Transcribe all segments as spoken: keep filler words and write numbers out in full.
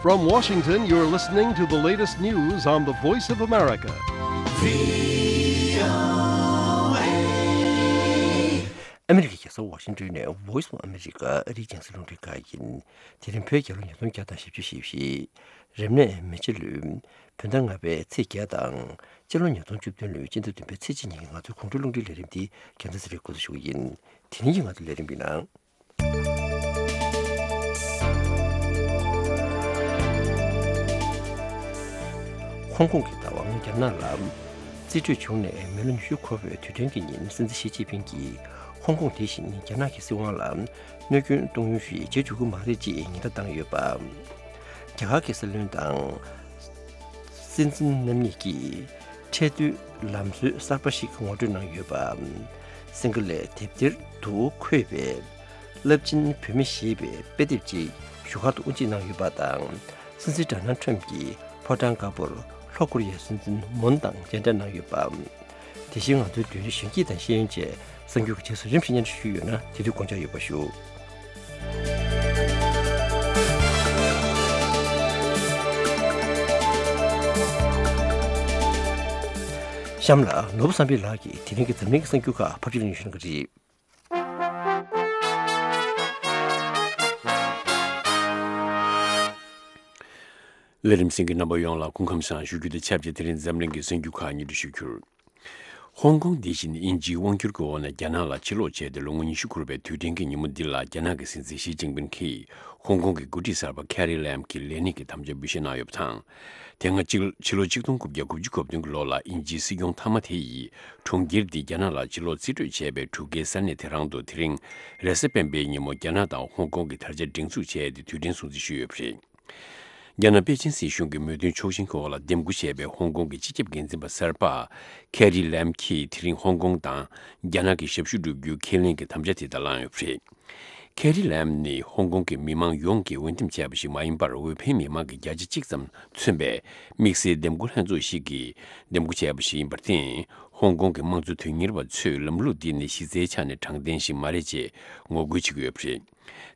From Washington, you're listening to the latest news on the Voice of America. ཨ་མི་རི་ཀའི་རྒྱལ་ས་ཝ་ཤིང་ཏོན་ནས་Voice of America ཨ་རིའི་རྒྱང་སྲིང་རླུང་འཕྲིན་ཁང་ཡིན། དེ་རིང་བོད་རྒྱལ་ལོ་ཉིས་སྟོང་བརྒྱ་དང་བཞི་བཅུ་ཞེ་བཞི། རབ་གནས་མེ་བྱ་ལོའི་བོད་ཟླ་ལྔ་པའི་ཚེས་བརྒྱད་དང་། སྤྱི་ལོ་ཉིས་སྟོང་བཅུ་བདུན་ལོའི་སྤྱི་ཟླ་བདུན་པའི་ཚེས་གཅིག་ཉིན་གྱི་ང་ཚོའི་དགོང་དྲོའི་རླུང་འཕྲིན་ལས་རིམ་འདི་རྒྱལ་མཚན་ཚེ་རིང་འགོ་འཛུགས་ཞུ་གི་ཡིན། དེ་རིང་གི་ང་ཚོའི་ལས་རིམ་པའི་ནང་། ཧོང་ཀོང་གི་བདག་དབང་རྒྱ་ནག་ལ་རྩིས་སྤྲོད་བྱུང་ནས་མི་ལོ་ཉི་ཤུ་འཁོར་བའི་དུས་དྲན་གྱི་ཉིན། སྲིད་འཛིན་ཞི་ཅིན་ཕིང་གིས་ཧོང་ཀོང་དེ་བཞིན་རྒྱ་ནག་གི་སྲིད་དབང་ལ་གནོད་སྐྱོན་གཏོང་ཡུལ་ཞིག་བྱེད་འཇུག་གི་མ་རེད་ཅེས་ཉེན་བརྡ་བཏང་ཡོད་པ། རྒྱ་གར་གྱི་སྲིད་བློན་དང་སྲིད་འཛིན་རྣམ་གཉིས་ཀྱིས་ཁྲལ་བསྡུའི་ལམ་སྲོལ་གསར་པ་ཞིག་ངོ་སྤྲོད་གནང་ཡོད་པ། སིང་ག་ལའི་དེབ་ཐེར་དུ་འཁོད་པའི་རླབས་ཆེན་བུད་མེད་ཞེས་པའི་དཔེ་དེབ་ཅིག་བཞུགས་སྒར་དུ་དབུ་འབྱེད་གནང་ཡོད་པ་དང་། སྲིད་འཛིན་ཌོ་ནལ་ཁྲམ་གྱིས་ཕོ་བྲང་དཀར་པོར་ལྷོ་ཀོ་རི་ཡའི་སྲིད་འཛིན་མུན་དང་མཇལ་འཕྲད་གནང་ཡོད་པ། དེ་བཞིན་ང་ཚོའི་བརྒྱུད་རིམ་གཞོན་སྐྱེས་དང་ཤེས་ཡོན་བཅས་གསར་འགྱུར་གྱི་རྗེས་སུ་རིམ་བཞིན་སྙན་སྒྲོན་ཞུས་ཡོད་ན་དེ་དུས་དགོངས་འཇགས་ཡོད་པ་ཞུ། གཤམ་ལ་ནོར་བུ་བསམ་འཕེལ་ལགས་ཀྱིས་དེ་རིང་གི་འཛམ་གླིང་གི་གསར་འགྱུར་ཁག་ཕབ་སྒྱུར་གནང་ཞུ་གནང་གི་རེད། ལས་རིམ་གསན་མཁན་རྣམ་པ་ཡོངས་ལ་སྐུ་ཁམས་བཟང་ཞུ་རྒྱུ་དང་ཆབས་ཅིག་དེ་རིང་འཛམ་གླིང་གི་གསར་འགྱུར་ཁག་སྙན་སྒྲོན་ཞུ་རྒྱུར། ཧོང་ཀོང་འདི་བཞིན་དབྱིན་ཇིའི་དབང་བསྒྱུར་གྱི་འོག་ནས་རྒྱ་ནག་ལ་ཕྱིར་ལོག་བྱས་ཏེ་ལོ་ངོ་ཉི་ཤུ་འཁོར་བའི་དུས་དྲན་གྱི་ཉིན་མོ་འདི་ལ་རྒྱ་ནག་གི་སྲིད་འཛིན་ཞི་ཅིན་ཕིང་གིས་ཧོང་ཀོང་གི་འགོ་ཁྲིད་གསར་པ་ཁེ་རི་ལེམ་གྱི་ལས་གནས་ཀྱི་དམ་བཅའ་འབུལ་བཞེས་གནང་ཡོད་པ་དང་། དེ་སྔ་ཕྱི་ཕྱི་ལོ་ཆིག་སྟོང་དགུ་བརྒྱ་དགུ་བཅུ་གོ་བདུན་གྱི་ལོ་ལ་དབྱིན་ཇིའི་སྲིད་སྐྱོང་མཐའ་མ་དེ་ཡིས་གྲོང་ཁྱེར་འདི་རྒྱ་ནག་ལ་ཕྱིར་ལོག་རྩིས་སྤྲོད་བྱས་པའི་གྲུ་ཁའི་ས་གནས་དེ་རང་དུ་དེ་རིང་རེས་གཟའ་སྤེན་པའི་ཉིན་མོ་རྒྱ་ནག་དང་ཧོང་ཀོང་གི་དར་ཆ་སྒྲེང་འཛུགས་བྱས་ཏེ་དུས་དྲན་སྲུང་བརྩི་ཞུས་ཡོད་པ་རེད། རྒྱ་ནག་པེ་ཅིན་སྲིད་གཞུང་གི་མོས་མཐུན་ཕྱོགས་ཞེན་གྱི་འོག་ལ་འདེམས་བསྐོ་བྱས་པའི་ཧོང་ཀོང་གི་སྤྱི་ཁྱབ་འགན་འཛིན་པ་གསར་པ་ཁེ་རི་ལེམ་གྱིས་དེ་རིང་ཧོང་ཀོང་དང་རྒྱ་ནག་གི་ཞབས་ཞུ་བསྒྲུབ་རྒྱུའི་ཁས་ལེན་གྱི་དམ་བཅའ་དེ་དང་བླངས་ཡོད་པ་རེད། ཁེ་རི་ལེམ་ནི་ཧོང་ཀོང་གི་མི་མང་ཡོངས་ཀྱིས་འོས་འདེམས་བྱས་པ་ཞིག་མ་ཡིན་པར་འོས་འཕེན་མི་མང་གི་བརྒྱ་ཆ་གཅིག་ཙམ་མཚོན་པའི་དམིགས་བསལ་འདེམས་བསྐོ་ལྷན་ཚོགས་ཤིག་གིས་འདེམས་བསྐོ་བྱས་པ་ཞིག་ཡིན་པར་བརྟེན། ཧོང་ཀོང་གི་དམངས་གཙོ་དོན་གཉེར་བ་ཚོས་ལམ་ལུགས་འདི་ནི་གཞི་རྩའི་ཆ་ནས་དྲང་བདེན་ཞིག་མ་རེད་ཅེས་ངོ་རྒོལ་བྱེད་ཀྱི་ཡོད་པ་རེད།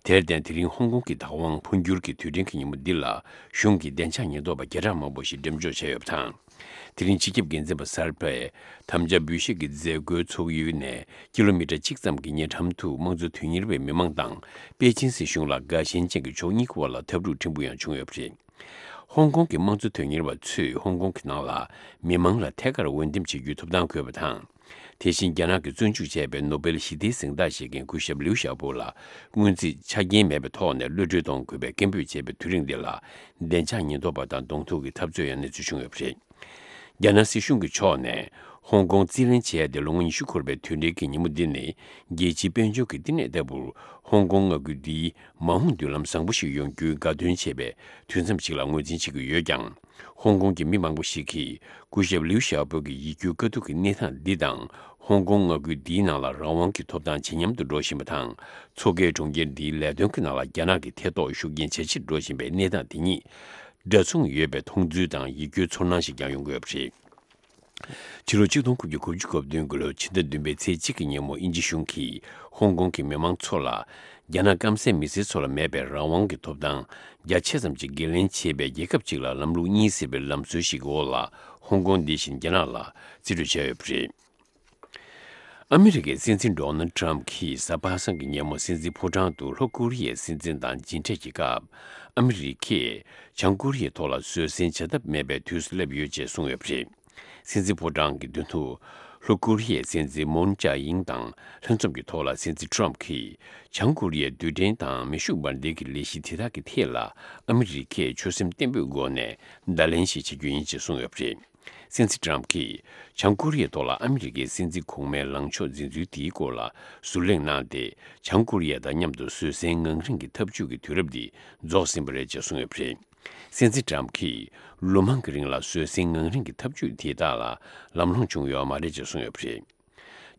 དེར་བརྟེན། དེ་རིང་ཧོང་ཀོང་གི་བདག་དབང་འཕོ་འགྱུར་གྱི་དུས་དྲན་གྱི་ཉིན་མོ་འདི་ལ་གཞུང་གི་བདེ་འཇགས་ཉེན་རྟོག་པ་བརྒྱ་ཕྲག་མང་པོ་ཞིག་འགྲེམས་འཇོག་བྱས་ཡོད་པ་དང་། དེ་རིང་སྤྱི་ཁྱབ་འགན་འཛིན་པ་གསར་པས་དམ་བཅའ་འབུལ་བཞེས་ཀྱི་མཛད་སྒོའི་ཚོགས་ཡུལ་ནས་ཀི་ལོ་མི་ཊར་གཅིག་ཙམ་གྱི་ཉེ་འགྲམ་དུ་དམངས་གཙོ་དོན་གཉེར་བའི་མི་མང་དང་པེ་ཅིན་སྲིད་གཞུང་ལ་དགའ་ཞེན་ཅན་གྱི་ཕྱོགས་གཉིས་ཀྱི་དབར་ལ་འཐབ་འཁྲུག་ཕྲན་བུ་ཡང་བྱུང་ཡོད་པ་རེད། ཧོང་ཀོང་གི་དམངས་གཙོ་དོན་གཉེར་བ་ཚོས་ཧོང་ཀོང་གི་ནང་ལ་མི་མང་ལ་ཐད་ཀར་འོས་འདེམས་བྱེད་རྒྱུའི་ཐོབ་ཐང་དགོས་པ་དང་། དེ་བཞིན་རྒྱ་ནག་གིས་བཙོན་འཇུག་བྱས་པའི་ནོ་སྦེལ་ཞི་བདེའི་གཟེངས་རྟགས་བཞེས་མཁན་སྐུ་ཞབས་ལིའུ་ཞའོ་པོ་ལ་སྔོན་རྩིས་ཆ་རྐྱེན་མེད་པའི་ཐོག་ནས་གློད་གྲོལ་གཏོང་དགོས་པའི་སྐད་འབོད་བྱས་པའི་དུས་རིང་འདི་ལ་བདེ་འཇགས་ཉེན་རྟོག་པ་དང་གདོང་ཐུག་གི་འཐབ་རྩོད་ཡང་གནས་ཚུལ་བྱུང་ཡོད་པ་རེད། རྒྱ་ནག་སྲིད་གཞུང་གི་ཕྱོགས་ནས་ཧོང་ཀོང་རྩིས་ལེན་བྱས་ཏེ་ལོ་ངོ་ཉི་ཤུ་འཁོར་བའི་དུས་དྲན་གྱི་ཉིན་མོ་འདི་ནི་རྒྱལ་སྤྱིའི་དཔལ་འབྱོར་གྱི་བསྟི་གནས་ལྟ་བུར་ཧོང་ཀོང་མངའ་ཁུལ་འདིའི་མ་འོངས་མདུན་ལམ་བཟང་པོ་ཞིག་ཡོང་རྒྱུའི་དགའ་སྟོན་བྱེད་པའི་དུས་མཚམས་ཤིག་ལ་ངོས་འཛིན་བྱེད་ཀྱི་ཡོད་ཀྱང་། ཧོང་ཀོང་གི་མི་མང་པོ་ཞིག་གིས་སྐུ་ཞབས་ལིའུ་ཞའོ་པོ་གི་ཡིད་སྐྱོའི་དཀའ་སྡུག་གི་གནས་སྟངས་འདི་དང་། ཧོང་ཀོང་མངའ་ཁུལ་འདིའི་ནང་ལ་རང་དབང་གི་ཐོབ་ཐང་ཇེ་ཉམས་སུ་འགྲོ་བཞིན་པ་དང་། མཚོ་ཁའི་གྲོང་ཁྱེར་འདིའི་ལས་དོན་གྱི་ནང་ལ་རྒྱ་ནག་གི་ཐེ་གཏོགས་ཤུགས་རྐྱེན་ཇེ་ཆེར་འགྲོ་བཞིན་པའི་གནས་སྟངས་དེ་གཉིས་འདྲ་མཚུངས་ཡོད་པའི་མཐོང་ཚུལ་དང་ཡིད་སྐྱོའི་ཚོར་སྣང་ཞིག་ཀྱང་ཡོང་གི་ཡོད་པ་རེད། ཕྱི་ལོ་ཆིག་སྟོང་དགུ་བརྒྱ་དགུ་བཅུ་གོ་བདུན་གྱི་ལོའི་ཕྱི་ཟླ་བདུན་པའི་ཚེས་གཅིག་གི་ཉིན་མོ་དབྱིན་ཇི་གཞུང་གིས་ཧོང་ཀོང་གི་མི་མང་ཚོ་ལ་རྒྱ་ནག་སྐམ་སའི་མི་སེར་ཚོ་ལ་མེད་པའི་རང་དབང་གི་ཐོབ་ཐང་རྒྱ་ཆེ་ཙམ་ཞིག་འགན་ལེན་བྱེད་པའི་རྒྱལ་ཁབ་ཅིག་ལ་ལམ་ལུགས་གཉིས་ཟེར་བའི་ལམ་སྲོལ་ཞིག་གི་འོག་ལ་ཧོང་ཀོང་འདི་བཞིན་རྒྱ་ནག་ལ་རྩིས་སྤྲོད་བྱས་ཡོད་པ་རེད། ཨ་མི་རི་ཀའི་སྲིད་འཛིན་ཌོ་ནལ་ཊམ་གྱིས་གཟའ་པ་སངས་ཀྱི་ཉིན་མོ་སྲིད་འཛིན་ཕོ་བྲང་དུ་ལྷོ་ཀོ་རི་ཡའི་སྲིད་འཛིན་དང་མཇལ་འཕྲད་ཀྱི་སྐབས། ཨ་མི་རི་ཀས་བྱང་ཀོ་རི་ཡའི་ཐོག་ལ་བཟོད་བསྲན་བྱ་ཐབས་མེད་པའི་དུས་སུ་སླེབས་ཡོད་ཅེས་གསུངས་ཡོད་པ་རེད། སྲིད་འཛིན་ཕོ་བྲང་གི་མདུན་དུ་ལྷོ་ཀོ་རི་ཡའི་སྲིད་འཛིན་མུན་ཅཱ་ཨིང་དང་ལྷན་འཛོམས་ཀྱི་ཐོག་ལ་སྲིད་འཛིན་ཊམ་གྱིས་བྱང་ཀོ་རི་ཡའི་རྡུལ་ཕྲན་དང་མེ་ཤུགས་འབར་མདེལ་གྱི་ལས་གཞི་དེ་དག་གི་ཐད་ལ་ཨ་མི་རི་ཀས་ཆོད་སེམས་བརྟན་པོའི་སྒོ་ནས་བརྡ་ལན་ཞིག་བྱེད་རྒྱུ་ཡིན་ཅེས་གསུངས་ཡོད་པ་རེད། སྲིད་འཛིན་ཊམ་གྱིས་བྱང་ཀོ་རི་ཡའི་ཐོག་ལ་ཨ་མི་རི་ཀའི་སྲིད་འཛིན་གོང་མའི་ལངས་ཕྱོགས་འཛིན་ཚུལ་དེའི་སྐོར་ལ་ཟུར་ལེགས་གནང་སྟེ། བྱང་ཀོ་རི་ཡ་དང་མཉམ་དུ་བཟོད་བསྲན་ངང་རིང་གི་འཐབ་ཇུས་ཀྱི་དུས་རབས་འདི་རྫོགས་ཟིན་པ་རེད་ཅེས་གསུངས་ཡོད་པ་རེད། སྲིད་འཛིན་ཊམ་གྱིས་ལོ་མང་གི་རིང་ལ་བཟོད་བསྲན་ངང་རིང་གི་འཐབ་ཇུས་དེ་དག་ལ་ལམ་ལྷོང་བྱུང་ཡོད་མ་རེད་ཅེས་གསུངས་ཡོད་པ་རེད།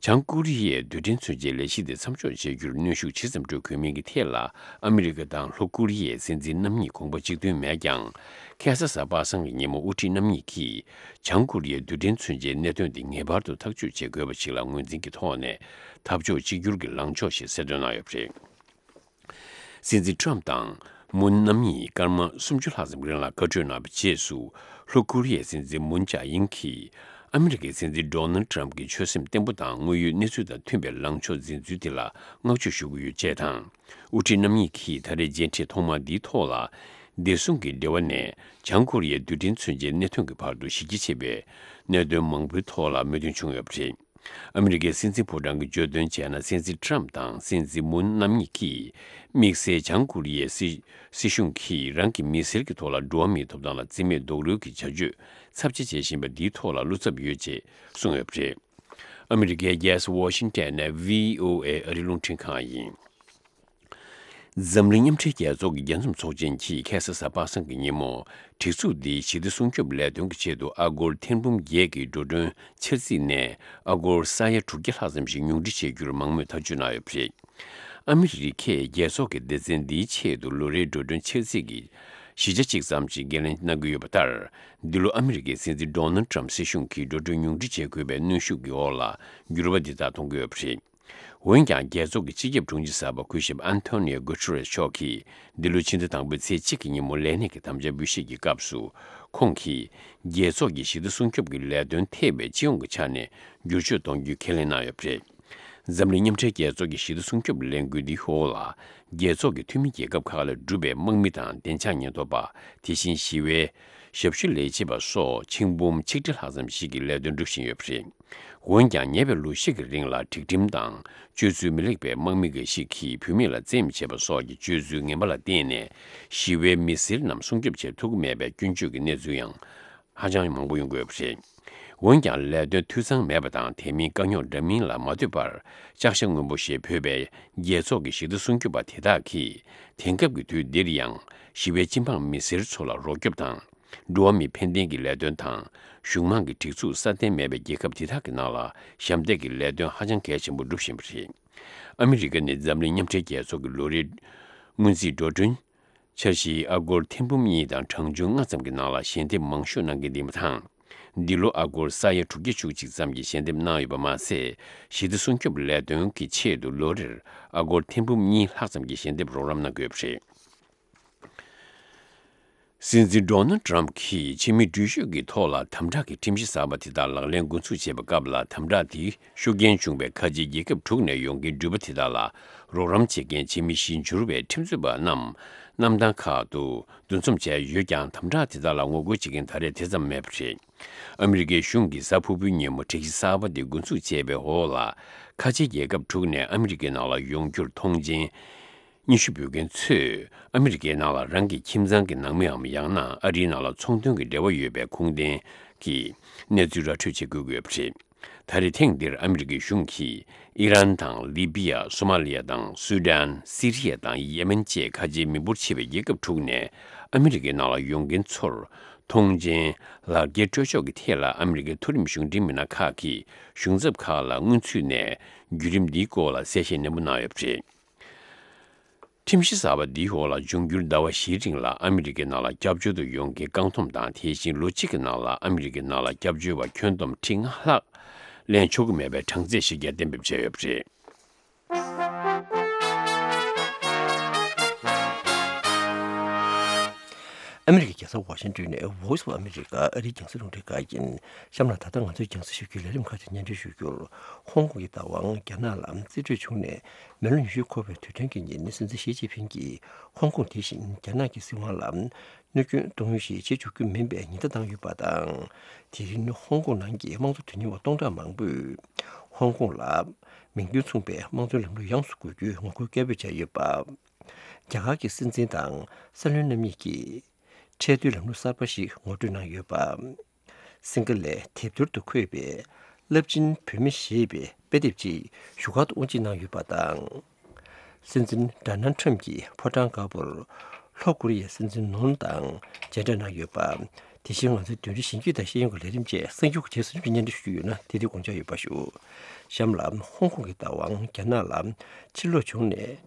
བྱང་ཀོ་རི་ཡས་རྡུལ་ཕྲན་མཚོན་ཆའི་ལས་གཞི་དེ་མཚམས་འཇོག་བྱེད་རྒྱུར་གནོན་ཤུགས་ཇི་ཙམ་སྤྲོད་དགོས་མིན་གྱི་ཐད་ལ་ཨ་མི་རི་ཀ་དང་ལྷོ་ཀོ་རི་ཡའི་སྲིད་འཛིན་རྣམ་གཉིས་དགོངས་པ་གཅིག་མཐུན་མེད་ཀྱང་། ཁ་སང་གཟའ་པ་སངས་ཀྱི་ཉིན་མོ་དབུ་ཁྲིད་རྣམ་གཉིས་ཀྱིས་བྱང་ཀོ་རི་ཡའི་རྡུལ་ཕྲན་མཚོན་ཆའི་གནད་དོན་དེ་ངེས་པར་དུ་ཐག་གཅོད་བྱེད་དགོས་པ་ཞིག་ལ་ངོས་འཛིན་གྱི་ཐོག་ནས་འཐབ་ཕྱོགས་གཅིག་གྱུར་གྱི་ལངས་ཕྱོགས་ཤིག་གསལ་སྟོན་གནང་ཡོད་པ་རེད། སྲིད་འཛིན་ཊམ་དང་ མུན་རྣམ་གཉིས་སྐར་མ་སུམ་ཅུ་ལྷག་ཙམ་རིང་ལ་བཀའ་གྲོས་གནང་བའི་རྗེས་སུ། ལྷོ་ཀོ་རི་ཡའི་སྲིད་འཛིན་མུན་ཅཱ་ཡིན་གྱིས་ཨ་མི་རི་ཀའི་སྲིད་འཛིན་ཌོ་ནལ་ཏྲམ་གྱི་ཆོད་སེམས་བརྟན་པོ་དང་དངོས་ཡོད་གནས་ཚུལ་དང་མཐུན་པའི་ལངས་ཕྱོགས་འཛིན་ཚུལ་དེ་ལ་བསྔགས་བརྗོད་ཞུ་གི་ཡོད་ཅེས་དང་། དབུ་ཁྲིད་རྣམ་གཉིས་ཀྱིས་ད་རེས་མཇལ་འཕྲད་ཐོག་མ་འདིའི་ཐོག་ལ། བདེ་སྲུང་གི་འབྲེལ་བ་ནས་བྱང་ཀོ་རི་ཡའི་རྡུལ་ཕྲན་མཚོན་ཆའི་གནད་དོན་གྱི་བར་དུ་གཞི་རྒྱ་ཆེ་བའི་གནད་དོན་མང་པོའི་ཐོག་ལ་མོས་མཐུན་བྱུང་ཡོད་པ་རེད། ཨ་མི་རི་ཀའི་སྲིད་འཛིན་ཕོ་བྲང་གིས་བརྗོད་དོན་བྱས་ན། སྲིད་འཛིན་ཏྲམ་དང་སྲིད་འཛིན་མུན་རྣམ་གཉིས་ཀྱིས་དམིགས་བསལ་བྱང་ཀོ་རི་ཡའི་སྲིད་སྲིད་གཞུང་གིས་རང་གི་མི་སེར་གྱི་ཐོག་ལ་འགྲོ་བ་མིའི་ཐོབ་ཐང་ལ་བརྩི་མེད་རྡོག་རོལ་གྱི་བྱ་སྤྱོད་ཚབས་ཆེ་བྱེད་བཞིན་པ་འདིའི་ཐོག་ལ་བློ་འཚབ་ཡོད་ཅེས་གསུངས་ཡོད་པ་རེད། ཨ་མི་རི་ཀའི་རྒྱལ་ས་ཝ་ཤིང་ཊོན་ནས་བྷི་ཨོ་ཨེ་ཨ་རིའི་རླུང་འཕྲིན་ཁང་ཡིན། འཛམ་གླིང་མཉམ་འབྲེལ་རྒྱལ་ཚོགས་ཀྱི་རྒྱལ་འཛོམས་ཚོགས་ཆེན་གྱིས་ཁ་སང་གཟའ་པ་སངས་ཀྱི་ཉིན་མོ། སྒྲིག་འཛུགས་འདིའི་ཞི་བདེ་སྲུང་སྐྱོབ་ལས་དོན་གྱི་ཆེད་དུ་ཨ་སྒོར་ཐེར་འབུམ་བརྒྱད་ཀྱི་འགྲོ་གྲོན་འཆར་རྩིས་ནས་ཨ་སྒོར་ས་ཡ་དྲུག་བརྒྱ་ལྷག་ཙམ་ཞིག་ཉུང་འཕྲི་བྱེད་རྒྱུར་མང་མོས་ཐག་གཅོད་གནང་ཡོད་པ་རེད། ཨ་མི་རི་ཀས་རྒྱལ་ཚོགས་ཀྱི་སྡེ་ཚན་འདིའི་ཆེད་དུ་ལོ་རེའི་འགྲོ་གྲོན་འཆར་རྩིས་ཀྱི་བཞི་ཆ་གཅིག་ཙམ་ཞིག་འགན་ལེན་གནང་གི་ཡོད་པ་ལྟར། འདི་ལོ་ཨ་མི་རི་ཀའི་སྲིད་འཛིན་ཌོ་ནལ་ཏྲམ་སྲིད་གཞུང་གིས་འགྲོ་གྲོན་ཉུང་འཕྲི་བྱེད་དགོས་པའི་གནོན་ཤུགས་ཀྱི་འོག་ལ་འགྱུར་བ་འདི་དག་གཏོང་གི་ཡོད་པ་རེད། འོན་ཀྱང་། རྒྱལ་ཚོགས་ཀྱི་སྤྱི་ཁྱབ་དྲུང་ཆེ་གསར་པ་སྐུ་ཞབས་ཨན་ཐོ་ནིའོ་གུ་ཊེ་རེས་མཆོག་གིས་འདི་ལོའི་ཕྱི་ཟླ་དང་པོའི་ཚེས་གཅིག་གི་ཉིན་མོ་ལས་གནས་ཀྱི་དམ་བཅའ་འབུལ་བཞེས་ཀྱི་སྐབས་སུ། ཁོང་གིས་རྒྱལ་ཚོགས་ཀྱི་ཞི་བདེ་སྲུང་སྐྱོབ་ཀྱི་ལས་དོན་ཐེ་བའི་སྤྱི་ཡོངས་ཀྱི་ཆ་ནས་བསྒྱུར་བཅོས་གཏོང་རྒྱུའི་ཁས་ལེན་གནང་ཡོད་པ་རེད། འཛམ་གླིང་མཉམ་འབྲེལ་རྒྱལ་ཚོགས་ཀྱི་ཞི་བདེ་སྲུང་སྐྱོབ་ལས་འགུལ་འདིའི་འོག་ལ། རྒྱལ་ཚོགས་ཀྱི་འཐུས་མི་རྒྱལ་ཁབ་ཁག་ལས་གྲུབ་པའི་དམག་མི་དང་བདེ་འཇགས་ཉེན་རྟོག་པ། དེ་བཞིན་ཞི་བའི་ཞབས་ཞུ་ལས་བྱེད་པ་སོགས་ཆིག་འབུམ་ཆིག་ཁྲི་ལྷག་ཙམ་ཞིག་གིས་ལས་དོན་སྒྲུབ་བཞིན་ཡོད་པ་རེད། འོན་ཀྱང་། ཉེ་བའི་ལོ་བཞི་གི་རིང་ལ་སྒྲིག་ཁྲིམས་དང་སྤྱོད་ཚུལ་མི་ལེགས་པའི་དམག་མི་འགའ་ཞིག་གིས་བུད་མེད་ལ་བཙན་གཡེམ་བྱས་པ་སོགས་ཀྱི་སྤྱོད་ཚུལ་ངན་པ་ལ་བརྟེན་ནས། ཞི་བའི་མི་སེར་རྣམས་སྲུང་སྐྱོབ་བྱེད་ཐུབ་ཀྱི་མེད་པའི་སྐྱོན་བརྗོད་ཀྱི་གནས་ཚུལ་ཡང་ཧ་ཅང་མང་པོ་ཡོང་གི་ཡོད་པ་རེད། འོན་ཀྱང་། ལས་དོན་འཐུས་ཚང་མེད་པ་དང་། དེ་མིན། དཀའ་རྙོག་འདྲ་མིན་ལ་མ་ལྟོས་པར་ལྕགས་ཞྭ་སྔོན་པོ་ཞེས་འབོད་པའི་རྒྱལ་ཚོགས་ཀྱི་ཞི་བདེ་སྲུང་སྐྱོབ་པ་དེ་དག་གིས། དེང་སྐབས་ཀྱི་དུས་འདིར་ཡང་། ཞི་བའི་སྤྱི་འབངས་མི་སེར་ཚོ་ལ་རོགས་སྐྱོབ་དང་། འགྲོ་བ་མིའི་ཕན་བདེ་གི་ལས་དོན་དང་། གཞུང་མང་གི་སྒྲིག་འཛུགས་སྲ་བརྟན་མེད་པའི་རྒྱལ་ཁབ་དེ་དག་གི་ནང་ལ་ཞབས་འདེགས་ཀྱི་ལས་དོན་ཧ་ཅང་གལ་ཆེན་པོ་སྒྲུབ་བཞིན་པ་རེད། ཨ་མི་རི་ཀ་ནི་འཛམ་གླིང་མཉམ་འབྲེལ་རྒྱལ་ཚོགས་ཀྱི་ལོ་རེའི་སྔོན་རྩིས་འགྲོ་གྲོན་འཆར་གཞིའི་ཨ་སྒོར་ཐེར་འབུམ་གཉིས་དང་གྲངས་ཆུང་ལྔ་ཙམ་གྱི་ནང་ལ་ཞལ་འདེབས་མང་ཤོས་གནང་མཁན་ཡིན་པ་དང་། འདི་ལོ་ཨ་སྒོར་ས་ཡ་དྲུག་བརྒྱ་བཅུ་གཅིག་ཙམ་གྱི་ཞལ་འདེབས་གནང་ཡོད་པ་མ་ཟད། ཞི་བདེ་སྲུང་སྐྱོབ་ལས་དོན་གྱི་ཆེད་དུ་ལོ་རེར་ཨ་སྒོར་ཐེར་འབུམ་གཉིས་ལྷག་ཙམ་གྱི་ཞལ་འདེབས་རོགས་རམ་གནང་གི་ཡོད་པ་རེད། སྲིད་འཛིན་ཌོ་ནལ་ཏྲམ་གྱིས་ཕྱི་མི་འགྲུལ་བཞུད་ཀྱི་ཐོག་ལ་དམ་དྲག་གི་ཁྲིམས་གཞི་གསར་པ་དེ་དག་ལག་ལེན་འགོ་འཛུགས་བྱས་པའི་སྐབས་ལ། དམ་དྲག་དེའི་ཤུགས་རྐྱེན་བྱུང་བའི་ཁ་ཆེའི་རྒྱལ་ཁབ་དྲུག་ནས་ཡོང་མཁན་འགྲུལ་པ་དེ་དག་ལ་རོགས་རམ་བྱེད་མཁན་ཕྱི་མི་གཞི་འགྱུར་བའི་ཁྲིམས་རྩོད་པ་རྣམས་གནམ་ཐང་ཁག་ཏུ་འདུ་འཛོམས་བྱས་ཡོད་ཀྱང་། དམ་དྲག་དེ་དག་ལ་ངོ་རྒོལ་བྱེད་མཁན་ད་རེས་དེ་ཙམ་མེད་པ་རེད། ཨ་མི་རི་ཀའི་གཞུང་གིས་གཟའ་ཕུར་བུའི་ཉིན་མོ་སྒྲིག་གཞི་གསར་པ་དེ་འགོ་འཛུགས་བྱས་པའི་འོག་ལ། ཁ་ཆེའི་རྒྱལ་ཁབ་དྲུག་ནས་ཨ་མི་རི་ཀའི་ནང་ལ་ཡོང་རྒྱུར་མཐོང་མཆན་སྙན་ཞུ་འབུལ་མཁན་ཚོས་ཨ་མི་རི་ཀའི་ནང་ལ་རང་གི་ཁྱིམ་ཚང་གི་ནང་མིའམ་ཡང་ན་ཨ་རིའི་ནང་ལ་ཚོང་དོན་གྱི་འབྲེལ་བ་ཡོད་པའི་ཁུངས་ལྡན་གྱི་གནས་ཚུལ་ར་འཕྲོད་བྱེད་དགོས་ཀྱི་ཡོད་པ་རེད། ད་རེས་ཐེངས་འདིར་ཨ་མི་རི་ཀའི་གཞུང་གིས་ཨི་རན་དང་ལི་བི་ཡ། སོ་མ་ལི་ཡ་དང་སུ་དཱན། སི་རི་ཡ་དང་ཡེ་མེན་བཅས་ཁ་ཆེའི་མི་འབོར་ཆེ་བའི་རྒྱལ་ཁབ་དྲུག་ནས་ཨ་མི་རི་ཀའི་ནང་ལ་ཡོང་མཁན་ཚོར་མཐོང་མཆན། ལག་འཁྱེར་སྤྲོད་ཕྱོགས་ཀྱི་ཐད་ལ་ཨ་མི་རི་ཀའི་མཐོ་རིམ་གཞུང་འབྲེལ་མི་སྣ་ཁག་གིས་གཞུང་ཚབ་ཁག་ལ་སྔོན་ཚུད་ནས་བརྒྱུད་རིམ་འདིའི་སྐོར་ལ་གསལ་བཤད་ནན་པོ་གནང་ཡོད་པ་རེད། ཁྲིམས་གཞི་གསར་པ་འདིའི་འོག་ལ་འབྱུང་འགྱུར་ཟླ་བ་བཞིའི་རིང་ལ་ཨ་མི་རི་ཀའི་ནང་ལ་སྐྱབས་བཅོལ་དུ་ཡོང་མཁན་རྐང་འཐུང་དང་། དེ་བཞིན་ལོ་གཅིག་གི་ནང་ལ་ཨ་མི་རི་ཀའི་ནང་ལ་སྐྱབས་བཅོལ་བ་ཁྱོན་བསྡོམས་ཁྲི་ལྔ་ལྷག་ལེན་ཆོག་གི་མེད་པའི་གྲངས་ཚད་ཞིག་ཀྱང་གཏན་འབེབས་བྱས་ཡོད་པ་རེད། ཨ་མི་རི་ཀའི་རྒྱལ་ས་ཝ་ཤིང་ཏོན་ནས་Voice of America ཨ་རིའི་རྒྱང་སྲིང་རླུང་འཕྲིན་ཁང་ཡིན། གཤམ་ལ་ད་ལྟ་ང་ཚོས་རྒྱང་སྲིང་ཞུ་རྒྱུའི་ལས་རིམ་ཁག་ཅིག་སྙན་སྒྲོན་ཞུ་རྒྱུར། ཧོང་ཀོང་གི་བདག་དབང་རྒྱ་ནག་ལ་རྩིས་སྤྲོད་བྱུང་ནས་མི་ལོ་ཉི་ཤུ་འཁོར་བའི་དུས་སྟོན་གྱི་ཉིན། སྲིད་འཛིན་ཞི་ཅིན་ཕིང་གིས་ཧོང་ཀོང་དེ་བཞིན་རྒྱ་ནག་གི་སྲིད་དབང་ལ་གནོད་སྐྱོན་གཏོང་ཡུལ་ཞིག་བྱེད་འཇུག་རྒྱུ་མིན་པའི་ཉེན་བརྡ་བཏང་ཡོད་པ་དང་། དེ་རིང་ཧོང་ཀོང་ནང་གི་དམངས་གཙོ་དོན་གཉེར་བ་སྟོང་ཕྲག་མང་པོས་ཧོང་ཀོང་ལ་མིང་དོན་མཚུངས་པའི་དམངས་གཙོའི་ལམ་ལུགས་ཡོངས་སུ་དགོས་རྒྱུའི་ངོ་རྒོལ་སྐད་འབོད་བྱས་ཡོད་པ། རྒྱ་གར་གྱི་སྲིད་འཛིན་དང་སྲིད་བློན་རྣམ་གཉིས་ཀྱིས་ཁྲལ་བསྡུའི་ལམ་ལུགས་གསར་པ་ཞིག་ངོ་སྤྲོད་གནང་ཡོད་པ། སིང་ག་ལའི་དེབ་ཐེར་དུ་འཁོད་པའི་རླབས་ཆེན་བུད་མེད་ཞེས་པའི་དཔེ་དེབ་ཅིག་བཞུགས་སྒར་དུ་དབུ་འབྱེད་གནང་ཡོད་པ་དང་། སྲིད་འཛིན་ཌོ་ནལ་ཊམ་གྱི་ཕོ་བྲང་དཀར་པོར་ལྷོ་ཀོ་རི་ཡའི་སྲིད་འཛིན་ནོན་དང་མཇལ་འཕྲད་གནང་ཡོད་པ། དེ་བཞིན་ང་ཚོའི་བདུན་རེ་བཞིན་སྐྱིད་དང་ཤེས་ཡོན་གྱི་ལས་རིམ་བཅས་གསར་འགྱུར་གྱི་རྗེས་སུ་སྙན་སྒྲོན་ཞུ་རྒྱུ་ཡོད་ན། དེ་དུས་དགོངས་འཇགས་ཡོད་པ་ཞུ། གཤམ་ལ་ཧོང་ཀོང་གི་བདག་དབང་རྒྱ་ནག་ལ་ཕྱིར་ལོག་བྱུང་ནས་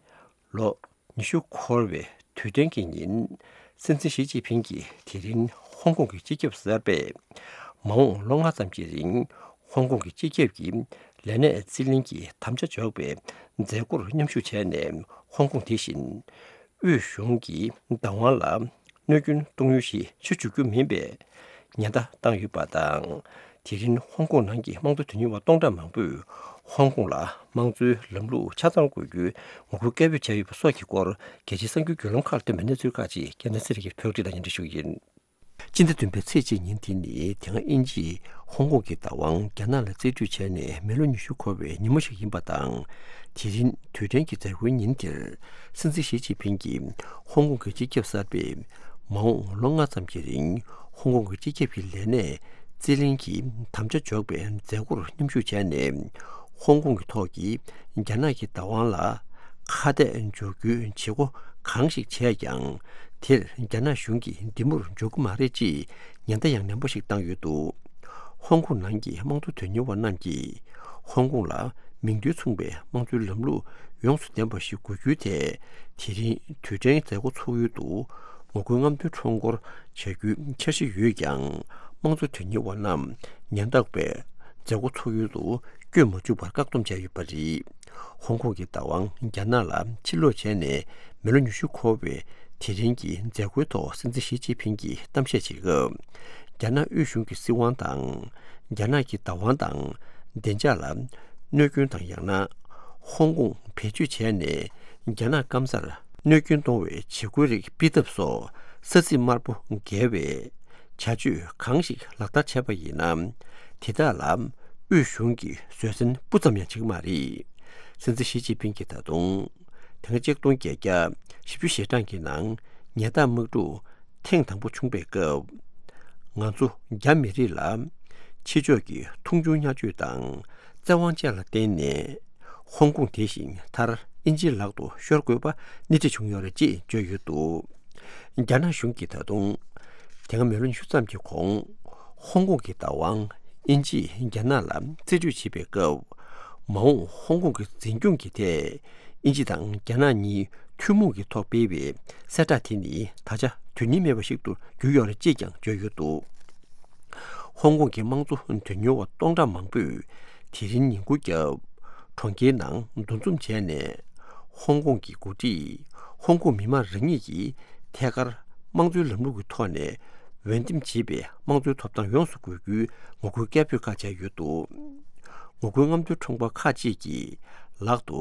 ལོ་ཉི་ཤུ་འཁོར་བའི་དུས་སྟོན་གྱི་ཉིན། སྲིད་འཛིན་ཞི་ཅིན་ཕིང་གིས་དེ་རིང་ཧོང་ཀོང་གི་སྤྱི་ཁྱབ་གསར་པས་མ་འོངས་ལོ་ལྔ་ཙམ་གྱི་རིང་ཧོང་ཀོང་གི་སྤྱི་ཁྱབ་ཀྱི་ལས་གནས་རྩིས་ལེན་གྱི་དམ་བཅའ་འཇོག་པའི་མཛད་སྒོར་མཉམ་ཞུགས་བྱས་ནས། ཧོང་ཀོང་དེ་བཞིན་ དབུས་གཞུང་གི་བདག་དབང་ལ་གནོད་སྐྱོན་གཏོང་ཡུལ་ཞིག་ཆགས་འཇུག་རྒྱུ་མིན་པའི་ཉེན་བརྡ་བཏང་ཡོད་པ་དང་། དེ་རིང་ཧོང་ཀོང་ནང་གི་དམངས་གཙོ་དོན་གཉེར་བ་སྟོང་ཕྲག་མང་པོས་ཧོང་ཀོང་ལ་དམངས་གཙོའི་ལམ་ལུགས་ཆ་ཚང་དགོས་རྒྱུའི་ངོ་རྒོལ་སྐད་འབོད་བྱས་ཡོད་པ་སོགས་ཀྱི་སྐོར། རྒྱལ་སྤྱིའི་གསར་འགྱུར་བརྒྱུད་ལམ་ཁག་ལ་བཏོན་པའི་གནས་ཚུལ་ཁག་ཅིག་རྒྱལ་ནང་གསེར་གྱི་བོད་སྐད་དང་མཉམ་འབྲེལ་ཞུ་གི་ཡིན། སྤྱི་ཟླ་བདུན་པའི་ཚེས་གཅིག་ཉིན་དེ་ནི་དེ་སྔ་དབྱིན་ཇིས་ཧོང་ཀོང་གི་བདག་དབང་རྒྱ་ནག་ལ་རྩིས་སྤྲོད་བྱས་ནས་མི་ལོ་ཉི་ཤུ་འཁོར་བའི་ཉིན་མོ་ཞིག་ཡིན་པ་དང་། དེ་རིང་དུས་དྲན་གྱི་མཛད་སྒོའི་ཉིན་དེར། སྲིད་འཛིན་ཞི་ཅིན་ཕིང་གིས་ཧོང་ཀོང་གི་སྤྱི་ཁྱབ་གསར་པས་མ་འོངས་ལོ་ལྔ་ཙམ་གྱི་རིང་ཧོང་ཀོང་གི་སྤྱི་ཁྱབ་ཀྱི་ལས་གནས་རྩིས་ལེན་གྱི་དམ་བཅའ་འཇོག་པའི་མཛད་སྒོར་མཉམ་ཞུགས་བྱས་ནས། ཧོང་ཀོང་གི་ཐོག་གི་རྒྱ་ནག་གི་བདག་དབང་ལ་ཁ་གཏད་འཇོག་རྒྱུའི་བྱེད་སྒོ་གང་ཞིག་བྱས་ཀྱང་། དེར་རྒྱ་ནག་གཞུང་གིས་འདི་མུར་འཇོག་གི་མ་རེད་ཅེས་ཉེན་བརྡ་ཡང་ནན་པོ་ཞིག་བཏང་ཡོད་འདུག་ཧོང་ཀོང་ནང་གི་དམངས་གཙོ་དོན་གཉེར་བ་རྣམས་ཀྱིས་ཧོང་ཀོང་ལ་མིང་དོན་མཚུངས་པའི་དམངས་གཙོའི་ལམ་ལུགས་ཡོངས་སུ་ལྡན་པ་ཞིག་དགོས་རྒྱུའི་ཐད། དེ་རིང་དུས་དྲན་མཛད་སྒོ་ཚོགས་ཡུལ་དུ་ངོ་རྒོལ་རྔམ་སྟོན་ཁྲོམ་སྐོར་བྱ་རྒྱུའི་འཆར་གཞི་ཡོད་ཀྱང་། དམངས་གཙོ་དོན་གཉེར་བ་རྣམས་ཉེན་རྟོག་པས་མཛད་སྒོ་ཚོགས་ཡུལ་དུ་བསྐྱོད་མ་བཅུག་པར་བཀག་སྡོམ་བྱས་ཡོད་པ་རེད། ཧོང་ཀོང་གི་བདག་དབང་རྒྱ་ནག་ལ་ཕྱིར་སློག་བྱས་ནས་མི་ལོ་ཉི་ཤུ་འཁོར་བའི་དེ་རིང་གི་མཛད་སྒོའི་ཐོག་སྲིད་འཛིན་ཞི་ཅིན་ཕིང་གིས་གཏམ་བཤད་བྱེད་སྐབས། རྒྱ་ནག་དབུས་གཞུང་གི་སྲིད་དབང་དང་། རྒྱ་ནག་གི་བདག་དབང་དང་བདེ་འཇགས་ལ་གནོད་སྐྱོན་དང་། ཡང་ན་ཧོང་ཀོང་བེད་སྤྱོད་བྱས་ནས་རྒྱ་ནག་སྐམ་སར་གནོད་སྐྱོན་གཏོང་བའི་བྱེད་སྒོའི་རིགས་སྤེལ་ཐབས་སོགས་ས་ཚིགས་དམར་པོ་འགེལ་བའི་བྱ་སྤྱོད་གང་ཞིག་ལག་བསྟར་བྱས་པ་ཡིན་ན། དེ་དག་ལ་དབུས་གཞུང་གིས་བཟོད་བསྲན་སྤུ་ཙམ་ཡང་བྱེད་ཀྱི་མ་རེད། སྲིད་འཛིན་ཞི་ཅིན་ཕིང་གིས་ད་དུང་། དེ་སྔ་ཆིག་སྟོང་བརྒྱད་བརྒྱ་བཞི་བཅུ་ཞེ་གྲངས་ཀྱི་ནང་ཉལ་ཐ་དམག་འཁྲུག་ཐེངས་དང་པོ་བྱུང་པའི་སྐབས། ང་ཚོ་རྒྱ་མི་རིགས་ལ་ཕྱི་ཕྱོགས་ཀྱི་མཐོང་ཆུང་བརྙས་བཅོས་དང་བཙན་དབང་བཅས་ལ་བརྟེན་ནས། ཧོང་ཀོང་དེ་བཞིན་མཐར་དབྱིན་ཇིའི་ལག་ཏུ་ཤོར་དགོས་པ་སྣེ་ཁྲིད་བྱུང་ཡོད་རེད་ཅེས་བརྗོད་ཡོད་འདུག་རྒྱ་ནག་གཞུང་གིས་ད་དུང་། དེ་སྔ་མི་ལོ་ཉི་ཤུ་ཙམ་གྱི་གོང་། ཧོང་ཀོང་གི་བདག་དབང་དབྱིན་ཇིས་རྒྱ་ནག་ལ་རྩིས་སྤྲོད་བྱེད་པའི་སྐབས། མ་འོངས་ཧོང་ཀོང་གི་འཛིན་སྐྱོང་གི་ཐད། དབྱིན་ཇི་དང་རྒྱ་ནག་གཉིས་ཐུན་མོང་གི་ཐོག་སྤེལ་བའི་གསལ་བསྒྲགས་དེ་ནི་ད་ཆ་དོན་སྙིང་མེད་པ་ཞིག་ཏུ་གྱུར་ཡོད་རེད་ཅེས་ཀྱང་བརྗོད་ཡོད་འདུག་ཧོང་ཀོང་གི་དམངས་གཙོ་དོན་གཉེར་བ་སྟོང་ཕྲག་མང་པོས་དེ་རིང་ཉིན་གུང་སྐབས་གྲོང་ཁྱེར་ནང་འདུ་འཛོམས་བྱས་ནས། ཧོང་ཀོང་གི་འགོ་ཁྲིད་ཧོང་ཀོང་མི་དམངས་རང་ཉིད་ཀྱིས་ཐད་ཀར་དམངས་གཙོའི་ལམ་ལུགས་ཀྱི་ཐོག་ནས་འོས་འདེམས་བྱས་པའི་དམངས་གཙོའི་ཐོབ་ཐང་ཡོངས་སུ་དགོས་རྒྱུའི་ངོ་རྒོལ་སྐད་འབོད་ཁག་བྱས་ཡོད་འདུག་ངོ་རྒོལ་རྔམ་སྟོན་ཁྲོམ་སྐོར་ཁག་ཅིག་གིས་ལག་ཏུ་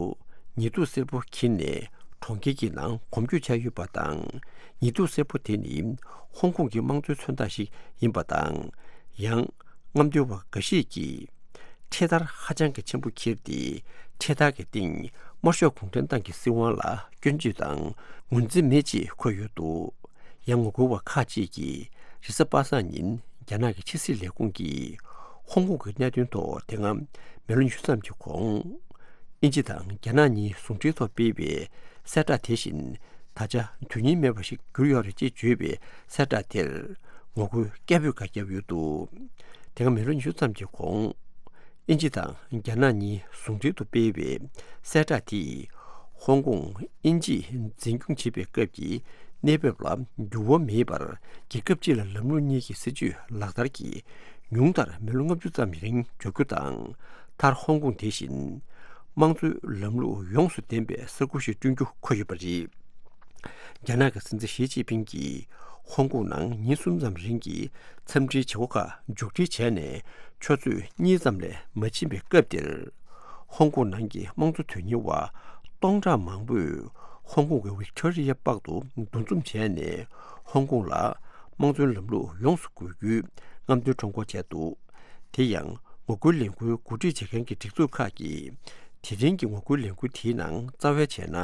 ཉི་གདུགས་སེར་པོ་འཁྱེར་ནས་གྲོང་ཁྱེར་གྱི་ནང་གོམ་བགྲོད་བྱས་ཡོད་པ་དང་། ཉི་གདུགས་སེར་པོ་དེ་ནི་ཧོང་ཀོང་གི་དམངས་གཙོའི་མཚོན་རྟགས་ཤིག་ཡིན་པ་དང་། ཡང་རྔམ་སྟོན་པ་འགའ་ཞིག་གིས་འཕྲེད་དར་ཧ་ཅང་གི་ཆེན་པོ་འཁྱེར་ཏེ། འཕྲེད་དར་གྱི་སྟེང་དམར་ཤོག་གུང་ཁྲན་ཏང་གི་སྲིད་དབང་ལ་སྐྱོན་བརྗོད་དང་ངོས་འཛིན་མེད་ཅེས་འཁོད་ཡོད་འདུག་ཡང་ངོ་རྒོལ་བ་ཁག་ཅིག་གིས་རེས་གཟའ་པ་སངས་ཉིན་རྒྱ་ནག་གི་ཕྱི་སྲིད་ལས་ཁུངས་ཀྱིས་ཧོང་ཀོང་གི་གནད་དོན་ཐོག་དེ་སྔ་མི་ལོ་ཉི་ཤུ་ཙམ་གྱི་གོང་། དབྱིན་ཇི་དང་རྒྱ་ནག་གཉིས་ཟུང་འབྲེལ་ཐོག་སྤེལ་བའི་གསལ་བསྒྲགས་དེ་བཞིན་ད་ཆ་དོན་སྙིང་མེད་པ་ཞིག་གྱུར་ཡོད་རེད་ཅེས་བརྗོད་པའི་གསལ་བསྒྲགས་དེར་ངོ་རྒོལ་སྐད་འབོད་ཁག་བརྒྱབ་ཡོད་འདུག་དེ་སྔ་མི་ལོ་ཉི་ཤུ་ཙམ་གྱི་གོང་། དབྱིན་ཇི་དང་རྒྱ་ནག་གཉིས་ཟུང་འབྲེལ་དུ་སྤེལ་བའི་གསལ་བསྒྲགས་དེས། ཧོང་ཀོང་དབྱིན་ཇིས་འཛིན་སྐྱོང་བྱེད་པའི་སྐབས་ཀྱི་གནས་བབ་ལ་འགྱུར་བ་མེད་པར། རྒྱལ་ཁབ་སྤྱི་ལ་ལམ་ལུགས་གཉིས་ཀྱི་སྲིད་ཇུས་ལག་བསྟར་གྱིས་ཉུང་མཐར་མི་ལོ་ལྔ་བཅུ་ཙམ་རིང་འཇོག་རྒྱུ་དང་། མཐར་ཧོང་ཀོང་དེ་བཞིན་དམངས་གཙོའི་ལམ་ལུགས་ཡོངས་སུ་ལྡན་པའི་ས་ཁུལ་ཞིག་བསྐྲུན་རྒྱུ་འཁོད་ཡོད་པ་རེད། རྒྱ་ནག་གི་སྲིད་འཛིན་ཞི་ཅིན་ཕིང་གིས་ཧོང་ཀོང་ནང་ཉིན་གསུམ་ཙམ་རིང་གི་འཚམས་འདྲིའི་བྱེད་སྒོ་ཁག་མཇུག་སྒྲིལ་བྱས་ནས་ཆུ་ཚོད་གཉིས་ཙམ་ལས་མ་ཕྱིན་པའི་སྐབས་དེར། ཧོང་ཀོང་ནང་གི་དམངས་གཙོ་དོན་གཉེར་བ་སྟོང་ཕྲག་མང་པོས་ཧོང་ཀོང་གི་ཝིག་ཏོ་རི་ཡ་པག་ཏུ་འདུ་འཛོམས་བྱས་ནས། ཧོང་ཀོང་ལ་དམངས་གཙོའི་ལམ་ལུགས་ཡོངས་སུ་དགོས་རྒྱུའི་རྔམ་སྟོན་ཁྲོམ་སྐོར་བྱས་འདུག་དེ་ཡང་ངོ་རྒོལ་ལས་འགུལ་འགོ་ཁྲིད་བྱེད་མཁན་གྱི་སྒྲིག་འཛུགས་ཁག་གིས། དེ་རིང་གི་ངོ་རྒོལ་ལས་འགུལ་དེའི་ནང་རྩ་བའི་བྱས་ན།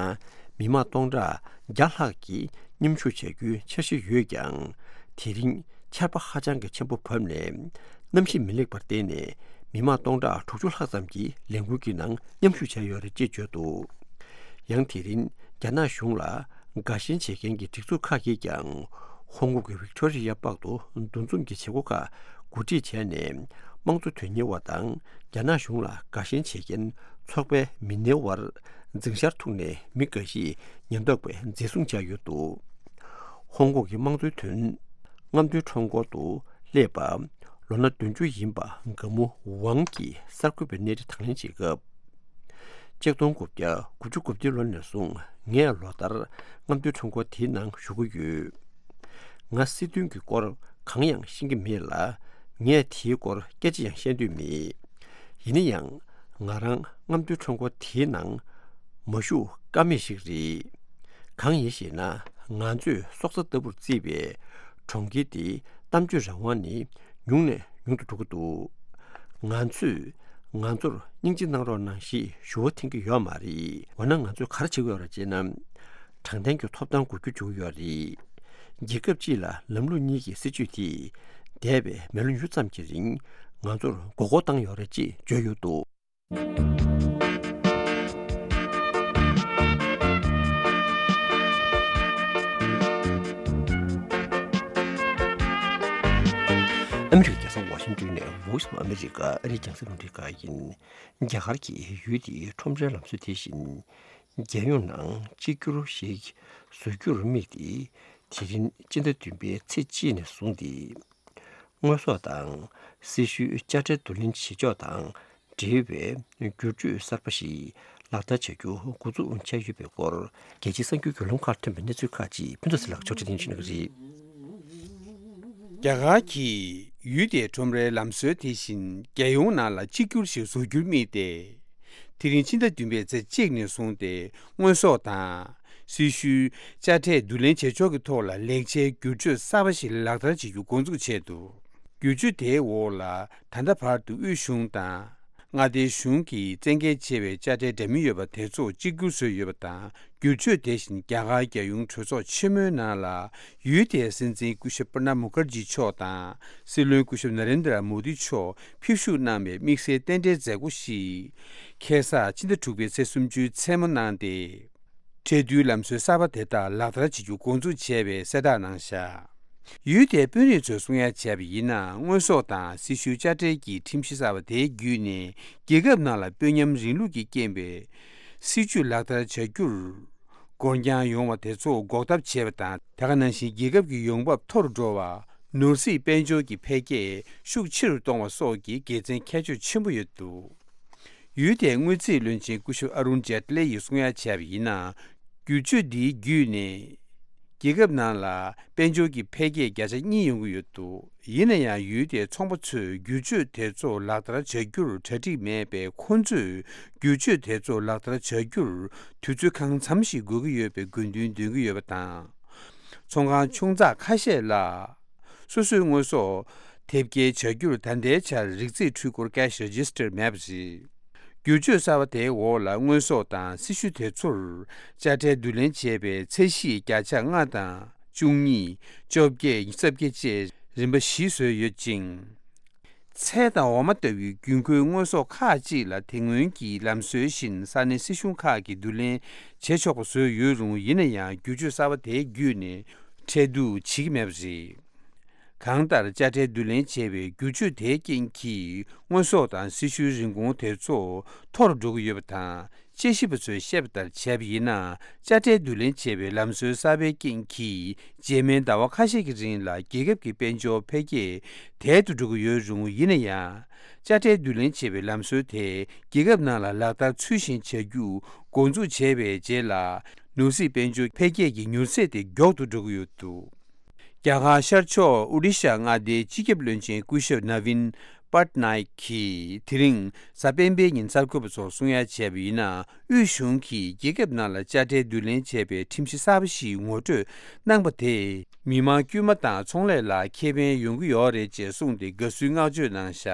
མི་མང་སྟོང་ཕྲག་བརྒྱ་ལྷག་གིས་མཉམ་ཞུགས་བྱ་རྒྱུའི་འཆར་གཞི་ཡོད་ཀྱང་། དེ་རིང་ཆར་པ་ཧ་ཅང་གི་ཆེན་པོ་བབས་ནས། གནམ་གཤིས་མི་ལེགས་པར་བརྟེན་ནས། མི་མང་སྟོང་ཕྲག་དྲུག་ཅུ་ལྷག་ཙམ་གྱིས་ལས་འགུལ་གྱི་ནང་མཉམ་ཞུགས་བྱས་ཡོད་རེད་ཅེས་བརྗོད་འདུག་ཡང་དེ་རིང་རྒྱ་ནག་གཞུང་ལ་དགའ་ཞེན་བྱེད་མཁན་གྱི་སྒྲིག་འཛུགས་ཁག་གིས་ཀྱང་། ཧོང་ཀོང་གི་ཝིག་ཏོ་རི་ཡ་པག་ཏུ་འདུ་འཛོམས་ཀྱི་བྱེད་སྒོ་ཁག་གོ་སྒྲིག་བྱས་ནས། དམངས་གཙོ་དོན་གཉེར་བ་དང་རྒྱ་ནག་གཞུང་ལ་དགའ་ཞེན་བྱེད་མཁན་ཚོགས་པའི་མི་སྣའི་དབར་འཛིང་ཆར་ཐུག་ནས། མི་འགའ་ཞིག་ཉེན་རྟོག་པས་འཛིན་བཟུང་བྱས་ཡོད་འདུག་ཧོང་ཀོང་གི་དམངས་གཙོའི་དོན་རྔམ་སྟོན་ཁྲོམ་སྐོར་དུ་སླེབས་པ། ལོ་ན་བདུན་ཅུ་ཡིན་པ་དགའ་མོ་ཝང་གིས་གསར་འགོད་པའི་གནས་རི་དང་ལེན་བྱེད་སྐབས། ཆིག་སྟོང་དགུ་བརྒྱ་དགུ་བཅུ་གོ་བདུན་ལོ་ནས་བཟུང་ ངས་ལོ་ལྟར་རྔམ་སྟོན་ཁྲོམ་སྐོར་དེའི་ནང་ཞུགས་ཀྱི་ཡོད། ང་སྲིད་དོན་གྱི་སྐོར་གང་ཡང་ཤེས་ཀྱི་མེད་ལ། ངས་དེའི་སྐོར་སྐད་ཆ་ཡང་བཤད་འདོད་མེད། ཡིན་ན་ཡང་། ང་རང་རྔམ་སྟོན་ཁྲོམ་སྐོར་དེའི་ནང་མ་ཞུགས་ཀ་མེད་ཞིག་རེད། གང་ཡིན་ཞེ་ན། ང་ཚོས་སྲོག་རྩ་ལྟ་བུར་བརྩིས་པའི་གྲོང་ཁྱེར་དེའི་གཏམ་བརྗོད་རང་དབང་ནི་ཉུང་ནས་ཉུང་དུ་འགྲོ་གི་འདུག་ང་ཚོས་ང་ཚོར་སྙིང་རྗེ་གནང་རོགས་གནང་ཞེས་ཞུ་བ་འཐེན་གྱི་ཡོད་མ་རེད། འོ་ན་ང་ཚོས་ག་རེ་བྱེད་ཀྱི་ཡོད་རེད་ཅེ་ན། དྲང་བདེན་གྱི་ཐོབ་ཐང་དགོས་རྒྱུ་བྱུང་ཡོད་རེད། རྒྱལ་ཁབ་གཅིག་ལ་ལམ་ལུགས་གཉིས་ཀྱི་སྲིད་བྱུས་དེས་འདས་པའི་མེ་ལོང་ཡུད་ཙམ་གྱི་རིང་ང་ཚོར་མགོ་སྐོར་བཏང་ཡོད་རེད་ཅེས་བརྗོད་ཡོད་འདུག་ཨ་མི་རི་ཀའི་རྒྱལ་ས་ཝ་ཤིང་ཏོན་ནས་Voice of America ཨ་རིའི་རྒྱང་སྲིང་རླུང་འཕྲིན་ཁང་ཡིན། རྒྱ་གར་གྱི་ཡུལ་དེའི་ཁྲོམ་རའི་ལམ་སྲོལ་དེ་བཞིན། རྒྱལ་ཡོངས་ནང་གཅིག་གྱུར་ཞིག་བཟོ་རྒྱུར་དམིགས་ཏེ། དེ་རིང་སྤྱི་ཟླ་བདུན་པའི་ཚེས་གཅིག་ནས་བཟུང་སྟེ། དངོས་ཟོག་དང་སྲི་ཞུའི་དཔྱ་ཁྲལ་བསྡུ་ལེན་བྱེད་ཕྱོགས་དང་འབྲེལ་བའི་བསྒྱུར་བཅོས་གསར་པ་ཞིག་ལག་བསྟར་བྱ་རྒྱུ་འགོ་འཛུགས་བྱས་ཡོད་པའི་སྐོར། རྒྱལ་སྤྱིའི་གསར་འགྱུར་བརྒྱུད་ལམ་ཁག་ཐོན་པའི་གནས་ཚུལ་ཁག་ཅིག་ཕུན་ཚོགས་ཚེ་ལགས་ཕྱོགས་སྒྲིག་གནང་བཞིན་ཡོད་པ་རེད། རྒྱ་གར་གྱིས་ཡུལ་དེའི་ཁྲོམ་རའི་ལམ་སྲོལ་དེ་བཞིན་རྒྱལ་ཡོངས་ནང་ལ་གཅིག་གྱུར་ཞིག་བཟོ་རྒྱུར་དམིགས་ཏེ། དེ་རིང་ཕྱི་ཟླ་བདུན་པའི་ཚེས་གཅིག་ནས་བཟུང་སྟེ་དངོས་ཟོག་དང་། སྲི་ཞུའི་དཔྱ་ཁྲལ་བསྡུ་ལེན་བྱེད་ཕྱོགས་ཀྱི་ཐོག་ལ་ལེགས་ཆའི་བསྒྱུར་བཅོས་གསར་པ་ཞིག་ལག་བསྟར་བྱེད་རྒྱུ་འགོ་འཛུགས་བྱས་འདུག་བསྒྱུར་བཅོས་དེའི་འོག་ལ་ད་ལྟ་བར་དུ་དབུས་གཞུང་དང་། མངའ་སྡེའི་གཞུང་གིས་བཙན་འགེལ་བྱས་པའི་དཔྱ་ཁྲལ་འདྲ་མིན་ཡོད་པ་དེ་ཚོ་གཅིག་གྱུར་བཟོས་ཡོད་པ་དང་། བསྒྱུར་བཅོས་དེ་བཞིན་རྒྱ་གར་རྒྱལ་ཡོངས་གྲོས་ཚོགས་ཆེན་མོའི་ནང་ལ་ཡུལ་དེའི་སྲིད་འཛིན་སྐུ་ཞབས་པྲ་ནབ་མུ་ཁར་ཇི་མཆོག་དང་། སྲིད་བློན་སྐུ་ཞབས་ན་རེན་དྲ་མོ་དི་མཆོག་ཕེབས་ཞུགས་གནང་བའི་དམིགས་བསལ་རྟེན་འབྲེལ་མཛད་སྒོ་ཞིག་ཁ་སང་ཕྱི་ཟླ་དྲུག་པའི་ཚེས་སུམ་ཅུའི་མཚན་མོ་གནང་སྟེ། ཁྲལ་བསྡུའི་ལམ་སྲོལ་གསར་པ་དེ་དག་ལག་བསྟར་བྱེད་རྒྱུ་འགོ་འཛུགས་བྱས་པའི་གསལ་བསྒྲགས་གནང་བཞག་ཡུལ་དེའི་དཔོན་རིགས་ཚོས་གསུང་ཡ་བྱས་པ་ཡིན་ན། དངོས་ཟོག་དང་སྲི་ཞུའི་དཔྱ་ཁྲལ་གྱི་ཁྲིམས་གཞི་གསར་པ་དེའི་བརྒྱུད་ནས་རྒྱལ་ཁབ་ནང་ལ་དཔོན་ཉམས་རིང་ལུགས་ཀྱི་རྐྱེན་པས་སྲིད་ཇུས་ལག་བསྟར་བྱ་རྒྱུར་འགོར་འགྱངས་ཡོང་བ་དེ་ཚོ་འགོག་ཐབས་བྱས་པ་དང་། དེ་ག་ནང་བཞིན་རྒྱལ་ཁབ་ཀྱི་ཡོང་འབབ་མཐོ་རུ་འགྲོ་བ། ནོར་སྲིད་དཔལ་འབྱོར་གྱི་འཕེལ་རྒྱས་ཤུགས་ཆེ་རུ་གཏོང་བ་སོགས་ཀྱི་དགེ་མཚན་ཁྱད་ཆོས་ཆེན་པོ་ཡོད་འདུག་ཡུལ་དེའི་དངུལ་རྩིས་བློན་ཆེན་སྐུ་ཞབས་ཨ་རུན་ཇེ་ཏི་ལེ་ཡིས་གསུང་ཡ་བྱས་པ་ཡིན་ན། བསྒྱུར་བཅོས་འདིའི་བརྒྱུད་ནས་རྒྱལ་ཁབ་ནང་ལ་དཔལ་འབྱོར་གྱི་འཕེལ་རྒྱས་བརྒྱ་ཆ་གཉིས་ཡོང་གི་ཡོད་འདུག་ཡིན་ན་ཡང་ཡུལ་དེའི་ཚོང་པ་ཚོས་བསྒྱུར་བཅོས་དེ་ཚོ་ལག་བསྟར་བྱ་རྒྱུར་གྲ་སྒྲིག་མེད་པས། ཁོང་ཚོས་བསྒྱུར་བཅོས་དེ་ཚོ་ལག་བསྟར་བྱ་རྒྱུར་དུས་ཚོད་གང་འཚམ་ཞིག་དགོས་ཀྱི་ཡོད་པའི་དགོས་འདུན་འདོན་གྱི་ཡོད་པ་དང་། ཚོང་ཁང་ཆུང་ཙག་ཁ་ཤས་ལ། སོ་སོའི་དངོས་ཟོག་དེབ་སྐྱེལ་བྱ་རྒྱུར་ད་ལྟའི་ཆར་རིགས་རྩིས་འཕྲུལ་འཁོར་Cash Register མེད་པ་རེད། བསྒྱུར་བཅོས་གསར་པ་དེའི་འོག་ལ་དངོས་ཟོག་དང་སྲི་ཞུ་དེ་ཚོར་དཔྱ་ཁྲལ་བསྡུ་ལེན་བྱས་པའི་ཚད་གཞི་བརྒྱ་ཆ་ལྔ་དང་བཅུ་གཉིས། བཅོ་བརྒྱད། རྩ་བརྒྱད་བཅས་རིམ་པ་བཞི་བཟོས་ཡོད་ཅིང་། ཚལ་དང་འོ་མ་ལྟ་བུའི་དགོས་མཁོའི་དངོས་ཟོག་ཁག་ཅིག་ལ་དེ་སྔོན་གྱི་ལམ་སྲོལ་བཞིན་ས་གནས་སྲིད་གཞུང་ཁག་གིས་བསྡུ་ལེན་བྱེད་ཆོག་པ་བཟོས་ཡོད་རུང་། ཡིན་ན་ཡང་བསྒྱུར་བཅོས་གསར་པ་དེའི་བརྒྱུད་ནས་ཁྲལ་བསྡུ་བྱེད་ཀྱི་མེད་པ་རེད། གང་ལྟར་དཔྱ་ཁྲལ་བསྡུ་ལེན་བྱས་པའི་བསྒྱུར་བཅོས་དེའི་རྐྱེན་གྱིས་དངོས་ཟོག་དང་སྲི་ཞུའི་རིན་གོང་དེ་ཚོ་མཐོ་རུ་འགྲོ་གི་ཡོད་པ་དང་། དཔྱད་ཞིབ་པ་ཚོས་བཤད་པ་ལྟར་བྱས་པ་ཡིན་ན། དཔྱ་ཁྲལ་བསྡུ་ལེན་བྱས་པའི་ལམ་སྲོལ་གསར་པའི་རྐྱེན་གྱིས་རྗེས་མའི་ཟླ་བ་ཁ་ཤས་ཀྱི་རིང་ལ་རྒྱལ་ཁབ་ཀྱི་དཔལ་འབྱོར་འཕེལ་རྒྱས་དལ་དུ་འགྲོ་གི་ཡོད་རུང་། ཡིན་ན་ཡང་། དཔྱ་ཁྲལ་བསྡུ་ལེན་བྱས་པའི་ལམ་སྲོལ་དེ་རྒྱལ་ཁབ་ནང་ལ་ལག་བསྟར་ཚུལ་བཞིན་བྱ་རྒྱུ་འགོ་འཛུགས་བྱས་པའི་རྗེས་ལ། ནོར་སྲིད་དཔལ་འབྱོར་འཕེལ་རྒྱས་ཀྱི་མྱུར་ཚད་དེ་མགྱོགས་ཏུ་འགྲོ་གི་ཡོད་འདུག་རྒྱ་གར་ཤར་ཕྱོགས་ཨོ་ཌི་ཤ་མངའ་སྡེའི་སྤྱི་ཁྱབ་བློན་ཆེན་སྐུ་ཞབས་ནཱ་ཝིན་པཊ་ནཱ་ཡིག་གིས་དེ་རིང་གཟའ་སྤེན་པའི་ཉིན་གསར་འགོད་པ་ཚོར་གསུང་ཡ་བྱས་པ་ཡིན་ན། དབུས་གཞུང་གིས་རྒྱལ་ཁབ་ནང་ལ་དཔྱ་ཁྲལ་བསྡུ་ལེན་བྱས་པའི་ཁྲིམས་གཞི་གསར་པ་ཞིག་ངོ་སྤྲོད་གནང་པ་དེས་མི་མང་དཀྱུས་མ་དང་ཚོང་ལས་ལ་ཁེ་ཕན་ཡོང་གི་ཡོད་རེད་ཅེས་གསུངས་ཏེ་དགའ་བསུའི་བསྔགས་བརྗོད་གནང་བཞག་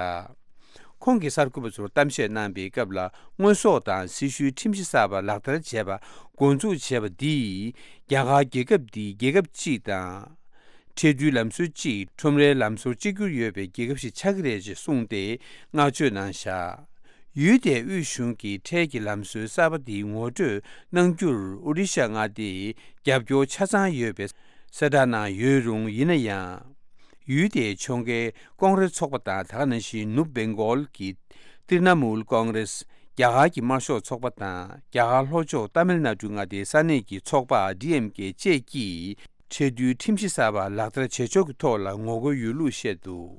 ཁོང་གིས་གསར་འགོད་པ་ཚོར་གཏམ་བཤད་གནང་པའི་སྐབས་ལ། དངོས་ཟོག་དང་སྲི་ཞུའི་ཁྲིམས་གཞི་གསར་པ་ལག་བསྟར་བྱས་པ་འགོ་འཛུགས་བྱས་པ་འདིས་རྒྱ་གར་རྒྱལ་ཁབ་འདི་རྒྱལ་ཁབ་གཅིག་དང་། ཁྲལ་བསྡུའི་ལམ་སྲོལ་གཅིག་ཁྲོམ་རའི་ལམ་སྲོལ་གཅིག་གྱུར་ཡོད་པའི་རྒྱལ་ཁབ་ཞིག་ཆགས་ཀྱི་རེད་ཅེས་གསུངས་ཏེ་བསྔགས་བརྗོད་གནང་བཞག་ཡུལ་དེའི་དབུས་གཞུང་གིས་ཁྲལ་གྱི་ལམ་སྲོལ་གསར་པ་འདི་ངོ་སྤྲོད་གནང་རྒྱུར་ཨོ་རི་ཤ་མངའ་སྡེས་རྒྱབ་སྐྱོར་ཆ་ཚང་ཡོད་པའི་གསལ་བསྒྲགས་གནང་ཡོད་རུང་། ཡིན་ན་ཡང་། ཡུལ་དེའི་ཕྱོགས་འགལ་ཀོང་རེ་ཚོགས་པ་དང་། དེ་ག་ནང་བཞིན་ནུབ་བེང་གོལ་གྱི་ཏིར་ན་མུལ་ཀོང་རེས། རྒྱ་གར་གྱི་དམར་ཤོག་ཚོགས་པ་དང་། རྒྱ་གར་ལྷོ་ཕྱོགས་ཏཱ་མིལ་ནཱ་ཌུ་མངའ་སྡེའི་ས་གནས་ཀྱི་ཚོགས་པ་ཌི་ཨེམ་ཀེ་བཅས་ཀྱིས་ཁྲལ་བསྡུའི་ཁྲིམས་གཞི་གསར་པ་ལག་བསྟར་བྱེད་ཕྱོགས་ཀྱི་ཐོག་ལ་ངོ་རྒོལ་ཡོད་ལུགས་བཤད་འདུག་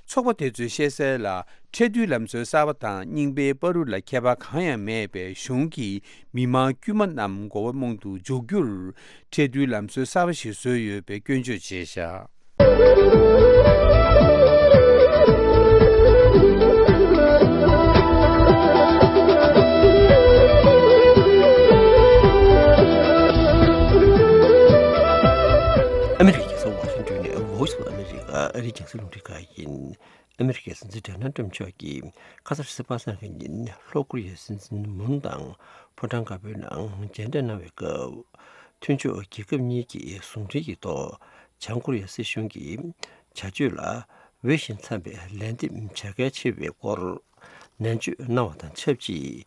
ཚོགས་པ་དེ་ཚོས་བཤད་གསལ་ལ། ཁྲལ་བསྡུའི་ལམ་སྲོལ་གསར་པ་དང་རྙིང་པའི་བར་དུ་ལ་ཁྱད་པར་གང་ཡང་མེད་པའི་གཞུང་གིས་མི་མང་དཀྱུས་མ་རྣམས་མགོ་བ་རྨོངས་དུ་འཇུག་རྒྱུར། ཁྲལ་བསྡུའི་ལམ་སྲོལ་གསར་པ་ཞིག་བཟོས་ཡོད་པའི་སྐྱོན་བརྗོད་བྱས་བཞག་ཨ་མི་རི་ཀའི་རྒྱལ་ས་ཝ་ཤིང་ཏོན་ནས་Voice of America ཨ་རིའི་རྒྱང་སྲིང་རླུང་འཕྲིན་ཁང་ཡིན། ཨ་མི་རི་ཀའི་སྲིད་འཛིན་ཌོ་ནལ་ཏྲམ་མཆོག་གིས་ཁ་སང་རེས་གཟའ་པ་སངས་ཀྱི་ཉིན་ལྷོ་ཀོ་རི་ཡའི་སྲིད་འཛིན་མུན་དང་ཕོ་བྲང་དཀར་པོའི་ནང་མཇལ་འཕྲད་གནང་བའི་སྐབས། མཐུན་ཕྱོགས་རྒྱལ་ཁབ་གཉིས་ཀྱིས་ཟུང་འབྲེལ་གྱི་ཐོག་བྱང་ཀོ་རི་ཡའི་སྲིད་གཞུང་གི་བྱ་སྤྱོད་ལ་འོས་ཤིང་འཚམ་པའི་ལན་འདེབས་བྱ་གལ་ཆེ་བའི་སྐོར་ནན་བརྗོད་གནང་བ་དང་ཆབས་ཅིག་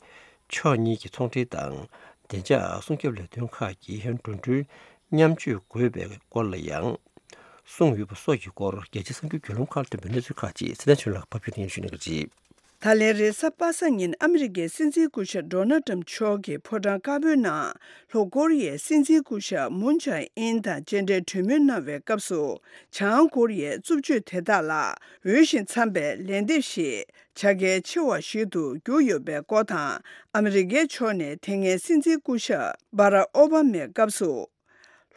ཕྱོགས་གཉིས་ཀྱི་ཚོང་འབྲེལ་དང་བདེ་འཇགས་སྲུང་སྐྱོབ་ལས་དོན་ཁག་གི་འགྲོ་གྲོན་མཉམ་སྤྱོད་དགོས་པའི་སྐོར་ལ་ཡང་གསུངས་ཡོད་པ་སོགས་ཀྱི་སྐོར་རྒྱལ་སྤྱིའི་གསར་འགྱུར་བརྒྱུད་ལམ་ཁག་ལ་ཐོན་པའི་གནས་ཚུལ་ཁག་ཅིག་ཚེ་བརྟན་ཆོས་ལགས་ཕབ་སྒྱུར་ཞུ་གནང་གི་རེད། ད་ལན་རེས་གཟའ་པ་སངས་ཉིན་ཨ་མི་རི་ཀའི་སྲིད་འཛིན་སྐུ་ཞབས་ཌོ་ནལ་ཏྲམ་མཆོག་གིས་ཕོ་བྲང་དཀར་པོའི་ནང་ལྷོ་ཀོ་རི་ཡའི་སྲིད་འཛིན་སྐུ་ཞབས་མུན་ཇེ་ཨིན་དང་མཇལ་འཕྲད་གྲོས་མོལ་གནང་བའི་སྐབས་སུ། བྱང་ཀོ་རི་ཡའི་རྩུབ་སྤྱོད་དེ་དག་ལ་འོས་ཤིང་འཚམ་པའི་ལན་འདེབས་ཤིག་བྱ་གལ་ཆེ་བ་ཞིག་ཏུ་གྱུར་ཡོད་པའི་སྐོར་དང་། ཨ་མི་རི་ཀའི་ཕྱོགས་ནས་དེ་སྔའི་སྲིད་འཛིན་སྐུ་ཞབས་སྦ་རག་ཨོ་བྷ་མའི་སྐབས་སུ།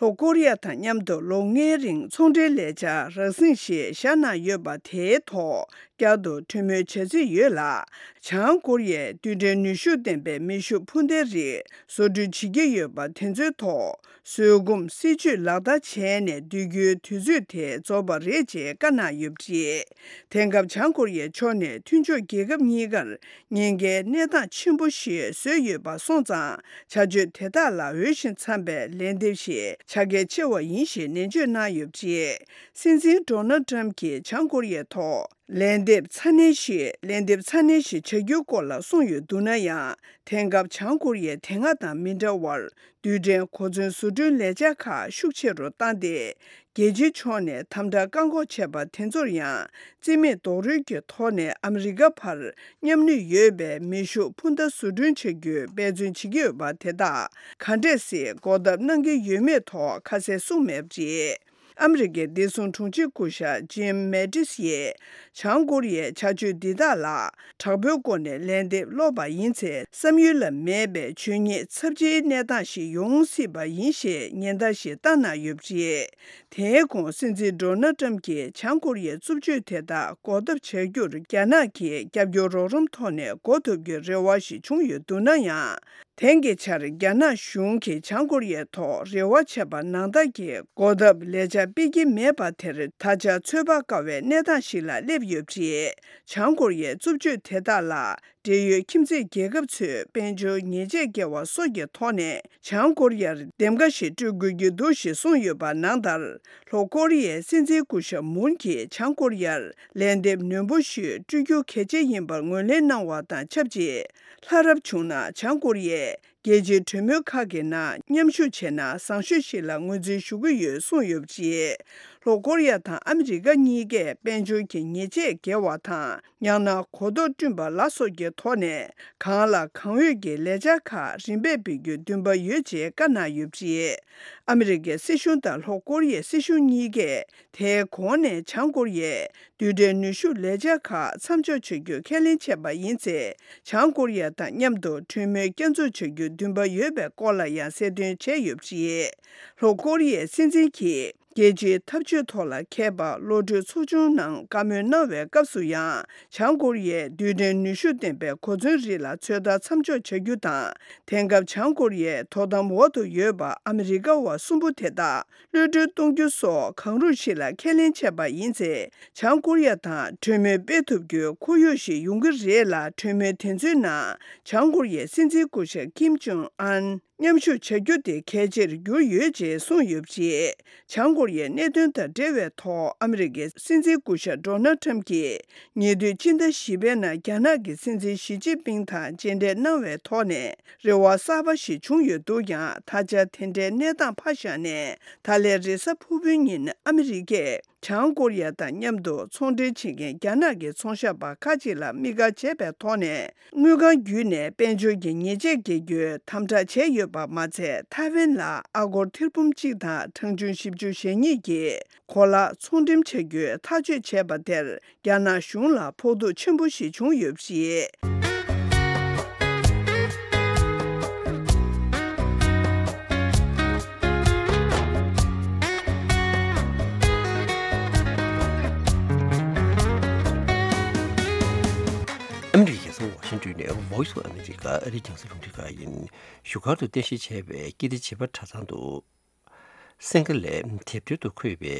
ལྷོ་ཀོ་རི་ཡ་དང་མཉམ་དུ་ལོ་ལྔའི་རིང་ཚོང་འབྲེལ་ལས་འཆར་རང་སྲིད་ཞིག་བཞག་གནང་ཡོད་པ་དེའི་ཐོག་བསྐྱར་དུ་གྲོས་མོལ་བྱ་རྩིས་ཡོད་ལ། བྱང་ཀོ་རི་ཡས་རྡུལ་ཕྲན་ནུས་ཤུགས་ལྡན་པའི་མེ་ཤུགས་འཕུར་མདའ་རིགས་བཟོ་སྐྲུན་བྱེད་ཀྱི་ཡོད་པ་དེ་ཚོའི་ཐོག་བཟོད་སྒོམ་སྲིད་ཇུས་ལག་བསྟར་བྱས་ནས་སྡོད་རྒྱུའི་དུས་ཚོད་དེ་རྫོགས་པ་རེད་ཅེས་བཀའ་གནང་ཡོད་པ་རེད། དེང་སྐབས་བྱང་ཀོ་རི་ཡའི་ཕྱོགས་ནས་མཐུན་ཕྱོགས་རྒྱལ་ཁབ་གཉིས་ཀར་ཉེན་ཁའི་གནས་སྟངས་ཆེན་པོ་ཞིག་བཟོས་ཡོད་པ་སོང་ཙང་། བྱ་སྤྱོད་དེ་དག་ལ་འོས་ཤིང་འཚམ་པའི་ལན་འདེབས་ཤིག་བྱ་གལ་ཆེ་བ་ཡིན་ཞེས་ནན་བརྗོད་གནང་ཡོད་པ་རེད། སྲིད་འཛིན་ཌོ་ནལ་ཏྲམ་གྱིས་བྱང་ཀོ་རི་ཡའི་ཐོག་ལན་འདེབས་ཚ་ནན་ཞིག་ལན་འདེབས་ཚ་ནན་ཞིག་བྱ་རྒྱུའི་སྐོར་ལ་གསུངས་ཡོད་འདུག་ན་ཡང་། དེང་སྐབས་བྱང་ཀོ་རི་ཡས་དེ་སྔ་དང་མི་འདྲ་བར། རྡུལ་ཕྲན་གོ་མཚོན་བཟོ་སྐྲུན་ལས་འཆར་ཁག་ཤུགས་ཆེ་རུ་བཏང་སྟེ། རྒྱལ་སྤྱིའི་ཕྱོགས་ནས་དམ་དྲག་བཀག་འགོག་བྱས་པ་དེ་ཚོར་ཡང་རྩིས་མེད་རྡོག་རོལ་གྱི་ཐོག་ནས་ཨ་མི་རི་ཀ་བར་མཉམ་ནུས་ཡོད་པའི་མེ་ཤུགས་འཕུར་མདའ་བཟོ་སྐྲུན་བྱ་རྒྱུའི་འབད་བརྩོན་བྱེད་ཀྱི་ཡོད་པ་དེ་དག་ག་འདྲས་སེ་འགོག་ཐབས་གནང་གི་ཡོད་མེད་ཐོག་ཁ་གསལ་གསུངས་མེད་པ་རེད། ཨ་མི་རི་ཀའི་བདེ་སྲུང་དྲུང་ཆེ་སྐུ་ཞབས་ཇིམ་མེ་ཏིས་ཡིས། བྱང་ཀོ་རི་ཡའི་བྱ་སྤྱོད་འདི་དག་ལ་དྲག་པོའི་སྒོ་ནས་ལན་འདེབས་སློག་པ་ཡིན་ཚེ། བསམ་ཡུལ་ལ་མེད་པའི་ཇུས་ཉེས་ཚབས་ཆེའི་གནས་སྟངས་ཤིག་ཡོང་སྲིད་པ་ཡིན་ཞེས་ཉེན་བརྡ་ཞིག་བཏང་གནང་ཡོད་པ་རེད། དེའི་གོང་སྲིད་འཛིན་ཌོ་ནལ་ཏྲམ་གྱིས་བྱང་ཀོ་རི་ཡའི་རྩུབ་སྤྱོད་དེ་དག་འགོག་ཐབས་བྱ་རྒྱུར་རྒྱ་ནག་གིས་རྒྱབ་སྐྱོར་རོགས་རམ་ཐོག་ནས་འགོག་ཐུབ་རྒྱུའི་རེ་བ་ཞིག་བྱུང་ཡོད་འདུག་ན་ཡང་། དེང་གི་ཆར་རྒྱ་ནག་གཞུང་གིས་བྱང་ཀོ་རི་ཡའི་ཐོག་རེ་བ་བྱས་པ་ནང་ལྟར་གྱི་འགོག་ཐབས་ལས་འཆར་སྤེལ་གྱི་མེད་པ་དེར་ད་ཆ་ཚོད་དཔག་དཀའ་བའི་གནས་སྟངས་ཤིག་ལ་སླེབས་ཡོད་པ་རེད། བྱང་ཀོ་རི་ཡའི་རྩུབ་སྤྱོད་དེ་དག་ལ་འབྲེལ་ཡོད་ཁྱིམ་མཚེས་རྒྱལ་ཁབ་ཚོས་དཔལ་འབྱོར་ཉེས་ཆད་འགེལ་བ་སོགས་ཀྱི་ཐོག་ནས་བྱང་ཀོ་རི་ཡར་འདེམས་ཀ་ཞིག་སྤྲོད་དགོས་ཀྱི་འདུག་ཞེས་གསུངས་ཡོད་པ་ནང་ལྟར། ལྷོ་ཀོ་རི་ཡའི་སྲིད་འཛིན་སྐུ་ཞབས་མུན་གྱིས་བྱང་ཀོ་རི་ཡར་ལན་འདེབས་ནན་པོ་ཞིག་སྤྲོད་རྒྱུ་གལ་ཆེ་ཡིན་པར་ངོས་ལེན་གནང་བ་དང་ཆབས་ཅིག་ལྷ་རབ་བྱུང་ན་བྱང་ཀོ་རི་ཡས་རྒྱལ་སྤྱིའི་གྲོས་མོལ་ཁག་གི་ནང་མཉམ་ཞུགས་བྱས་ན་བཟང་ཤོས་ཤིག་ལ་ངོས་འཛིན་ཞུ་གི་ཡོད་གསུངས་ཡོད་པ་རེད། ལྷོ་ཀོ་རི་ཡ་དང་ཨ་མི་རི་ཀ་གཉིས་ཀས་དཔལ་འབྱོར་གྱི་ཉེས་ཆད་འགེལ་བ་དང་། ཡང་ན་གོ་རྟོགས་བསྐྲུན་པ་ལ་སོགས་ཀྱི་ཐོག་ནས་གང་ལ་གང་འོས་ཀྱི་ལས་འཆར་ཁག་རིམ་པས་སྤེལ་རྒྱུའི་འདུན་པ་ཡོད་ཅེས་བཀའ་གནང་ཡོད་པ་རེད། ཨ་མི་རི་ཀའི་སྲིད་གཞུང་དང་ལྷོ་ཀོ་རི་ཡའི་སྲིད་གཞུང་གཉིས་ཀས་དེའི་གོང་ནས་བྱང་ཀོ་རི་ཡས་རྡུལ་ཕྲན་ནུས་ཤུགས་ལས་འཆར་ཁག་མཚམས་འཇོག་བྱ་རྒྱུ་ཁས་ལེན་བྱས་པ་ཡིན་ཚེ། བྱང་ཀོ་རི་ཡ་དང་མཉམ་དུ་གྲོས་མོལ་བསྐྱར་འཛུགས་བྱ་རྒྱུའི་འདུན་པ་ཡོད་པའི་སྐོར་ལ་ཡང་གསལ་སྟོན་བྱས་ཡོད་པ་རེད། ལྷོ་ཀོ་རི་ཡའི་སྲིད་འཛིན་གྱིས། རྒྱལ་སྤྱིའི་འཐབ་ཇུས་ཐོག་ལ་མཁས་པ་བློ་གྲོས་ཚོགས་ཆུང་ནང་བཀའ་མོལ་གནང་བའི་སྐབས་སུ་ཡང་། བྱང་ཀོ་རི་ཡས་རྡུལ་ཕྲན་ནུས་ཤུགས་ལྡན་པའི་གོ་མཚོན་རིགས་ལ་ཚོད་ལྟ་མཚམས་འཇོག་བྱ་རྒྱུ་དང་། དེང་སྐབས་བྱང་ཀོ་རི་ཡའི་དོ་དམ་འོག་ཏུ་ཡོད་པ་ཨ་མི་རི་ཀ་བ་གསུམ་པོ་དེ་དག་གློད་གྲོལ་གཏོང་རྒྱུ་སོགས་གང་རུང་ཞིག་ལ་ཁས་ལེན་བྱས་པ་ཡིན་ཚེ། བྱང་ཀོ་རི་ཡ་དང་གྲོས་མོལ་སྤེལ་ཐུབ་རྒྱུའི་ཁོར་ཡུག་ཞིག་ཡོང་གི་རེད་ལ། གྲོས་མོལ་དེ་ཚོའི་ནང་བྱང་ཀོ་རི་ཡའི་སྲིད་འཛིན་སྐུ་ཞབས་ཀིམ་ཇོང་ཨན། མཉམ་ཞུགས་བྱ་རྒྱུ་དེ་གལ་ཆེར་གྱུར་ཡོད་ཅེས་གསུངས་ཡོད་པ་རེད། བྱང་ཀོ་རི་ཡའི་གནད་དོན་དང་འབྲེལ་བའི་ཐོག་ཨ་མི་རི་ཀའི་སྲིད་འཛིན་སྐུ་ཞབས་ཌོ་ནལ་ཁྲམ་གྱིས་ཉེ་དུས་སྤྱི་ཟླ་བཞི་པའི་ནང་རྒྱ་ནག་གི་སྲིད་འཛིན་ཞི་ཅིན་ཕིང་དང་མཇལ་འཕྲད་གནང་བའི་ཐོག་ནས་རེ་བ་གསར་པ་ཞིག་བྱུང་ཡོད་འདུག་ཀྱང་། ད་ཆ་དེ་འདྲའི་གནས་སྟངས་ཕར་བཞག་ནས། ད་ལན་རེས་གཟའ་ཕུར་བུའི་ཉིན་ཨ་མི་རི་ཀས། བྱང་ཀོ་རི་ཡ་དང་མཉམ་དུ་ཚོང་འབྲེལ་བྱེད་མཁན་རྒྱ་ནག་གི་ཚོང་ཞབས་པ་ཁག་ཅིག་ལ་དམིགས་བཀར་བྱས་པའི་ཐོག་ནས། དངུལ་ཁང་བརྒྱུད་ནས་དཔལ་འབྱོར་གྱི་ཉེས་ཆད་འགེལ་རྒྱུའི་དམ་དྲག་བྱས་ཡོད་པ་མ་ཚད། ཐའེ་ཝན་ལ་ཨ་སྒོར་ཐེར་འབུམ་གཅིག་དང་གྲངས་ཆུང་བཞི་བཅུ་ཞེ་གཉིས་ཀྱི་གོ་ལག་ཚོང་འགྲེམས་བྱ་རྒྱུའི་ཐག་གཅོད་བྱས་པ་དེར། རྒྱ་ནག་གཞུང་ལ་ཕོག་ཐུག་ཆེན་པོ་ཞིག་བྱུང་ཡོད་པ་རེད། ཨ་མི་རི་ཀའི་རྒྱལ་ས་ཝ་ཤིང་ཏོན་ནས་Voice of America ཨ་རིའི་རྒྱང་སྲིང་རླུང་འཕྲིན་ཁང་ཡིན། བཞུགས་སྒར་དུ་རྟེན་གཞི་བྱས་པའི་ཀིརྟི་བྱེས་པ་གྲྭ་ཚང་དུ། སིང་ག་ལའི་དེབ་ཐེར་དུ་འཁོད་པའི་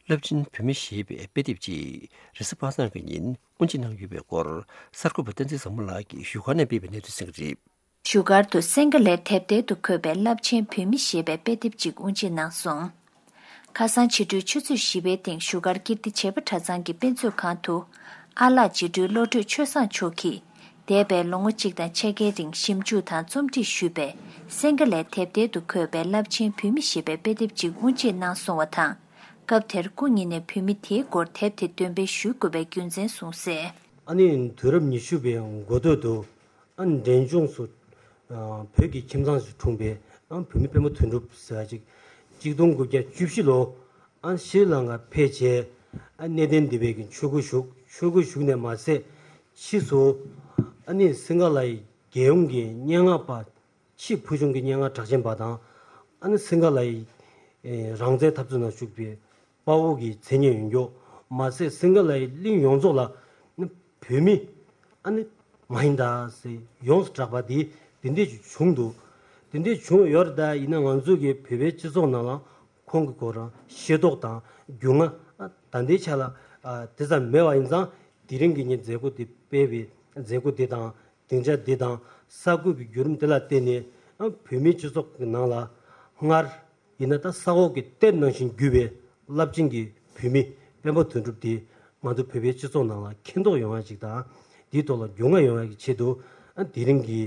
རླབས་ཆེན་བོད་མི་ཞེས་པའི་དཔེ་དེབ་ཅིག་རེས་གཟའ་པ་སངས་ཀྱི་ཉིན་དབུ་འབྱེད་གནང་ཡོད་པའི་སྐོར། གསར་འགོད་པ་བསྟན་འཛིན་བཟང་མོ་ལགས་ཀྱིས་བཞུགས་སྒར་ནས་སྤེལ་བའི་གནས་ཚུལ་གསན་གྱི་རེད། བཞུགས་སྒར་དུ་སིང་ག་ལའི་དེབ་ཐེར་དུ་འཁོད་པའི་རླབས་ཆེན་བོད་མི་ཞེས་པའི་དཔེ་དེབ་ཅིག་དབུ་འབྱེད་གནང་སོང་། ཁ་སང་ཕྱི་དྲོའི་ཆུ་ཚོད་བཞི་པའི་སྟེང་བཞུགས་སྒར་ཀིརྟི་བྱེས་པ་གྲྭ་ཚང་གི་དཔེ་མཛོད་ཁང་དུ། ཨ་ལགས་རྗེ་སྤྲུལ་བློ་གྲོས་ཆོས་བཟང་མཆོག་གིས། འདས་པའི་ལོ་ངོ་གཅིག་དང་ཕྱེད་ཀའི་རིང་ཞིབ་འཇུག་དང་རྩོམ་སྒྲིག་ཞུས་པའི་སིང་ག་ལའི་དེབ་ཐེར་དུ་འཁོད་པའི་རླབས་ཆེན་བོད་མི་ཞེས་པའི་དཔེ་དེབ་ཅིག་དབུ་འབྱེད་གནང་སོང་བ་དང་། སྐབས་དེར་སྐུ་ཉིད་ནས་བོད་མི་དེའི་སྐོར་དེབ་དེ་འདོན་སྤེལ་ཞུ་དགོས་པའི་རྒྱུ་མཚན་གསུངས་གསལ། ཨ་ནི་དུས་རབས་ཉི་ཤུ་པའི་འགོ་སྟོད་དུ། ཨ་འབྲས་ལྗོངས་སུ། ཨ་བོད་ཀྱི་ཁྱིམ་ཚང་ཞིག་འཁྲུངས་པའི་ཨ་བོད་མི་སྤེན་པ་དོན་གྲུབ་ཟེར་བ་ཅིག་གཅིག་སྟོང་དགུ་བརྒྱ་བཅུ་བཞི་ལོ། ཨ་ཤྲི་ལང་ཀར་ཕེབས་རྗེས། ཨ་གནས་བརྟན་སྡེ་པའི་གི་ཆོས་སྒོར་ཞུགས། ཆོས་སྒོར་ཞུགས་ནས་མ་ཟད། ཕྱིས་སུ་ཨ་ནི་སིང་ག་ལའི་རྒྱལ་ཡོངས་ཀྱི་སྙན་ངག་པ། ཕྱིས་ཕུལ་བྱུང་གི་སྙན་ངག་གྲགས་ཅན་པ་དང་། ཨ་ནི་སིང་ག་ལའི་ཨེ་རང་བཙན་འཐབ་རྩོད་ནང་ཞུགས་པའི་དཔའ་བོ་གི་མཚན་སྙན་ཡོད་མཁན། མ་ཟད་སིང་ག་ལའི་གླིང་ཡོངས་རྫོགས་ལ་ནི་བོད་མི་ཨ་ནི་མ་ཧིན་དཱ་ཟེར་ཡོངས་སུ་གྲགས་པ་དེ་དེ་འདྲས་ཅིག་བྱུང་འདུག་དེ་འདྲས་བྱུང་ཡོད་རེད། ད་ཡིན་ན་ང་ཚོ་གི་བོད་པའི་སྤྱི་ཚོགས་ནང་ལ་ཁོང་གི་སྐོར་རང་ཤེས་རྟོགས་དང་རྒྱུས་མངའ་ད་ལྟའི་ཆ་ལ་ཨ་དེ་ཙམ་མེད་པ་ཡིན་ཙང་། དེ་རིང་གི་ངས་མཛད་སྒོ་འདི་སྤེལ་བའི་མཛད་སྒོ་འདི་དང་། སྡིངས་ཆ་འདི་དང་། གསར་འགོད་ཀྱི་བརྒྱུད་རིམ་འདི་ལ་བརྟེན་ནས། ཨ་བོད་མིའི་སྤྱི་ཚོགས་ཀྱི་ནང་ལ་སྔར་ཡིན་ན་ད་ས་འོག་གི་གཏེར་ནང་བཞིན་གྱུར་པའི་རླབས་ཆེན་གྱི་བོད་མི་སྤེན་པ་དོན་གྲུབ་འདི་ང་ཚོ་བོད་པའི་སྤྱི་ཚོགས་ནང་ལ་མཁྱེན་རྟོགས་ཡོང་ཡ་ཅིག་དང་། འདིའི་ཐོག་ལ་རྒྱུས་མངའ་ཡོང་ཡ་གི་ཆེད་དུ། ཨ་དེ་རིང་གི་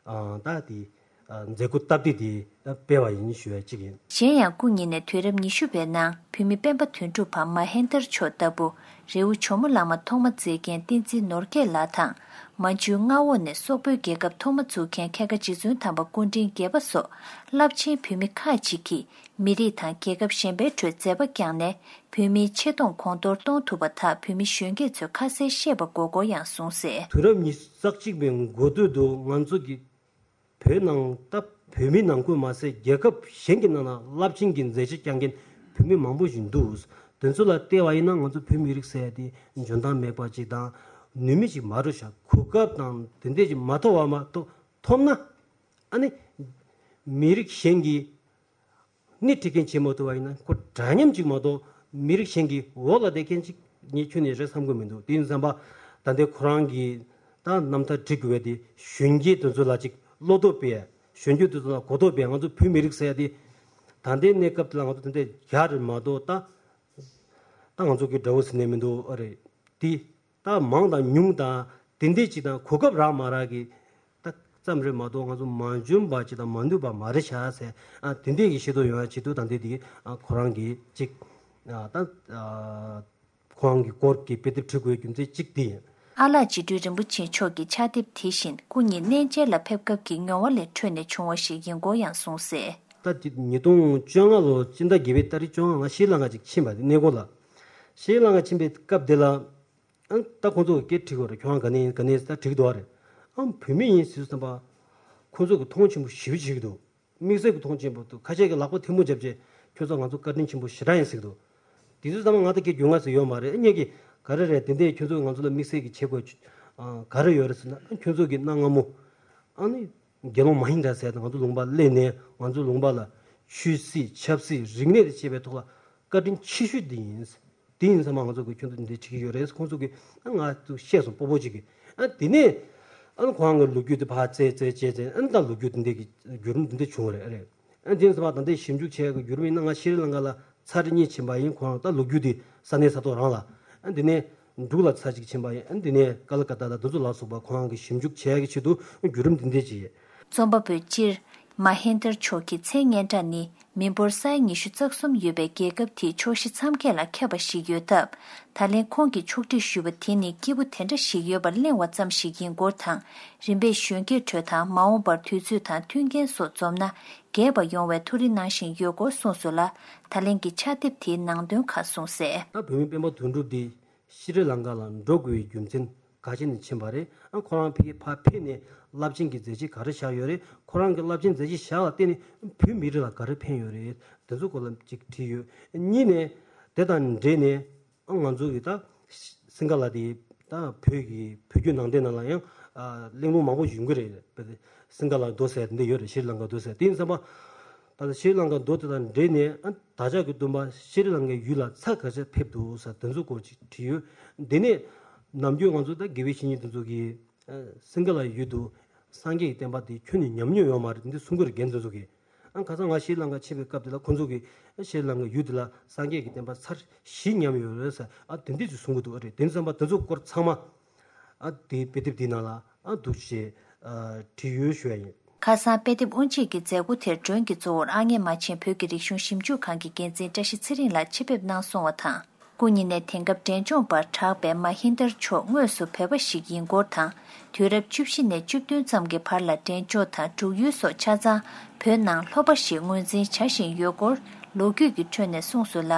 ཨ་ད་དེ་ཨ་མཛད་སྒོ་སྟབས་བདེ་དེ་སྤེལ་བ་ཡིན་ཞུ་ཡ་གཅིག་ཡིན། གཞན་ཡང་སྐུ་ཉིད་ནས་དུས་རབས་ཉི་ཤུ་པའི་ནང་བོད་མི་སྤེན་པ་དོན་གྲུབ་བམ་མ་ཧེན་དར་མཆོག་ལྟ་བུ། རི་བོ་ཇོ་མོ་གླང་མ་ཐོག་མ་མཛེས་མཁན་བསྟན་འཛིན་ནོར་རྒྱས་ལགས་དང་། མན་ཇུའི་མངའ་འོག་ནས་སོག་པོའི་རྒྱལ་ཁབ་ཐོག་མ་བཙུགས་མཁན་མཁས་དགའ་རྗེ་བཙུན་དམ་པ་སྐུ་ཕྲེང་བརྒྱད་པ་སོགས་རླབས་ཆེན་བོད་མི་ཁག་ཅིག་གིས་མི་རིགས་དང་རྒྱལ་ཁབ་གཞན་པའི་ཁྲོད་མཛད་པ་བསྐྱངས་ནས། བོད་མིའི་ཆེ་མཐོང་གོང་མཐོར་གཏོང་ཐུབ་པ་དག་བོད་མི་གཞོན་སྐྱེས་ཚོས་ཁ་གསལ་ཤེས་པ་དགོས་སྐོར་ཡང་གསུངས་གསལ། དུས་རབས་ཉི་ཤུ་རྩ་གཅིག་པའི་འགོ་སྟོད་དུ་ང་ཚོ་གི་བོད་ནང་ད་བོད་མི་ནང་ཁུལ་མ་ཟད། རྒྱལ་ཁབ་གཞན་གྱི་ནང་ན་རླབས་ཆེན་གྱི་མཛད་རྗེས་བསྐྱངས་མཁན་བོད་མི་མང་པོ་ཞིག་འདུག་དེ་ཚོ་ལ་བལྟས་པ་ཡིན་ན་ང་ཚོ་བོད་མི་རིགས་ཟེར་ཡ་དེ་འཇོན་ཐང་མེད་པ་ཅིག་དང་། ནུས་མེད་ཅིག་མ་འགྲོ་ཤག་གོ་སྐབས་དང་དེ་འདྲས་ཅིག་མ་ཐོབ་པ་མ་གཏོགས། ཐོབ་ན་ཨ་ནི་མི་རིགས་གཞན་གྱི་སྣེ་ཁྲིད་མཁན་བྱེད་མ་ཐུབ་པ་ཡིན་ན། ཁོ་འདྲ་མཉམ་ཅིག་མ་གཏོགས་མི་རིགས་གཞན་གྱི་འོག་ལ་བསྡད་མཁན་ཅིག་ངས་ཁྱོན་ནས་རེད་བསམ་གྱི་མི་འདུག་དེ་ཡིན་ཙང་པ་ད་ལྟའི་ཁོ་རང་གི་ད་རྣམ་ཐར་བྲི་དགོས་པ་དེ། གཞོན་སྐྱེས་དེ་ཚོ་ལ་ཅིག་བློ་སྟོབས་སྤེལ་ཡ། གཞོན་སྐྱེས་དེ་ཚོ་ལ་གོ་རྟོགས་སྤེལ་ཡ། ང་ཚོ་བོད་མི་རིགས་ཟེར་ཡ་དེ་ད་ལྟའི་གནས་སྐབས་དེ་ལ་ང་ཚོ་དེ་འདྲ་ཡག་རེད་མ་གཏོགས། ད་ད་ང་ཚོ་གི་དགྲ་བོ་ཟེར་ནས་མི་འདུག་ཨ་རེད་དེ། ད་མང་དང་ཉུང་དང་དེ་འདྲས་ཅིག་དང་གོ་སྐབས་རག་མ་རག་གི་ད་ཙམ་རེད་མ་གཏོགས། ང་ཚོ་མ་འཇོན་པ་ཅིག་དང་མ་ནུས་པ་མ་རེད་ཤག་ཟེར། ཨ་དེ་འདྲས་ཀྱི་ཤེས་རྟོགས་ཡོང་ཡ་ཆེད་དུ་ད་ལྟའི་དེ་ཨ་ཁོ་རང་གི་ཅིག་ཨ་ད་ཨ་ཁོ་རང་གི་སྐོར་གྱི་དཔེ་དེབ་བྲི་དགོས་རྒྱུ་མཚན་གཅིག་དེ་ཡིན། ཨ་ལགས་རྗེ་སྤྲུལ་རིན་པོ་ཆེ་མཆོག་གི་ཕྱག་དེབ་དེ་བཞིན་སྐུ་ཉིད་གནས་མཇལ་ལ་ཕེབས་སྐབས་ཀྱི་མྱོང་བ་ལས་འཕྲོས་ནས་བྱུང་བ་ཞིག་ཡིན་སྐོར་ཡང་གསུངས་གསལ། ད་དེ་ཉིས་སྟོང་བཅོ་ལྔ་ལོ་སྤྱི་ཟླ་བརྒྱད་པའི་ཏ་རིག་བཅོ་ལྔ་ང་ཤྲི་ལང་ཀ་ཅིག་ཕྱིན་པ་དེ་གནས་སྐོར་ལ། ཤྲི་ལང་ཀ་ཕྱིན་པའི་སྐབས་དེ་ལ། ཨ་ད་ཁོང་ཚོ་གིས་སྐད་དྲིས་ཀྱི་ཡོད་རེད། ཁྱོད་རང་ག་ནས་ཡིན་ག་ནས་ཡིན་ཟེར་ད་དྲིས་ཀྱི་འདུག་བ་རེད། ཨ་བོད་མི་ཡིན་ཟེར་བསམ་པ། ཁོང་ཚོ་གིས་མཐོང་ཆེན་པོ་ཞེ་པོ་བྱེད་ཀྱི་འདུག་དམིགས་བསལ་གྱི་མཐོང་ཆེན་པོ་འདུག་ཁ་ཤས་ཀྱིས་ལག་པ་ཐལ་མོ་བརྒྱབ་བྱས། ཁྱོད་ཚོ་ང་ཚོ་བཀའ་དྲིན་ཆེན་པོ་ཞེ་དྲག་ཡིན་ཟེར་གྱི་འདུག་དེ་ཚོ་ཚང་མ་ང་ད་སྐད་རྒྱུས་མངའ་ཟེར་ཡོད་མ་རེད། ཨ་ངས་ཀྱིས་ག་རེ་རེད། དེ་འདྲས་ཁྱོད་ཚོ་ང་ཚོ་ལ་དམིགས་བསལ་གྱི་བྱེད་དགོས་ཨ་ག་རེ་ཡོད་རེད་ཟེར་ན། ཨ་ཁྱོད་ཚོ་གིས་གནའ་སྔ་མོ་ཨ་ནི་དགེ་སློང་མ་ཧིང་དྲ་ཟེར་ཡ་དེ་ང་ཚོ་ལུང་པར་སླེབས་ནས་ང་ཚོ་ལུང་པ་ལ་ཆོས་སྲིད་ཆབ་སྲིད་རིག་གནས་དང་བཅས་པའི་ཐོག་ལ་བཀའ་དྲིན་ཆེ་ཤོས་འདི་ཡིན། དེ་ཡིན་ཙང་མ་ང་ཚོ་གིས་ཁྱོད་ཚོ་འདི་འདྲ་བྱེད་ཀྱི་ཡོད་རེད། ཁོང་ཚོ་གིས་ཨ་ང་ཚོ་བཤད་སོང་། སྤོ་བོ་གཅིག་གིས། ཨ་དེ་ནས་ཨ་ཁོ་རང་གི་ལོ་རྒྱུས་དེ་ཕར་བཙལ་བཙལ་བྱས་བྱས། ཨ་ད་ལོ་རྒྱུས་དེ་འདྲ་གི་བརྒྱུད་རིམ་དེ་འདྲ་བྱུང་བ་རེད། ཨ་རེད། ཨ་དེ་ཡིན་ཙང་མ་ད་ལྟའི་ཞིབ་འཇུག་བྱས་ཀྱི་བརྒྱུད་རིམ་ཡིན་ན། ང་ཤྲི་ལང་ཀ་ལ་ཚར་གཉིས་ཕྱིན་པ་ཡིན། ཁོ་རང་ད་ལོ་རྒྱུས་དེ་ས་གནས་ས་ཐོག་རང་ལ། ཨ་དེ་ནས་འབྲུག་ལ་ཚར་གཅིག་ཕྱིན་པ་ཡིན། ཨ་དེ་ནས་ཀ་ལ་ཀ་ཏ་དང་དེ་ཚོ་ལ་སོགས་པ་ཁོ་རང་གིས་ཞིབ་འཇུག་བྱས་ཀྱི་ཆེད་དུ་བརྒྱུད་རིམ་དེ་འདྲ་ཅིག་ཡོད། རྩོམ་པ་པོས་སྤྱིར་མ་ཧེན་དར་མཆོག་གི་མཚན་སྙན་གྲགས་ནི། མི་འབོར་ས་ཡ་ཉི་ཤུ་རྩ་གསུམ་ཡོད་པའི་རྒྱལ་ཁབ་དེའི་ཕྱོགས་བཞི་མཚམས་བརྒྱད་ལ་ཁྱབ་པ་ཞིག་ཡོད་སྟབས། ད་ལན་ཁོང་གིས་ཕྱོགས་སྒྲིག་ཞུས་པ་དེ་ནི་སྐྱིད་པོ་དེ་འདྲ་ཞིག་ཡོད་པར་གླེང་བ་ཙམ་ཞིག་ཡིན་སྐོར་དང་། རིམ་པས་གཞོན་སྐྱེས་ཁྲོད་དང་མ་འོངས་པར་དུས་ཚོད་དང་མཐུན་རྐྱེན་སོགས་འཛོམས་ན་རྒྱས་པ་ཡོང་བའི་ཐུགས་རེ་གནང་བཞིན་ཡོད་སྐོར་གསུངས་སོང་ལ། ད་ལན་གྱི་ཕྱག་དེབ་དེའི་ནང་དོན་ཁག་གསུངས་གསལ། ད་བོད་མི་སྤེན་པ་དོན་གྲུབ་འདི་ཤྲི་ལང་ཀ་ལ་འགྲོ་དགོས་པའི་རྒྱུ་མཚན་ག་ཅི་ནས་ཕྱིན་པ་རེད། ཨ་ཁོ་རང་ཕ་གིར་ཕར་ཕེབས་ནས་རླབས་ཆེན་གྱི་མཛད་རྗེས་ག་རེ་བཞག་ཡོད་རེད། ཁོ་རང་གི་རླབས་ཆེན་མཛད་རྗེས་བཞག་ལ་བརྟེན་ནས་བོད་མི་རིགས་ལ་ག་རེ་ཕན་ཡོད་རེད། དེ་ཚོ་སྐོར་ལ་ཅིག་དྲིས་ཡོད། གཉིས་ནས་དེ་དང་འབྲེལ་ནས་ཨ་ང་ཚོ་གི་ད་སིང་ག་ལ་དེ་ད་བོད་ཀྱི་བོད་བརྒྱུད་ནང་བསྟན་ནང་ལ་ཡང་ཨ་གླེང་སློང་མང་པོ་ཡོང་གི་རེད། སིང་ག་ལ་མདོ་ཟེར་དེ་འདྲ་ཡོད་རེད། ཤྲི་ལང་ཀ་མདོ་ཟེར་དེ་ཡིན་ཙམ་པ། ད་ལྟ་ཤྲི་ལང་ཀ་མདོ་དེ་དང་འབྲེལ་ནས་ཨ་བདག་ཅག་གི་སྟོན་པ་ཤྲི་ལང་ཀའི་ཡུལ་ལ་ཚར་ག་ཚོད་ཕེབས་འདུག་ཟེར་དེ་ཚོ་སྐོར་ཅིག་དྲིས་ཡོད། དེ་ནས་ནམ་རྒྱུན་ང་ཚོ་ད་དགེ་བའི་བཤེས་གཉེན་དེ་ཚོ་གིས་ཨ་སིང་ག་ལ་ཡུལ་དུ་སངས་རྒྱས་ཀྱི་བསྟན་པ་དེ་ཁྱོན་ནས་ཉམས་མྱོང་ཡོད་མ་རེད་འདི་གསུང་གི་རེད། རྒན་དེ་ཚོ་གིས་ཨ་ཁ་སང་ང་ཤྲི་ལང་ཀ་ཕྱིན་པའི་སྐབས་དེ་ལ་ཁོ་ཚོ་གིས་ཨ་ཤྲི་ལང་ཀ་ཡུལ་དེ་ལ་སངས་རྒྱས་ཀྱི་བསྟན་པ་ཚར་བཞི་ཉམས་ཡོད་རེད་ཟེར་ཨ་དེ་འདྲས་ཅིག་གསུང་གི་འདུག་ཨ་རེད། དེ་ཙམ་པ་དེ་ཚོ་སྐོར་ཚང་མ་ཨ་དེའི་དཔེ་དེབ་དེའི་ནང་ལ་ཨ་འདུག་ཅེས་ཨ་བྲིས་ཡོད་ཞུ་ཡ་ཡིན། ཁ་སང་དཔེ་དེབ་དབུ་འབྱེད་ཀྱི་མཛད་སྒོ་དེར་མགྲོན་གྱི་གཙོ་བོར་ཨ་མྱེས་རྨ་ཆེན་བོད་ཀྱི་རིག་གཞུང་ཞིབ་འཇུག་ཁང་གི་འགན་འཛིན་བཀྲ་ཤིས་ཚེ་རིང་ལགས་ཆེད་ཕེབས་གནང་སོང་བ་དང་། སྐུ་ཉིད་ནས་དེང་སྐབས་འབྲས་ལྗོངས་པར་གྲགས་པའི་མ་ཧིན་དར་མཆོག་དངོས་སུ་བོད་པ་ཞིག་ཡིན་སྐོར་དང་། དུས་རབས་བཅུ་བཞི་ནས་བཅུ་བདུན་ཙམ་གྱི་བར་ལ་འབྲས་ལྗོངས་དང་འབྲུག་ཡུལ་སོགས་ཆ་ཚང་བོད་ནང་ལྷོ་པ་ཞེས་ངོས་འཛིན་བྱ་བཞིན་ཡོད་སྐོར་ལོ་རྒྱུས་ཀྱི་ཁྲོད་ནས་གསུངས་སོང་ལ།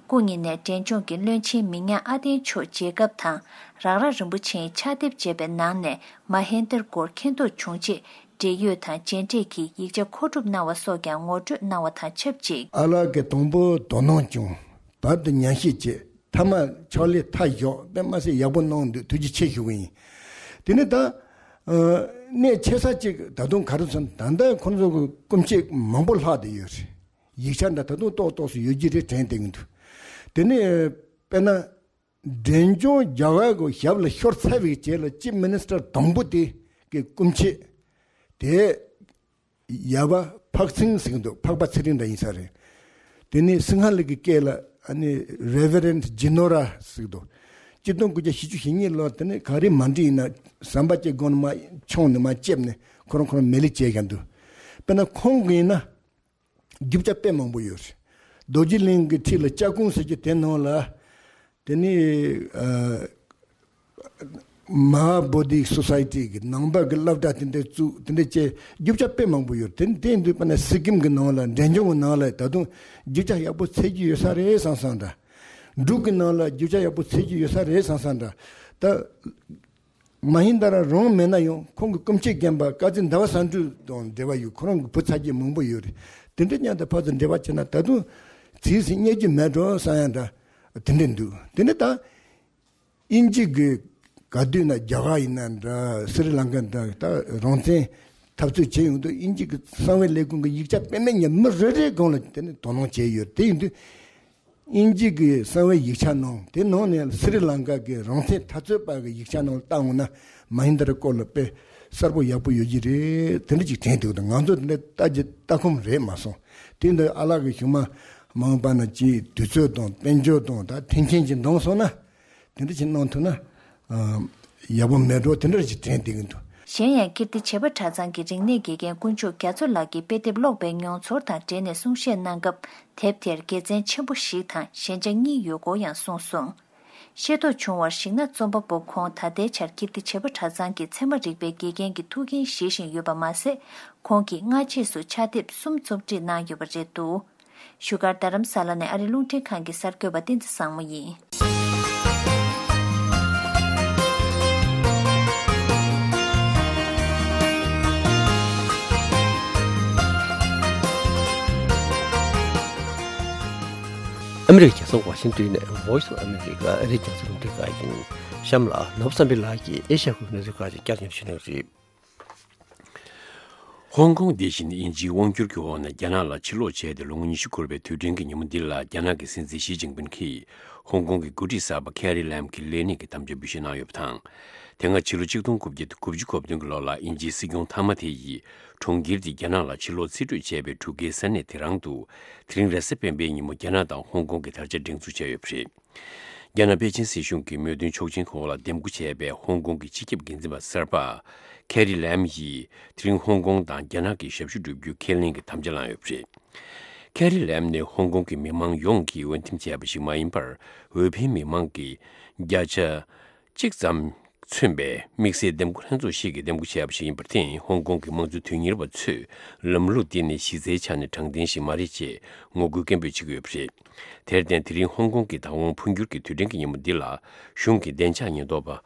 སྐུ་ཉིད་ནས་འབྲས་ལྗོངས་ཀྱི་བློན་ཆེན་མི་ཉག་ཨ་བརྟན་མཆོག་མཇལ་སྐབས་དང་། རང་རང་རིན་པོ་ཆེའི་ཕྱག་དེབ་མཇལ་བའི་ནང་ནས་མ་ཧིན་དར་སྐོར་མཁྱེན་རྟོགས་བྱུང་རྗེས། འབྲེལ་ཡོད་དང་མཇལ་འཕྲད་ཀྱིས་ཡིག་ཆ་མཁོ་སྒྲུབ་གནང་བ་སོགས་ཀྱང་ངོ་སྤྲོད་གནང་བ་དང་ཆབས་ཅིག་ཨ་ལགས་ཀྱིས་དང་པོ་དོ་སྣང་བྱུང་། བར་དུ་ཉམས་ཞིབ་བྱས། མཐའ་མ་ཕྱག་ལས་མཐའ་བཞག་དཔེ་མ་སྲིད་ཡག་པོ་གནང་འདུག་ཐུགས་རྗེ་ཆེ་ཞུ་གི་ཡིན། དེ་ནས་ད་ཨ་གནད་ཆེ་ས་གཅིག་ད་དུང་ག་རེ་ཟེར་ན་ད་ལྟ་ཁོང་ཚོ་གི་སྐུ་མཆེད་མང་པོ་ལྷག་བསྡད་ཡོད་རེད། ཡིག་ཆ་འདྲ་ད་དུང་ཏོག་ཏོག་ཙམ་ཡོད་ཀྱི་རེད་དྲན་བསྡད་ཀྱི་འདུག་དེ་ནས་དཔེར་ན། འབྲས་ལྗོངས་རྒྱ་གར་གྱི་ཞབས་ལ་ཤོར་ཚར་བའི་རྗེས་ལ་ཅིབ་མི་ནི་སི་ཊར་དང་པོ་དེ་གི་སྐུ་མཆེད་དེ་ཡ་བ་འཕགས་ཚེ་རིང་ཟེར་གྱི་འདུག་འཕགས་པ་ཚེ་རིང་འདྲ་ཡིན་ས་རེད། དེ་ནས་སིང་ཧ་ལ་གི་སྐད་ལ་ཨ་ནི་Reverend Jinora ཟེར་གྱི་འདུག་སྤྱི་སྟོང་དགུ་བརྒྱ་བཞི་བཅུ་ཞེ་གཉིས་ལོར་དེ་ནས་ག་རེ་མ་འགྲིག་ཡིན་ན་ཟམ་པ་ཅིག་སྒང་ནས་མར་མཆོངས་ནས་མར་ལྕེབས་ནས་ཁོ་རང་ཁོ་རང་མེ་ལེགས་བྱས་བཞག་འདུག་དཔེར་ན་ཁོང་གི་ཡིན་ན། རྒྱུ་ཆ་དཔེ་མང་པོ་ཡོད་རེད། རྡོ་རྗེ་གླིང་གི་འཁྲིས་ལ་སྐྱབས་ཁུང་ཟེར་གྱི་དེ་ནང་ལ། དེ་ནི་ཨ་Mahabodhi Society གི་ནང་པ་གི་སློབ་གྲྭ་དེ་འདྲ་བཙུགས་དེ་འདྲ་བྱས་རྒྱུ་ཆ་དཔེ་མང་པོ་ཡོད་རེད། དེ་དེ་འདུག་པ་ན་སི་ཀིམ་གི་ནང་ལ་འབྲས་ལྗོངས་གི་ནང་ལ་ད་དུང་རྒྱུ་ཆ་ཡག་པོ་འཚོལ་རྒྱུ་ཡོད་ས་རེད་བསམ་བསམ་འདྲ། འབྲུག་གི་ནང་ལ་རྒྱུ་ཆ་ཡག་པོ་འཚོལ་རྒྱུ་ཡོད་ས་རེད་བསམ་བསམ་འདྲ། ད། མ་ཧིན་དཱ་ར་རང་མེད་ན་ཡང་ཁོང་གི་སྐུ་མཆེད་རྒན་པ་ཀ་ཛི་ཟླ་བ་བསམ་གྲུབ་དང་འབྲེལ་བ་ཡོད། ཁོ་རང་གི་བུ་ཚ་རྒྱུད་མང་པོ་ཡོད་རེད། དེ་འདྲ་མཉམ་དུ་ཕར་ཚུར་འབྲེལ་བ་བྱས་ན་ད་དུང་ཚིག་ཟིན་རྙེད་རྒྱུ་མེད་འགྲོ་བསམ་ཡ་འདྲ་དེ་འདྲ་འདུག་དེ་ནས་ད་དབྱིན་ཇི་གི་ག་དུས་ན་རྒྱ་གར་ཡིན་ན་འདྲ་སི་རི་ལང་ཀ་འདྲ་ད་རང་བཙན་འཐབ་རྩོད་བྱས་ཡོང་དུས་དབྱིན་ཇི་གི་གསང་བའི་ལས་ཁུངས་ཀྱི་ཡིག་ཆ་དཔེ་མེད་ཉམས་མི་རེ་རེའི་སྒང་ལ་དེ་ནས་དོ་སྣང་བྱས་ཡོད། དེ་ཡིན་དུས། དབྱིན་ཇི་གི་གསང་བའི་ཡིག་ཆ་ནང་དེ་ནང་ནས་སི་རི་ལང་ཀ་གི་རང་བཙན་འཐབ་རྩོད་པ་གི་ཡིག་ཆ་ནང་ལ་བལྟ་འོང་ན་མ་ཧིན་དཱ་ར་སྐོར་ལ་དཔེ་གསལ་པོ་ཡག་པོ་ཡོད་ཀྱི་རེད། དེ་འདྲ་ཅིག་དྲན་འདུག་ད་ང་ཚོ་དེ་འདྲ་ལྟ་རྒྱུ་ལྟ་ཁོམ་རེད་མ་སོང་། དེ་འདྲ་ཨ་ལགས་ཀྱི་གཞུག་མ་མ་འོངས་པ་ན་ཅིག་དུས་ཚོད་དང་དཔལ་འབྱོར་དང་ད་མཐུན་རྐྱེན་ཅིག་འདང་སོང་ན་དེ་འདྲ་ཅིག་གནང་ཐུབ་ན་ཨ་ཡག་པོ་མེད་འགྲོ་དེ་འདྲ་ཅིག་དྲན་བསྡད་ཀྱི་འདུག་གཞན་ཡང་ཀིརྟི་བྱེས་པ་གྲྭ་ཚང་གི་རིག་གནས་དགེ་རྒན་དཀོན་མཆོག་རྒྱ་མཚོ་ལགས་ཀྱིས་དཔེ་དེབ་ཀློག་པའི་མྱོང་ཚོར་དང་འབྲེལ་ནས་གསུང་བཤད་གནང་སྐབས། དེབ་དེར་དགེ་མཚན་ཆེན་པོ་ཞིག་དང་ཞན་ཆ་གཉིས་ཡོད་སྐོར་ཡང་གསུངས་སོང་། ཤེས་རྟོགས་བྱུང་བར་གཞིགས་ན་རྩོམ་པ་པོ་ཁོང་ད་ལྟའི་ཆར་ཀིརྟི་བྱེས་པ་གྲྭ་ཚང་གི་ཚད་མ་རིག་པའི་དགེ་རྒན་གྱི་ཐུགས་འགན་བཞེས་བཞིན་ཡོད་པ་མ་ཟད། ཁོང་གིས་སྔ་རྗེས་སུ་ཕྱག་དེབ་གསུམ་རྩོམ་སྒྲིག་གནང་ཡོད་པ་རེད་འདུག་བཞུགས་སྒར་རྡ་རམ་ས་ལ་ནས་ཨ་རི་རླུང་འཕྲིན་ཁང་གི་གསར་འགོད་པ་བསྟན་འཛིན་བཟང་མོ་ཡིན། ཨ་མི་རི་ཀའི་རྒྱལ་ས་ཝ་ཤིང་ཏོན་ནས་Voice of America ཨ་རིའི་རྒྱང་སྲིང་རླུང་འཕྲིན་ཁང་ཡིན། གཤམ་ལ་ནོར་བུ་བསམ་འཕེལ་ལགས་ཀྱིས་ཨེ་ཤ་ཡ་ཁུལ་གྱི་གནས་ཚུལ་ཁག་ཅིག་བསྐྱར་ཞིབ་གནང་གི་རེད། ཧོང་ཀོང་འདི་བཞིན་དབྱིན་ཇིའི་དབང་བསྒྱུར་གྱི་འོག་ནས་རྒྱ་ནག་ལ་ཕྱིར་ལོག་བྱས་ཏེ་ལོ་ངོ་ཉི་ཤུ་འཁོར་བའི་དུས་དྲན་གྱི་ཉིན་མོ་འདི་ལ་རྒྱ་ནག་གི་སྲིད་འཛིན་ཞི་ཅིན་ཕིན་གྱིས་ཧོང་ཀོང་གི་འགོ་ཁྲིད་གསར་པ་ཁེ་རི་ལམ་གྱི་ལས་གནས་ཀྱི་དམ་བཅའ་འབུལ་བཞེས་གནང་ཡོད་པ་དང་། དེ་སྔ་ཕྱི་ལོ་ཆིག་སྟོང་དགུ་བརྒྱ་དགུ་བཅུ་གོ་བདུན་གྱི་ལོ་ལ་དབྱིན་ཇིའི་སྲིད་སྐྱོང་མཐའ་མ་དེ་ཡིས་གྲོང་ཁྱེར་དེ་རྒྱ་ནག་ལ་ཕྱིར་ལོག་རྩིས་སྤྲོད་བྱས་པའི་འབྲུག་སྐད་ས་གནས་དེ་རང་དུ་དེ་རིང་རེས་གཟའ་སྤེན་པའི་ཉིན་མོ་རྒྱ་ནག་དང་ཧོང་ཀོང་གི་དར་ཆ་སྒྲེང་འཛུགས་བྱས་ཡོད་པ་རེད། རྒྱ་ནག་པེ་ཅིན་སྲིད་གཞུང་གི་མོས་མཐུན་ཆོག་མཆན་འོག་ལ་འདེམས་བསྐོ་བྱས་པའི་ཧོང་ཀོང་གི་སྤྱི་ཁྱབ་འགན་འཛིན་པ་གསར་པ་ཁེ་རི་ལམ་ཡིས་དེ་རིང་ཧོང་ཀོང་དང་རྒྱ་ནག་གི་ཞབས་ཞུ་བསྒྲུབ་རྒྱུའི་ཁས་ལེན་གྱི་དམ་བཅའ་བླངས་ཡོད་པ་རེད། ཁེ་རི་ལེམ་ནི་ཧོང་ཀོང་གི་མི་མང་ཡོངས་ཀྱིས་འོས་འདེམས་བྱས་པ་ཞིག་མ་ཡིན་པར། འོས་འཕེན་མི་མང་གི་བརྒྱ་ཆ་གཅིག་ཙམ་མཚོན་པའི་དམིགས་བསལ་འདེམས་བསྐོ་ལྷན་ཚོགས་ཤིག་གིས་འདེམས་བསྐོ་བྱས་པ་ཞིག་ཡིན་པར་བརྟེན། ཧོང་ཀོང་གི་དམངས་གཙོ་དོན་གཉེར་བ་ཚོས་ལམ་ལུགས་འདི་ནི་གཞི་རྩའི་ཆ་ནས་དྲང་བདེན་ཞིག་མ་རེད་ཅེས་ངོ་རྒོལ་སྐད་འབོད་བྱེད་ཀྱི་ཡོད་པ་རེད། དེར་བརྟེན། དེ་རིང་ཧོང་ཀོང་གི་བདག་དབང་འཕོ་འགྱུར་གྱི་དུས་དྲན་གྱི་ཉིན་མོ་འདི་ལ། གཞུང་གི་བདེ་འཇགས་ཉེན་རྟོག་པ་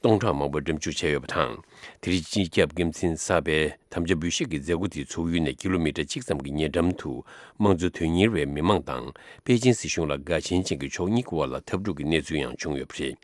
སྟོང་ཕྲག་མང་པོ་འགྲེམས་འཇུག་བྱས་ཡོད་པ་དང་། དེ་རིང་སྤྱི་ཁྱབ་འགན་འཛིན་གསར་པའི་དམ་བཅའ་འབུལ་བཞེས་ཀྱི་མཛད་སྒོ་དེའི་ཚོགས་ཡུལ་ནས་ཀི་ལོ་མི་ཊར་གཅིག་ཙམ་གྱི་ཉེ་འགྲམ་དུ། དམངས་གཙོ་དོན་གཉེར་བའི་མི་མང་དང་པེ་ཅིན་སྲིད་གཞུང་ལ་དགའ་ཞེན་ཅན་གྱི་ཕྱོགས་གཉིས་ཀྱི་དབར་ལ་འཐབ་འཁྲུག་གི་གནས་ཚུལ་ཡང་བྱུང་ཡོད་པ་རེད།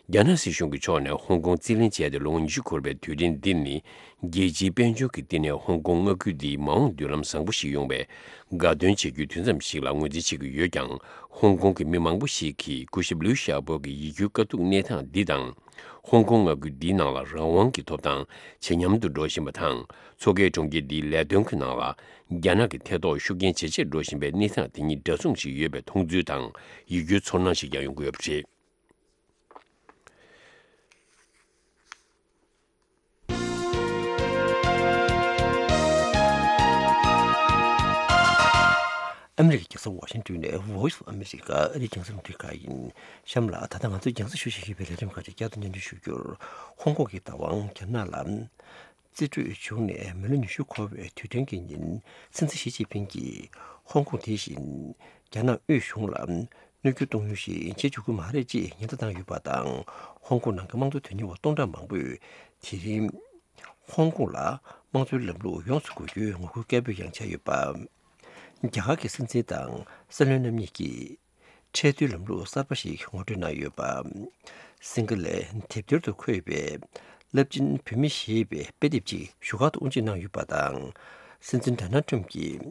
རྒྱ་ནག་སྲིད་གཞུང་གི་ཕྱོགས་ནས་ཧོང་ཀོང་རྩིས་ལེན་བྱས་ཏེ་ལོ་ངོ་ཉི་ཤུ་འཁོར་བའི་དུས་དྲན་འདི་ནི། རྒྱལ་སྤྱིའི་དཔལ་འབྱོར་གྱི་བསྟི་གནས་ཧོང་ཀོང་མངའ་ཁུལ་འདིའི་མ་འོངས་མདུན་ལམ་བཟང་པོ་ཞིག་ཡོང་བའི་དགའ་སྟོན་བྱེད་རྒྱུའི་དུས་མཚམས་ཤིག་ལ་ངོས་འཛིན་བྱེད་ཀྱི་ཡོད་ཀྱང་། ཧོང་ཀོང་གི་མི་མང་པོ་ཞིག་གིས་སྐུ་ཞབས་ལིའུ་ཞའོ་པོ་གི་ཡིད་སྐྱོའི་དཀའ་སྡུག་གནས་སྟངས་འདི་དང་། ཧོང་ཀོང་མངའ་ཁུལ་འདིའི་ནང་ལ་རང་དབང་གི་ཐོབ་ཐང་ཇེ་ཉམས་སུ་འགྲོ་བཞིན་པ་དང་། མཚོ་ཁའི་གྲོང་ཁྱེར་འདིའི་ལས་དོན་གྱི་ནང་ལ་རྒྱ་ནག་གི་ཐེ་གཏོགས་ཤུགས་རྐྱེན་ཇེ་ཆེར་འགྲོ་བཞིན་པའི་གནས་སྟངས་དེ་གཉིས་འདྲ་མཚུངས་ཤིག་ཡོད་པའི་མཐོང་ཚུལ་དང་ཡིད་སྐྱོའི་ཚོར་སྣང་ཞིག་ཀྱང་ཡོང་གི་ཡོད་པ་རེད། ཨ་མི་རི་ཀའི་རྒྱལ་ས་ཝ་ཤིང་ཏོན་ནས་Voice of America ཨ་རིའི་རྒྱང་སྲིང་རླུང་འཕྲིན་ཁང་ཡིན། གཤམ་ལ་ད་ལྟ་ང་ཚོས་རྒྱང་སྲིང་ཞུ་བཞིན་ཡོད་པའི་ལས་རིམ་ཁག་ཅིག་བསྐྱར་དུ་སྙན་སྒྲོན་ཞུ་རྒྱུར། ཧོང་ཀོང་གི་བདག་དབང་རྒྱ་ནག་ལ་རྩིས་སྤྲོད་བྱུང་ནས་མི་ལོ་ཉི་ཤུ་འཁོར་བའི་དུས་དྲན་གྱི་ཉིན། སྲིད་འཛིན་ཞི་ཅིན་ཕིང་གིས་ཧོང་ཀོང་དེ་བཞིན་རྒྱ་ནག་དབུས་གཞུང་ལ་གནོད་སྐྱོན་གཏོང་ཡུལ་ཞིག་བྱེད་འཇུག་གི་མ་རེད་ཅེས་ཉེན་བརྡ་བཏང་ཡོད་པ་དང་། ཧོང་ཀོང་ནང་གི་དམངས་གཙོ་དོན་གཉེར་བ་སྟོང་ཕྲག་མང་པོས་དེ་རིང་ཧོང་ཀོང་ལ་དམངས་གཙོའི་ལམ་ལུགས་ཡོངས་སུ་དགོས་རྒྱུའི་ངོ་རྒོལ་སྐད་འབོད་ཡང་བྱས་ཡོད་པ། རྒྱ་གར་གྱི་སྲིད་འཛིན་དང་སྲིད་བློན་རྣམ་གཉིས་ཀྱིས་ཁྲལ་བསྡུའི་ལམ་ལུགས་གསར་པ་ཞིག་ངོ་སྤྲོད་གནང་ཡོད་པ། སིང་ག་ལའི་དེབ་ཐེར་དུ་འཁོད་པའི་རླབས་ཆེན་བོད་མི་ཞེས་པའི་དཔེ་དེབ་ཅིག་བཞུགས་སྒར་དུ་དབུ་འབྱེད་གནང་ཡོད་པ་དང་། སྲིད་འཛིན་ཌོ་ནལ་ཊམ་གྱིས་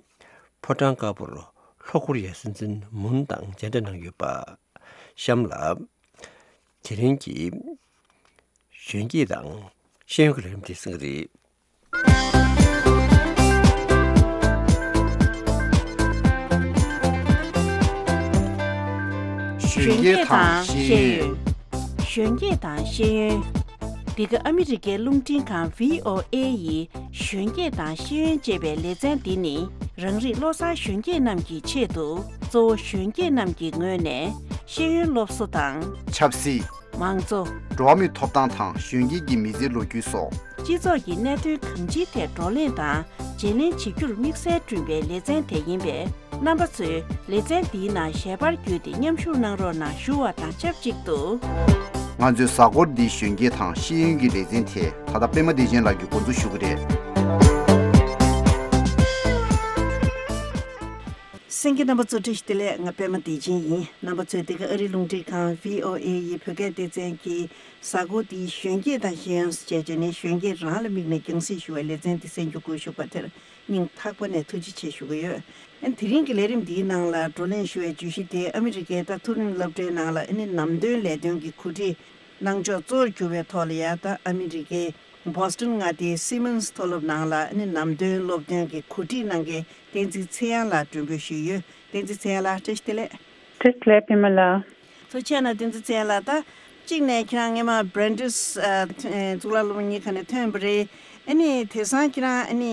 ཕོ་བྲང་དཀར་པོར་ལྷོ་ཀོ་རི་ཡའི་སྲིད་འཛིན་མུན་དང་མཇལ་འཕྲད་གནང་ཡོད་པ། གཤམ་ལ། དེ་རིང་གི་གཞོན་སྐྱེས་དང་ཤེས་ཡོན་གྱི་ལས་རིམ་དེ་གསན་གྱི་རེད། གཞོན་སྐྱེས་དང་ཤེས་ཡོན། གཞོན་སྐྱེས་དང་ཤེས་ཡོན། འདི་ག་ཨ་མི་རི་ཀའི་རླུང་འཕྲིན་ཁང་བྷི་ཨོ་ཨེ་ཡི་གཞོན་སྐྱེས་དང་ཤེས་ཡོན་ཅེས་པའི་ལེ་ཚན་འདི་ནི། རང་རིགས་བློ་བཟང་གཞོན་སྐྱེས་རྣམས་ཀྱི་ཆེད་དུ། གཙོ་བོ་གཞོན་སྐྱེས་རྣམས་ཀྱི་ངོས་ནས་ཤེས་ཡོན་སློབ་གསོ་དང་། ཆབ་སྲིད། མང་གཙོ། འགྲོ་བ་མིའི་ཐོབ་ཐང་དང་གཞོན་སྐྱེས་ཀྱི་མི་ཚེའི་ལོ་རྒྱུས་སོགས། སྤྱི་ཚོགས་ཀྱི་གནད་དོན་གང་ཅིའི་ཐད་བགྲོ་གླེང་དང་བརྗེ་ལེན་བྱེད་རྒྱུར་དམིགས་བསལ་བསྐྲུན་པའི་ལེ་ཚན་དེ་ཡིན་པས། རྣམ་པ་ཚོས་ལེ་ཚན་འདིའི་ནང་ཞལ་པར་བརྒྱུད་དེ་མཉམ་ཞུགས་གནང་རོགས་གནང་ཞུ་བ་དང་ཆབས་ཅིག་ཏུ། ང་ཚོའི་གཟའ་འཁོར་འདིའི་གཞོན་སྐྱེས་དང་ཤེས་ཡོན་གྱི་ལེ་ཚན་དེ་ད་ལྟ་པད་མ་བདེ་ཆེན་ལགས་ཀྱིས་འགོ་འཛུགས་ཞུ་གི་རེད། གསན་མཁན་རྣམ་པ་ཚོ་བཀྲ་ཤིས་བདེ་ལེགས། ང་པད་མ་བདེ་ཆེན་ཡིན། རྣམ་པ་ཚོས་འདི་ག་ཨ་རིའི་རླུང་འཕྲིན་ཁང་བྷི་ཨོ་ཨེ་ཡི་བོད་སྐད་སྡེ་ཚན་གྱི་གཟའ་འཁོར་འདིའི་གཞོན་སྐྱེས་དང་ཤེས་ཡོན་ཞེས་བྱས་ནས་གཞོན་སྐྱེས་རང་ལ་དམིགས་ནས་རྒྱང་སྲིང་ཞུ་བའི་ལེ་ཚན་འདི་གསན་རྒྱུ་སྒུག་བཞུགས་པ་དེར་སྙིང་ཐག་པ་ནས་ཐུགས་རྗེ་ཆེ་ཞུ་གི་ཡོད། ཨ་ནི་དེ་རིང་གི་ལས་རིམ་འདིའི་ནང་ལ་བགྲོ་གླེང་ཞུ་བའི་བརྗོད་གཞི་དེ་ཨ་མི་རི་ཀའི་ད་མཐོ་རིམ་སློབ་གྲྭའི་ནང་ལ་ཨ་ནི་ནམ་དོན་ལས་དོན་གྱི་གོ་སྒྲིག་གནང་ཕྱོགས་གཙོ་བོར་གྱུར་པའི་ཐོག་ལ་ཡ། ད་ཨ་མི་རི་ཀའི་བྷོ་སི་ཊོན་མངའ་སྡེའི་སི་མོན་སི་མཐོ་སློབ་ནང་ལ་ཨ་ནི་ནམ་དོན་སློབ་སྟོན་གྱི་གོ་སྒྲིག་གནང་མཁན་བསྟན་འཛིན་ཚེ་དབྱངས་ལགས་མགྲོན་འབོད་ཞུས་ཡོད། བསྟན་འཛིན་ཚེ་དབྱངས་ལགས་བཀྲ་ཤིས་བདེ་ལེགས། བཀྲ་ཤིས་བདེ་ལེགས་པད་མ་ལགས། ཐུགས་རྗེ་གནང་། བསྟན་འཛིན་ཚེ་དབྱངས་ལགས། ད་གཅིག་ནས་ཁྱེད་རང་སྔས་མ་Brandeis ཨ་གཙུག་ལག་སློབ་གཉེར་ཁང་ནས་ཐོན་པ་རེད། ཨ་ནི་དེང་སང་ཁྱེད་རང་ཨ་ནི་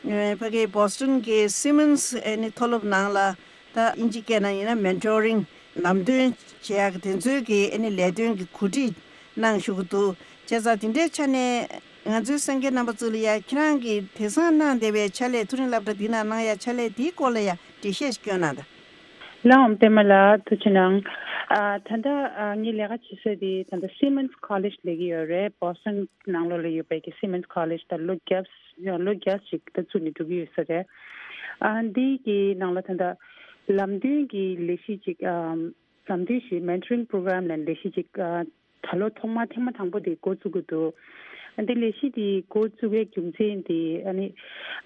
ཕ་གིའི་བྷོ་སི་ཊོན་གྱི་སི་མོན་སི་ཨ་ནི་མཐོ་སློབ་ནང་ལ་ད་དབྱིན་ཇི་སྐད་ནང་ཡིན་ན་མེན་ཊོ་རིང་ལམ་སྟོན་བྱེད་ཡག་དེ་ཚོའི་གི་ཨ་ནི་ལས་དོན་གྱི་གོ་སྒྲིག་གནང་བཞུགས་ཀྱི་འདུག་བྱས་ཙང་དེ་འདྲའི་ཆ་ནས་ང་ཚོའི་གསན་མཁན་རྣམ་པ་ཚོ་ལ་ཡ་ཁྱེད་རང་གིས་དེང་སང་གནང་བསྡད་པའི་ཕྱག་ལས། མཐོ་རིམ་སློབ་གྲྭ་འདི་ནང་གནང་ཡ་ཕྱག་ལས་འདིའི་སྐོར་ལ་ཡ་འགྲེལ་བཤད་ཞིག་སྐྱོན་གནང་དང་། ལགས་འོང་པད་མ་ལགས། ཐུགས་རྗེ་གནང་། ཨ་ད་ལྟ་ཨ་ངའི་ལས་ཀ་བྱེད་ས་དེ་ད་ལྟ་སི་མོན་སི་ཀོ་ལེཇ་ལབ་ཀྱི་ཡོད་རེད། བྷོ་སི་ཊོན་ནང་ལོགས་ལ་ཡོད་པའི་གི་སི་མོན་སི་ཀོ་ལེཇ་ད་ལོ་བརྒྱད་ལོ་བརྒྱ་ཅིག་ད་བཙུགས་ནས་འགྲོ་གི་ཡོད་ས་རེད། ཨ་འདི་གི་ནང་ལ་ད་ལྟ་ལམ་སྟོན་གྱི་ལས་གཞི་ཅིག་ཨམ་ལམ་སྟོན་ཞེས་མེན་ཊོ་རིང་པོ་རོ་གྷ་རམ་ལབ་ལས་གཞི་ཅིག་ཨ་ད་ལོ་ཐོག་མ་ཐེངས་མ་དང་པོ་དེ་འགོ་བཙུགས་ཀྱི་འདུག་ཨ་འདི་ལས་གཞི་དེ་འགོ་བཙུགས་པའི་རྒྱུ་མཚན་དེ་ཨ་ནི་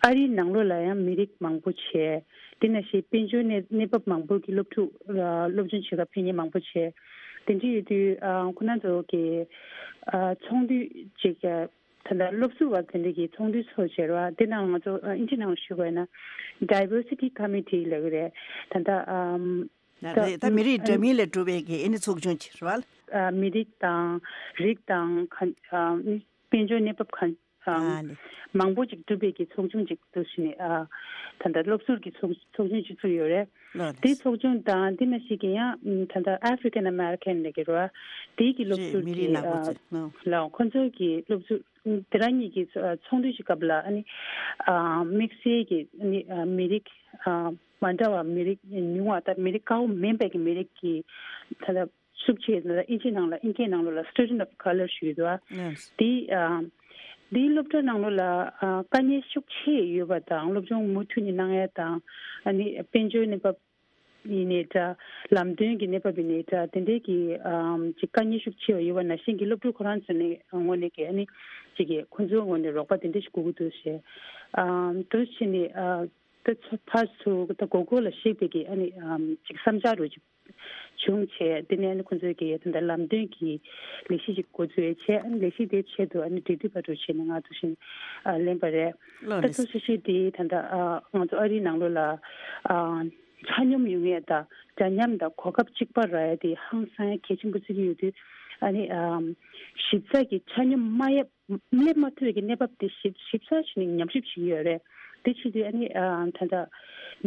ཨ་རིའི་ནང་ལོགས་ལ་ཡང་མི་རིགས་མང་པོ་བྱས། དེ་ནང་བཞིན་དཔལ་འབྱོར་གནས་གནས་བབ་མང་པོ་གི་སློབ་ཕྲུག་ཨ་སློབ་སྦྱོང་བྱེད་གར་ཕེབས་མཁན་མང་པོ་བྱས། དེ་འདྲ་ཡོད་དུས་ཨ་ཁོ་རང་ཚོ་གི་ཨ་ཚོགས་འདུ་ཅིག་ཨ་ད་ལྟ་སློབ་ཟུར་བ་དེ་འདྲ་གི་ཚོགས་འདུ་ཚོགས་བྱས་རེད་བ། དེ་ནང་ང་ཚོ་ཨ་དབྱིན་ཇི་ནང་ཞུ་དགོས་ན་Diversity Committee་ལབ་ཀྱི་རེད། ད་ལྟ་ཨམ་ད་རེད། ད་མི་རིགས་འདྲ་མིན་ལས་གྲུབ་པའི་གི་ཨ་ནི་ཚོགས་ཆུང་ཅིག་རེད་བ། ཨ་མི་རིགས་དང་རིགས་དང་ག་ཨ་དཔལ་འབྱོར་གནས་བབ་ག་ ཨ་ནི། མང་པོ་ཅིག་གྲུབ་པའི་གི་ཚོགས་ཆུང་ཅིག་འདུག་ཟེར་ནས་ཨ། ད་ལྟ་སློབ་ཟུར་གྱི་ཚོགས་ཚོགས་ཆུང་ཅིག་བཙུགས་ཡོད་རེད། ལགས་རེད། དེའི་ཚོགས་ཆུང་དང་དེ་ནང་བཞིན་གྱི་ཡང་ད་ལྟ་African American ལབ་ཀྱི་རེད་བ། དེའི་གི་སློབ་རེད། ཟུར་མི་གྱི་རིགས་ནག་པོ་ཨ་ཚོ། ཨ། ལགས། ཁོ་ཚོའི་གི་སློབ་ཟུར་དེ་རང་གཉིས་ཀྱི་ཚོ་ཚོགས་འདུ་ཞིག་སྐབས་ལ་ཨ་ནི་ཨ་དམིགས་བསལ་གྱི་ཨ་ནི་ཨ་མི་རིགས་ཨ་མ་འདྲ་བ་མི་རིགས་ཉུང་བ་དང་མི་རིགས་དཀར་པོ་མིན་པའི་གི་མི་རིགས་ཀྱི་ད་ལྟ་ཤུགས་ཆེ་ན་ཨིན་ཇི་ནང་ལ་ཨིན་སྐད་ནང་ལོགས་ལ་Student of Color ཞུ་གི་འདུག་ཨ། ཡེས། དེ་ཨ་དེའི་སློབ་གྲྭ་ནང་ལོགས་ལ་ཨ་དཀའ་ངལ་ཤུགས་ཆེ་ཡོད་པ་དང་སློབ་སྦྱོང་མུ་མཐུད་ནས་གནང་ཡ་དང་ཨ་ནི་དཔལ་འབྱོར་གནས་བབ་ཡིན་ནའི་འདྲ། ལམ་སྟོན་གྱི་གནས་བབ་ཡིན་ནའི་འདྲ། དེ་འདྲའི་གི་ཨམ་ཅིག་དཀའ་ངལ་ཤུགས་ཆེ་བ་ཡོད་པ་ནང་བཞིན་གྱི་སློབ་ཕྲུག་ཁོ་རང་ཚོ་ནས་ངོས་ནས་ཀྱི་ཨ་ནི་ཅིག་གི་ཁོ་ཚོའི་ངོས་ནས་རོགས་པ་དེ་འདྲ་ཞིག་དགོས་ཀྱི་འདུག་ཞེས་ཨམ་འདུག་བྱས་ནས་ཨ་ད་ཚོ་ཕར་ཚུར་ད་མགོ་སྐོར་ལ་གཞིགས་པའི་གི་ཨ་ནི་ཨམ་ཅིག་བསམ་འཆར་རུ་ཅིག་བྱུང་བྱས། དེ་ནས་ཨ་ནི་ཁོ་ཚོས་ཀྱི་ད་ལྟ་ལམ་སྟོན་གྱི་ལས་གཞི་ཅིག་འགོ་འཛུགས་བྱས། ཨ་ནི་ལས་གཞི་དེའི་ཆེད་དུ་ཨ་ནི་འབྲེལ་མཐུད་པ་རུ་བྱས་ནས་ང་ཚོ་བཞིན་ཨ་ལེན་པ་རེད། ལགས་ད་རེད། ཐུགས་རྗེ་ཆེ། དེ་ད་ལྟ་ཨ་ང་ཚོ་ཨ་རིའི་ནང་ལོགས་ལ་ཨ་ཆ་སྙོམས་ཡོང་ཡས་དང་འདྲ་མཉམ་དང་གོ་སྐབས་གཅིག་པ་རག་ཡས་དེ་ཧང་སང་ཡས་གལ་ཆེན་པོ་བརྩི་གི་ཡོད་དུས། ཨ་ནི་ཨམ་ཞིབ་ཚགས་ཀྱི་ཆ་སྙོམས་མ་ཡས་སླེབས་མ་ཐུབ་པའི་གི་གནས་བབ་དེ་ཞིབ་ཞིབ་ཚགས་བྱས་ནས་ཉམས་ཞིབ་བྱེད་ཀྱི་ཡོད་རེད། དེ་བྱེད་དུས་ཨ་ནི་ཨ་ད་ལྟ་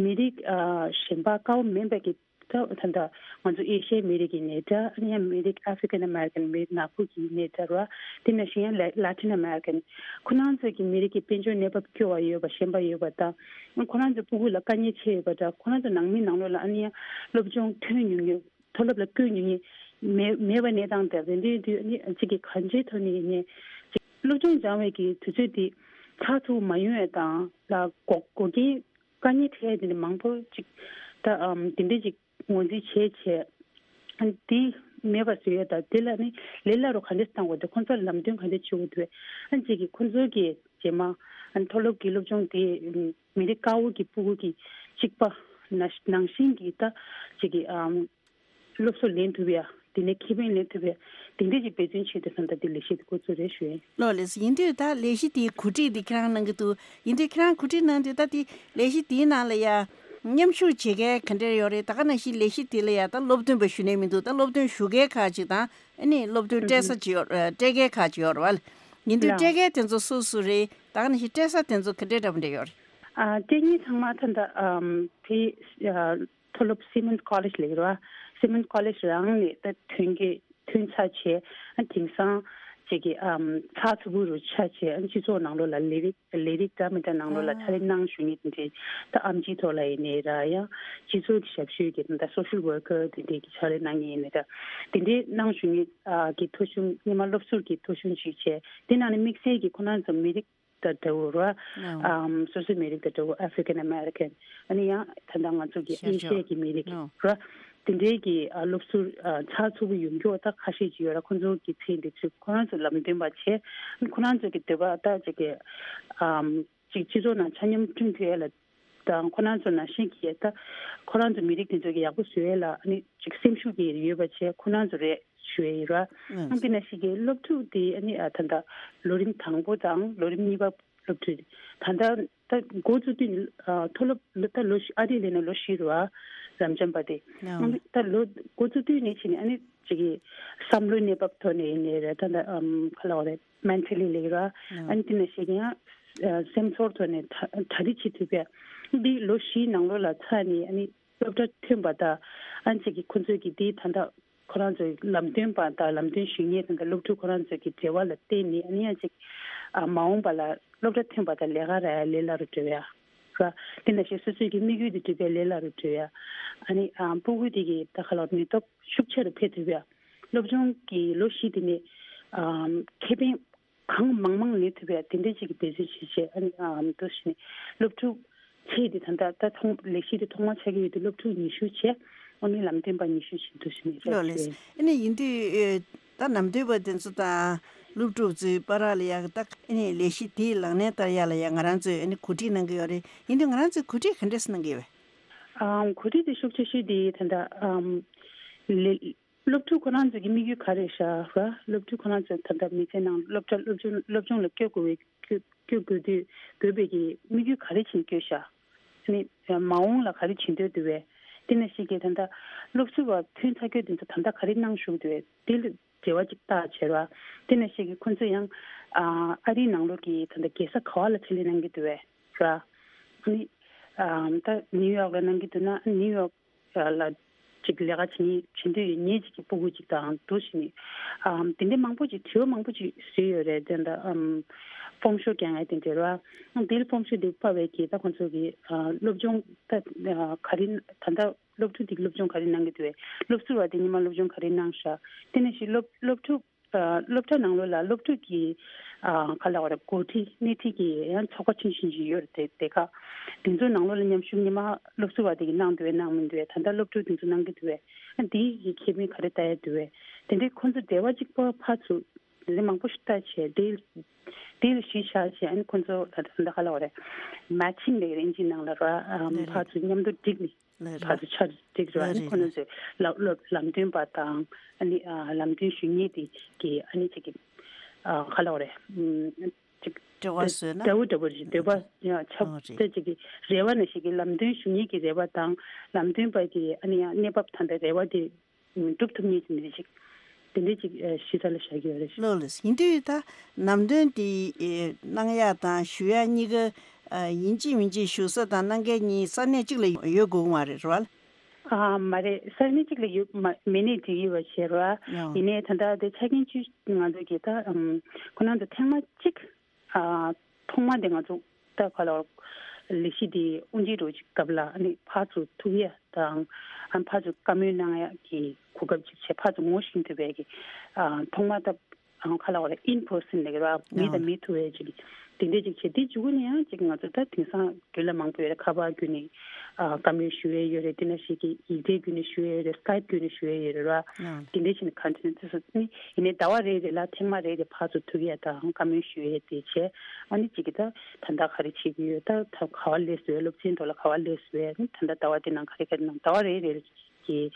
མི་རིགས་ཨ་གཞན་པ་དཀར་པོ་མིན་པའི་གི་ད་ད་ལྟ་ང་ཚོ་ཨེ་ཤི་ཡའི་མི་རིགས་ཡིན་ནའི་འདྲ། ཨ་ནི་ཡང་མི་རིགས་African American མི་རིགས་ནག་པོ་ཡིན་ནའི་འདྲ་ར། དེ་ནང་བཞིན་ཡང་Latin American ཁོ་རང་ཚོ་གི་མི་རིགས་ཀྱི་དཔལ་འབྱོར་གནས་བབ་སྐྱོ་བ་ཡོད་པ་གཞན་པ་ཡོད་པ་དང་། ཁོ་རང་ཚོ་སྤུ་གུ་ལ་དཀའ་ངལ་ཆེ་ཡོད་པ་འདྲ། ཁོ་རང་ཚོ་ནང་མི་ནང་ལོགས་ལ་ཨ་ནི་ཡང་སློབ་སྦྱོང་ཐོན་མྱོང་མཁན། མཐོ་སློབ་ལ་བསྐྱོད་མྱོང་མཁན་མེད་མེད་པ་གནས་སྟངས་དེ་རེད། དེ་དུས་ཨ་ནི་གཅིག་གི་གང་ཅིའི་ཐོག་ནས་ཡིན་ནའི་གཅིག་སློབ་སྦྱོང་སྦྱང་བའི་གི་དུས་ཚོད་དེ་ཚར་ཐུབ་མ་ཡོང་བའི་དང་ལ་འགོག་འགོག་རྐྱེན་དཀའ་ངལ་འཕྲད་དེ་འདྲ་མང་པོ་ཅིག་ད་ཨམ་དེ་འདྲ་ཅིག་ངོས་འཛིན་བྱས་བྱས། ཨ་ནི་དེ་མེད་པ་བཟོ་ཡས་དང་དེ་ལ་ནི་ལས་སླ་རུ་ག་འདྲས་བཏང་དགོས་འདུག་ཁོང་ཚོར་ལམ་སྟོན་ག་འདྲས་བྱེད་དགོས་འདུག་ཨ་ནི་གཅིག་གིས་ཁོང་ཚོའི་གི་རྗེས་མ་ཨ་ནི་མཐོ་སློབ་ཀྱི་སློབ་སྦྱོང་དེ་མི་རིགས་དཀར་པོ་གི་སྤུ་གུ་གི་གཅིག་པ་ན་ནང་བཞིན་གྱི་ད་གཅིག་གི་ཨམ་སློབ་གསོ་ལེན་ཐུབ་ཡ། དེ་ནས་ཁེ་ཕན་ལེན་ཐུབ་ཡ། དེ་འདྲས་ཀྱི་འབད་བརྩོན་བྱེད་དུས་ཙང་ད་དེ་ལས་གཞི་དེ་འགོ་བཙུགས་རེད་ཞུ་ཡིན། ལགས་ལགས། ཡིན་དུས་ད་ལས་གཞི་དེའི་གོ་སྒྲིག་དེ་ཁྱེད་རང་གནང་གི་འདུག་ཡིན་དུས་ཁྱེད་རང་གོ་སྒྲིག་གནང་དུས་ད་དེ་ལས་གཞི་དེའི་ནང་ལ་ཡ་མཉམ་ཞུགས་བྱེད་མཁན་ག་འདྲས་ཡོད་རེད། ད་ག་ནང་བཞིན་ལས་གཞི་དེ་ལ་ཡ་ད་སློབ་སྟོན་པ་ཞུ་ནས་མི་འདུག་ད་སློབ་སྟོན་ཞུ་མཁན་ཁག་ཅིག་དང་ཨ་ནི་སློབ་སྟོན་སྤྲད་ས་ཅིག་ཡོད་སྤྲད་མཁན་ཁག་ཅིག་ཡོད་རེད་བ། ཡིན་དུས་ལགས། སྤྲད་མཁན་དེ་ཚོ་སུ་སུ་རེད། ད་ག་ནང་བཞིན་སྤྲད་ས་དེ་ཚོ་ག་འདྲས་འདྲ་པོ་འདྲས་ཡོད་རེད། ཨ་སྤྲད་མཁན་ཚང་མ་ད་ད་ཨམ་དེ་ཨ། མཐོ་སློབ་Simmons College ལབ་ཀྱི་རེད་བ། Simmons College རང་ནས་ད་ཐོན་གྱི་ཐོན་ཚར་བྱས། ཨ་དེང་སང་ཅིག་གི་ཨམ་ཚགས་ཚུད་པོ་རུ་ཆགས་བྱས། ཨ་སྤྱི་ཚོགས་ནང་ལོགས་ལ་ལས་རིགས་ལས་རིགས་འདྲ་མི་འདྲ་ནང་ལོགས་ལ་ཕྱག་ལས་གནང་བཞུགས་མཁན་དེ་འདྲའི་ད་ཨེམ་ཆི་ཐོག་ལ་ཡིན་ནའི་ར། ཡང་སྤྱི་ཚོགས་ཀྱི་ཞབས་ཞུ་གི་ད་social worker དེ་འདྲའི་གི་ཕྱག་ལས་གནང་མཁན་ཡིན་ནའི་ར། དེ་འདྲའི་གནང་བཞུགས་མཁན་ཨ་གི་ཐོ་གཞུང་སྔོན་མ་སློབ་ཟུར་གྱི་ཐོ་གཞུང་ཞིག་བྱས། དེ་ནང་ནས་དམིགས་བསལ་གྱི་ཁོ་རང་ཚོ་མི་རིགས་དང་འདྲ་བོ་ར། ཨམ་སོ་སོའི་མི་རིགས་དང་འདྲ་བོ་African American ཨ་ནི་ཡང་ད་ལྟ་ང་ཚོ་གི་ཤར་ཨེ་ཤི་ཡ་ཕྱོགས་གི་མི་རིགས་ར། དེ་འདྲའི་གི་ཨ་སློབ་ཟུར་ཨ་ཚགས་ཚུད་པོ་ཡོང་རྒྱུ་ད་ཁ་ཤས་ཅིག་ཡོད་ར། ཁོང་ཚོ་གི་ཚེ་འདི་ཚོ་ཁོ་རང་ཚོ་ལམ་སྟོན་པ་བྱས། ཁོ་རང་ཚོ་གི་འདོད་པ་ད་ཅིག་གི་ཨམ་ཅིག་སྤྱི་ཚོགས་ནང་ཆ་སྙོམས་བསྐྲུན་ཐུབ་ཡ་ལ་དང་། ཁོ་རང་ཚོ་ནང་བཞིན་གྱི་ད་ཁོ་རང་ཚོ་མི་རིགས་དེ་ཚོ་གི་ཡག་པོ་བཟོ་ཡ་ལ་ཨ་ནི་ཅིག་སེམས་ཤུགས་ཀྱི་ཡོད་པ་བྱས་ཁོ་རང་ཚོ་རེད། ཞུ་ཡ་ཡིན་ར། ཨང་། དེ་ནང་བཞིན་གྱི་སློབ་ཕྲུག་དེ་ཨ་ནི་ཨ་ད་ལྟ་ལོ་རིམ་དང་པོ་དང་ལོ་རིམ་གཉིས་པ་སློབ་ཕྲུག་དེ་ད་ལྟ་ད་འགོ་བཙུགས་དུས་ནི་ཨ་མཐོ་སློབ་ད་ལོ་བཞི། ཨ་རི་ལ་ནི་ལོ་བཞི་རེད་བ། རབ་འབྱམས་པ་དེ། ཨང་། ཨང་། ད་ལོ་འགོ་བཙུགས་དུས་ནས་བྱས་ནས་ཨ་ནི་ཅིག་གི་བསམ་བློའི་གནས་བབ་ཐོག་ནས་ཡིན་ནའི་རེད། ད་ལྟ་ཨམ་ག་ལབ་དགོས་རེད། mentally ལབ་ཀྱི་ར། ཨང་། ཨ་ནི་དེ་ནང་བཞིན་གྱི་ཡང་ཨ་སེམས་ཚོར་ཐོག་ནས་གྲ་གྲ་སྒྲིག་བྱེད་ཐུབ་པ། འདི་ལོ་བཞིའི་ནང་ལོགས་ལ་ཚར་ནས་ཨ་ནི་སློབ་གྲྭ་ཐོན་པ་དང་། ཨ་ནི་ཅིག་གི་ཁོ་ཚོས་ཀྱི་འདི་ད་ལྟ་ཁོ་རང་ཚོའི་ལམ་སྟོན་པ་དང་ལམ་སྟོན་ཞུ་མཁན་དང་། ད་སློབ་ཕྲུག་ཁོ་རང་ཚོའི་གི་འབྲེལ་བ་ལ་བརྟེན་ནས་ཨ་ནི་ཡང་ཅིག་ཨ་མ་འོངས་པ་ལ་སློབ་གྲྭ་ཐོན་པ་དང་ལས་ཀ་རག་ཡ་ལས་སླ་རུ་འགྲོ་ཡ་ར། དེ་ནང་བཞིན་སོ་སོའི་གི་དམིགས་ཡུལ་དེ་འགྲུབ་པའི་ལས་སླ་རུ་འགྲོ་ཡ། ཨ་ནི་ཨ་སྤུ་གུ་དེ་གི་ད་ག་ལ་ནུས་སྟོབས་ཤུགས་ཆེ་རུ་འཕེལ་ཐུབ་ཡ། སློབ་སྦྱོང་གི་ལོ་བཞི་དེ་ནས་ཨ་ཁེ་ཕན་གང་མང་མང་ལེན་ཐུབ་ཡ་དེ་འདྲའི་ཅིག་གི་འབད་བརྩོན་བྱེད་བྱས། ཨ་ནི་ཨ་འདུག་བྱས་ནས་སློབ་ཕྲུག་ཚེ་འདི་ད་ལྟ་ད་ཐོག་ལས་གཞི་དེ་ཐོག་མ་ཆགས་ཀྱི་ཡོད་དུས་སློབ་ཕྲུག་ཉི་ཤུ་བྱས། ཨ་ནི་ལམ་སྟོན་པ་ཉི་ཤུ་བྱས་འདུག་བྱས་ནས་ལགས་རེད། ཨ་ནི་ཡིན་དུས་ཨེ་ད་ལམ་སྟོན་པ་དེ་ཚོ་དང་སློབ་ཕྲུག་ཚོའི་བར་ལ་ཡ་ད་ཨ་ནི་ལས་གཞི་དེའི་ལག་ལེན་བསྟར་ཡ་ལ་ཡ་ང་རང་ཚོས་ཨ་ནི་གོ་སྒྲིག་གནང་གི་ཡོད་རེད། ཡིན་དུས་ང་རང་ཚོས་གོ་སྒྲིག་ག་འདྲས་གནང་གི་ཡོད་པས། ཨམ་གོ་སྒྲིག་དེ་ཤུགས་ཆེ་ཤོས་དེ་ད་ལྟ་ཨམ་ལས་སློབ་ཕྲུག་ཁོ་རང་ཚོ་གི་དམིགས་ཡུལ་ག་རེ་ཤག་ར། སློབ་ཕྲུག་ཁོ་རང་ཚོ་ད་ལྟ་མི་ཚེ་ནང་སློབ་གྲྭ་སློབ་སྦྱོང་སློབ་སྦྱོང་ལ་བསྐྱོད་དགོས་པའི་བསྐྱོད་བསྐྱོད་དགོས་དུས་དགོས་པའི་གི་དམིགས་ཡུལ་ག་རེ་བྱས་ནས་བསྐྱོད་ཤག་ཨ་ནི་མ་འོངས་ལ་ག་རེ་བྱེད་འདོད་འདུག་པས། དེ་ནང་བཞིན་གྱི་ད་ལྟ་སློབ་ཟུར་བ་ཐོན་ཚར་རྒྱུ་དེ་ཚོ་ད་ལྟ་ག་རེ་གནང་བཞུགས་འདུག་པས། དེ་ལ་འབྲེལ་བ་ཅིག་བཏགས་བྱས་ར། དེ་ནང་བཞིན་གྱི་ཁོ་ཚོ་ཡང་ ཨ་ཨ་རིའི་ནང་ལོགས་ཀྱི་ད་ལྟ་རྒྱལ་ས་ག་བ་ལ་ཆེད་ལས་གནང་གི་འདུག་བས་ར། ཨ་ནི་ཨ་ད་ནིའུ་ཡོག་ལ་གནང་གི་འདུག་ན་ནིའུ་ཡོག་ལ་ཅིག་ལས་ཀ་བྱེད་མཁན་བྱེད་འདོད་ཡོད་མཁན་ཅིག་གི་སྤུ་གུ་ཅིག་དང་འདུག་བྱས་ནས་ཨ་དེ་འདྲའི་མང་པོ་ཅིག་དྲི་བ་མང་པོ་ཅིག་བཟོས་ཡོད་རེད། དེ་འདྲ་ཨམ་ཕོམ་ཤོ་རྒྱག་ཡ་དེ་འདྲ་ར། ཨ་དེ་ལ་ཕོམ་ཤོ་དེ་ཕབ་པའི་གི་ད་ཁོང་ཚོ་གི་ཨ་སློབ་སྦྱོང་ད་ཨ་ག་རེ་ད་ལྟ་སློབ་ཕྲུག་དེ་གི་སློབ་སྦྱོང་ག་རེ་གནང་གི་འདུག་བས། སློབ་ཟུར་བ་དེ་ཉི་མ་སློབ་སྦྱོང་ག་རེ་གནང་ཤག་དེ་ནང་བཞིན་སློབ་སློབ་ཕྲུག་ཨ་སློབ་གྲྭ་ནང་ལོགས་ལ་སློབ་ཕྲུག་གི་ཨ་ག་ལ་བ་རེད། འགོ་ཁྲིད་སྣེ་ཁྲིད་ཀྱི་ཡང་ཚོགས་པ་ཆུང་ཆུང་ཞིག་ཡོད་རེད། དེ་དེ་ག་དེ་ཚོའི་ནང་ལོགས་ལ་མཉམ་ཞུགས་ཉི་མ་སློབ་ཟུར་བ་དེ་གི་གནང་འདུག་བས་གནང་མི་འདུག་བས། ད་ལྟ་སློབ་ཕྲུག་དེ་ཚོ་གནང་གི་འདུག་བས། ཨ་དེའི་གི་ཁེ་ཕན་ག་རེ་ལྟ་ཡ་འདུག་བས། དེ་འདྲའི་ཁོང་ཚོ་འབྲེལ་བ་གཅིག་པ་ཕར་ཚུར་དེ་འདྲའི་མང་པོ་ཞིག་ལྟ་བྱས་དེ་དེ་ལ་གཞི་བཞག་བྱས་ཨ་ནི་ཁོང་ཚོ་ད་ད་ག་ལ་བ་རེད། མེ་ཆིང་ལབ་ཀྱི་རེད་ཨིན་ཇིའི་ནང་ལ་ར། ཨ་ལེ་ལེ། ཕར་ཚུར་མཉམ་དུ་བསྒྲིགས་ནས། ལེ་རེད། ཕར་ཚུར་ཆ་བསྒྲིགས་ར། ལེ་ཨ་ནི་རེད་ཁོ་རེད། རྣམས་ཚོས་ལམ་སློབ་ལམ་སྟོན་པ་དང་ཨ་ནི་ཨ་ལམ་སྟོན་ཞུ་མཁན་དེ་གི་ཨ་ནི་ཅིག་གི་ཨ་ག་ལ་བ་རེད། ཨམ་ཅིག་འབྲེལ་བ་བཟོས་ན། འདྲ་བོ་འདྲ་བོ་རེད། འདོད་པ་ཡང་ཆབས་ཨོ་རེད། ཅིག་གི་རེ་བ་ནང་བཞིན་གི་ལམ་སྟོན་ཞུ་མཁན་གྱི་རེ་བ་དང་ལམ་སྟོན་པ་གི་ཨ་ནི་ཡང་གནས་བབ་ད་ལྟ་རེ་བ་དེ་འགྲུབ་ཐུབ་མཁན་ཅིག་མི་རེད་ཅིག་དེ་འདྲའི་ཅིག་ཨ་གཞི་རྩ་ལ་བཞག་གི་ཡོད་རེད། ལགས་ལགས། ཡིན་དུས་ད་ནམ་དོན་དེ་ཨེ་གནང་ཡག་དང་ཞུ་ཡག་གཉིས་ཀ་ཨ་ཡིན་གཅིག་མིན་གཅིག་ཞུ་ས་དང་གནང་མཁན་གཉིས་ས་གནས་གཅིག་ལ་ཡོད་དགོས་ཀྱི་མ་རེད་རེད་བ། ཨ་མ་རེད། ས་གནས་གཅིག་ལ་ཡོད་མ་མེད་ནས་འགྲིག་ཡོད་པ་བྱས་རེད་བ། ཡང་ཡིན་ནའི་ད་ལྟ་དེ་ཆ་རྐྱེན་བཅུ་ང་ཚོ་གི་ད་ཨམ་ཁོ་ན་ཚོ་ཐེངས་མ་གཅིག་ཨ་ཐོག་མ་དེ་ང་ཚོ་ད་ག་ལ་ལས་གཞི་དེ་དབུ་འབྱེད་འགྲོ་ཅིག་སྐབས་ལ་ཨ་ནི་ཕར་ཚུར་ཐུག་ཡ་དང་ཨ་ཕར་ཚུར་བཀའ་མོལ་གནང་ཡ་གི་གོ་སྐབས་ཅིག་བྱས་ཕར་ཚུར་ངོ་ཤེས་ཐུབ་པའི་གི་ཨ་ཐོག་མ་ད་ཨ་ག་ལ་བ་རེད། ཨིན་པར་སན་ལབ་ཀྱི་རེད་བ། མི་དང་ཨ་མི་ཐུག་ཡ་ཅིག་དེ་འདྲས་ཅིག་བྱས། དེ་མཇུག་ནས་ཡང་ཅིག་ང་ཚོ་ད་དེང་སང་འབྲེལ་ལམ་མང་པོ་ཡོད་རེད། ཁ་པར་བརྒྱུད་ནས་ཨ་བཀའ་མོལ་ཞུ་ཡས་ཡོད་རེད། དེ་ནང་བཞིན་གྱི་ཡིག་ཚང་བརྒྱུད་ནས་ཞུ་ཡས་ཡོད་རེད། སི་ཀའེབ་བརྒྱུད་ནས་ཞུ་ཡས་ཡོད་རེད་ར། ཨ་དེ་འདྲས་བྱས་ནས་གང་བྱས་ནས་དེ་ཚོ་ནི་ཡིན་ནའི་ཟླ་བ་རེ་རེ་ལ་ཐེངས་མ་རེ་རེ་ཕར་ཚུར་ཐུག་ཡས་དང་བཀའ་མོལ་ཞུ་ཡས་དེ་བྱས། ཨ་ནི་གཅིག་གིས་ད་ད་ལྟ་ག་རེ་བྱེད་ཀྱི་ཡོད། ད་ད་ག་བ་སླེབས་སོང་། སློབ་ཚན་ཐོག་ལ་ག་བ་སླེབས་སོང་། ཨ་ནི་ད་ལྟ་ཟླ་བ་འདི་ནང་ག་རེ་ག་རེ་གནང་། ཟླ་བ་རེ་རེ་ལ་གཅིག་གིས་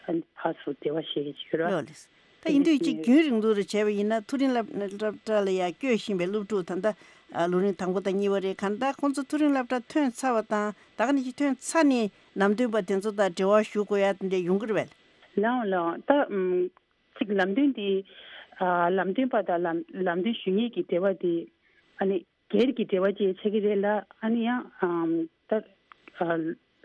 ཨ་ནི་ཕར་ཚུར་འབྲེལ་བ་བྱེད་ཀྱི་ཡོད་ར། ལགས་ལགས། ད་ཡིན་དུས་གཅིག་རྒྱུན་རིང་ལུགས་རེ་བྱས་པ་ཡིན་ན་མཐོ་རིམ་སློབ་སློབ་གྲྭ་ལ་ཡར་བསྐྱོད་བཞིན་པའི་སློབ་ཕྲུག་ད་ལྟ་ཨ་ལོ་རིམ་དང་པོ་དང་གཉིས་པ་རེད། གང་ལྟར་ཁོང་ཚོ་མཐོ་རིམ་སློབ་གྲྭ་ཐོན་ཚར་བ་དང་ད་ག་ནང་བཞིན་ཐོན་ཚར་ནས་ནམ་རྒྱུན་པ་དེ་ཚོ་དང་འབྲེལ་བ་ཞུ་དགོས་ཡ་དེ་འདྲ་ཡོང་གི་རེད་པས། ལགས་འོང་ལགས་འོང་། ད་ཨམ་གཅིག་ལམ་སྟོན་དེ་ཨ་ལམ་སྟོན་པ་དང་ལམ་ལམ་སྟོན་ཞུ་མཁན་གྱི་འབྲེལ་བ་དེ་ཨ་ནི་སྒེར་གྱི་འབྲེལ་བ་ཅིག་ཆགས་ཀྱི་རེད་ལ། ཨ་ནི་ཡང་ཨམ་ད་ཨ་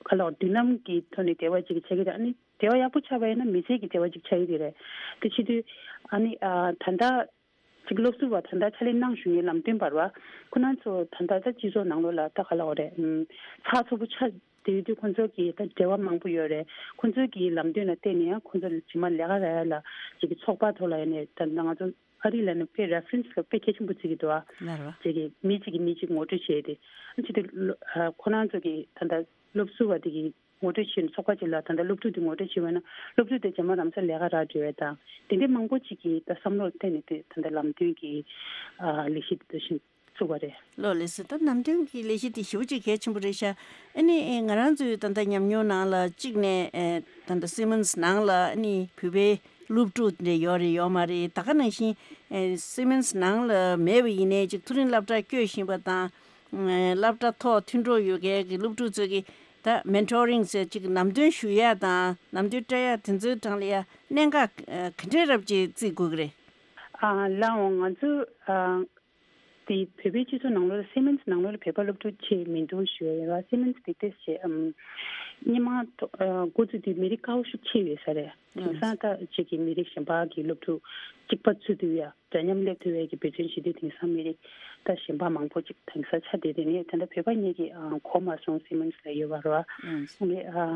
ག་ལ་མདུན་ལམ་གྱི་ཐོག་ནས་འབྲེལ་བ་ཅིག་ཆགས་ཀྱི་རེད། ཨ་ནི་འབྲེལ་བ་ཡག་པོ་ཆགས་པ་ཡིན་ན་མི་ཚེ་གི་འབྲེལ་བ་ཅིག་ཆགས་ཀྱི་རེད། དེ་བྱེད་དུས་ཨ་ནི་ཨ་ད་ལྟ་ཅིག་སློབ་ཟུར་བ་ད་ལྟ་ཕྱག་ལས་གནང་བཞིན་ཡོད་ལམ་སྟོན་པ་རེད་བ། ཁོ་རང་ཚོ་ད་ལྟ་ད་སྤྱི་ཚོགས་ནང་ལོགས་ལ་ད་ག་ལ་འོ་རེད། ཨམ་ཚགས་ཚུད་པོ་ཆགས་བསྡད་ཡོད་དུས་ཁོ་ཚོ་གི་ད་འབྲེལ་བ་མང་པོ་ཡོད་རེད། ཁོ་ཚོ་གི་ལམ་སྟོན་ལ་བརྟེན་ནས་ཡང་ཁོ་ཚོ་རྗེས་མ་ལས་ཀ་རག་ཡ་ལ་ཅིག་གི་ཚོགས་པ་ཐོག་ལ་ཡིན་ནའི་ད་ང་ཚོ་ཨ་རི་ལ་ནི་དཔེ་རེ་ཕ་རེན་སི་ལ་དཔེ་གལ་ཆེན་པོ་བརྩི་གི་འདུག་ཨ། ལགས་རེད་བ། ཅིག་གི་མི་གཅིག་གིས་མི་གཅིག་ངོ་སྤྲོད་བྱས་ཏེ་ཨ་ཅིག་དེ་ལོ་ཨ་ཁོ་རང་ཚོ་གི་ད་ལྟ་སློབ་ཟུར་བ་དེ་གི་ངོ་སྤྲོད་བྱས་ནས་ཚོགས་པ་ཅིག་ལ་ད་ལྟ་སློབ་ཕྲུག་དེ་ངོ་སྤྲོད་བྱས་པ་ན་སློབ་ཕྲུག་དེ་རྗེས་མ་རང་སར་ལས་ཀ་རག་འགྲོ་ཡས་དང་དེ་འདྲའི་མང་པོ་ཅིག་གིས་ད་བསམ་བློར་བརྟེན་ནས་དེ་ད་ལྟ་ལམ་སྟོན་གྱི་ཨ་ལས་གཞི་དེ་འདྲ་ཞིག་བཙུགས་པ་རེད། ལགས་ལགས་སོ། ད་ལམ་སྟོན་གྱི་ལས་གཞི་དེ་ཞེ་པོ་ཅིག་གལ་ཆེན་པོ་རེད་ཤག་ཨ་ནི་ང་རང་ཚོའི་ད་ལྟ་ཉམས་མྱོང་ནང་ལ་གཅིག་ནས་ད་ལྟ་སི་མན་སི་ནང་ལ་ཨ་ནི་བོད་པའི་སློབ་ཕྲུག་དེ་འདྲ་ཡོད་རེད་ཡོད་མ་རེད། ད་ག་ནང་བཞིན་སི་མན་སི་ནང་ལ་མེད་པ་ཡིན་ནའི་ཅིག་མཐོ་རིམ་སློབ་གྲྭར་བསྐྱོད་བཞིན་པ་དང་། སློབ་གྲྭ་ཐོག་མཐུན་གྲོགས་ཡོད་མཁན་གྱི་སློབ་ཕྲུག་ཚོ་གིས་ད་མེན་ཊོ་རིང་ཟེར་ཅིག་ལམ་སྟོན་ཞུ་ཡ་དང་ལམ་སྟོན་སྤྲད་ཡ་དེ་ཚོའི་གྲས་ལ་ཡ་གནད་འགག་ག་འདྲས་རབ་ཅིག་བརྩི་དགོས་ཀྱི་རེད། ཨ་ལགས་འོང་། ང་ཚོ་ཨ་དེ་བོད་པའི་སྤྱི་ཚོགས་ནང་ལོགས་ལ་སི་མན་སི་ནང་ལོགས་ལ་བོད་པ་སློབ་ཕྲུག་ཆེ་མི་འདུག་ཞུ་ཡ་ཡོད་ར། སི་མན་སི་དེ་ཏོག་ཙམ་ཨམ་སྔོན་མ་ཐོ་ཨ་འགོ་བཙུགས་དུས་མི་རིགས་ཁག་པོ་ཤུགས་ཆེ་ཡོད་ས་རེད། དེང་སང་ད་ཅིག་གི་མི་རིགས་གཞན་པ་གི་སློབ་ཕྲུག་གཅིག་པ་ཚུད་དུས་ཡ། འདྲ་མཉམ་སླེབས་ཐུབ་པའི་གི་འབད་བརྩོན་བྱེད་དུས་དེང་སང་མི་རིགས་ད་གཞན་པ་མང་པོ་ཅིག་དེང་སང་ཆགས་བསྡད་དེ་ནས་ད་ལྟ་བོད་པ་གཉིས་ཀྱིས་ཨ་གོ་མ་སོང་། སི་མན་སི་ལ་ཡོད་པ་རེད་བ། ཨང་། ངས་ཨ་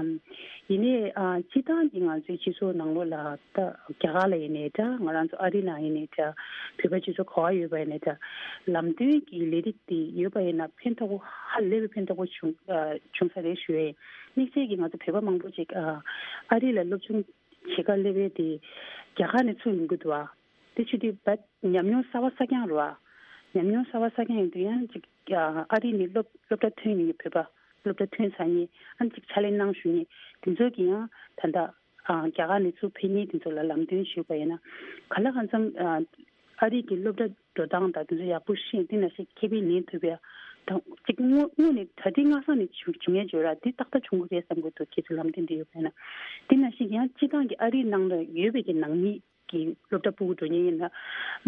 ཡིན་ནའི་ཨ་སྤྱིར་བཏང་གི་ང་ཚོའི་སྤྱི་ཚོགས་ནང་ལོགས་ལ་ད་རྒྱ་གར་ལ་ཡིན་ནའི་འདྲ། ང་རང་ཚོ་ཨ་རི་ནང་ཡིན་ནའི་འདྲ། བོད་པ་སྤྱི་ཚོགས་ག་པར་ཡོད་པ་ཡིན་ནའི་འདྲ། ལམ་སྟོན་གྱི་ལས་རིགས་དེ་ཡོད་པ་ཡིན་ན་ཕན་ཐོགས་པོ་ཧ་ལས་པའི་ཕན་ཐོགས་པོ་བྱུང་ཨ་བྱུང་ས་རེད་ཞུ་ཡས་ཡིན། དམིགས་བསལ་གྱིས་ང་ཚོ་བོད་པ་མང་པོ་ཅིག་ཨ་ཨ་རི་ལ་སློབ་སྦྱོང་བྱེད་གར་སླེབས་པའི་དེ་རྒྱ་གར་ནས་ཚུར་ཡོང་གི་འདུག་ཨ། དེ་བྱེད་དུས་བད་ཉམས་མྱོང་གསར་པ་གསར་རྐྱང་རེད་བ། ཉམས་མྱོང་གསར་པ་གསར་རྐྱང་ཡིན་དུས་ཡང་ཅིག་ཨ་རི་ནས་སློབ་སློབ་གྲྭ་ཐོན་མཁན་གྱི་བོད་པ་སློབ་གྲྭ་ཐོན་ཚར་མཁན་ཨ་ཅིག་ཕྱག་ལས་གནང་བཞུགས་མཁན་དེ་ཚོ་གིས་ཡང་ད་ལྟ་ཨ་རྒྱ་གར་ནས་ཚུར་ཕེབས་མཁན་དེ་ཚོ་ལ་ལམ་སྟོན་ཞུས་པ་ཡིན་ན་ག་ལ་གང་འཚམ་ཨ་ཨ་རི་གི་སློབ་གྲྭ་འགྲོ་སྟངས་དང་དེ་ཚོ་ཡག་པོ་ཤེས། དེ་ནང་བཞིན་ཁེ་ཕན་ལེན་ཐུབ་ཡ་དང་ཅིག་དངོས་དངོས་ནས་གྲ་སྒྲིག་སྔ་ས་ནས་བྱུང་བྱུང་ཡ་བརྗོད་ར་དེ་ཏག་ཏག་བྱུང་གི་རེད་བསམ་གྱི་འདུག་ཁྱེད་ཚོ་ལམ་སྟོན་དེ་ཡོད་པ་ཡིན་ན། དེ་ནང་བཞིན་ཡང་སྤྱིར་བཏང་གི་ཨ་རིའི་ནང་ལ་ཡོད་པའི་གི་ནང་མི་གི་སློབ་གྲྭ་སྤུ་གུ་འགྲོ་མཁན་ཡིན་ན།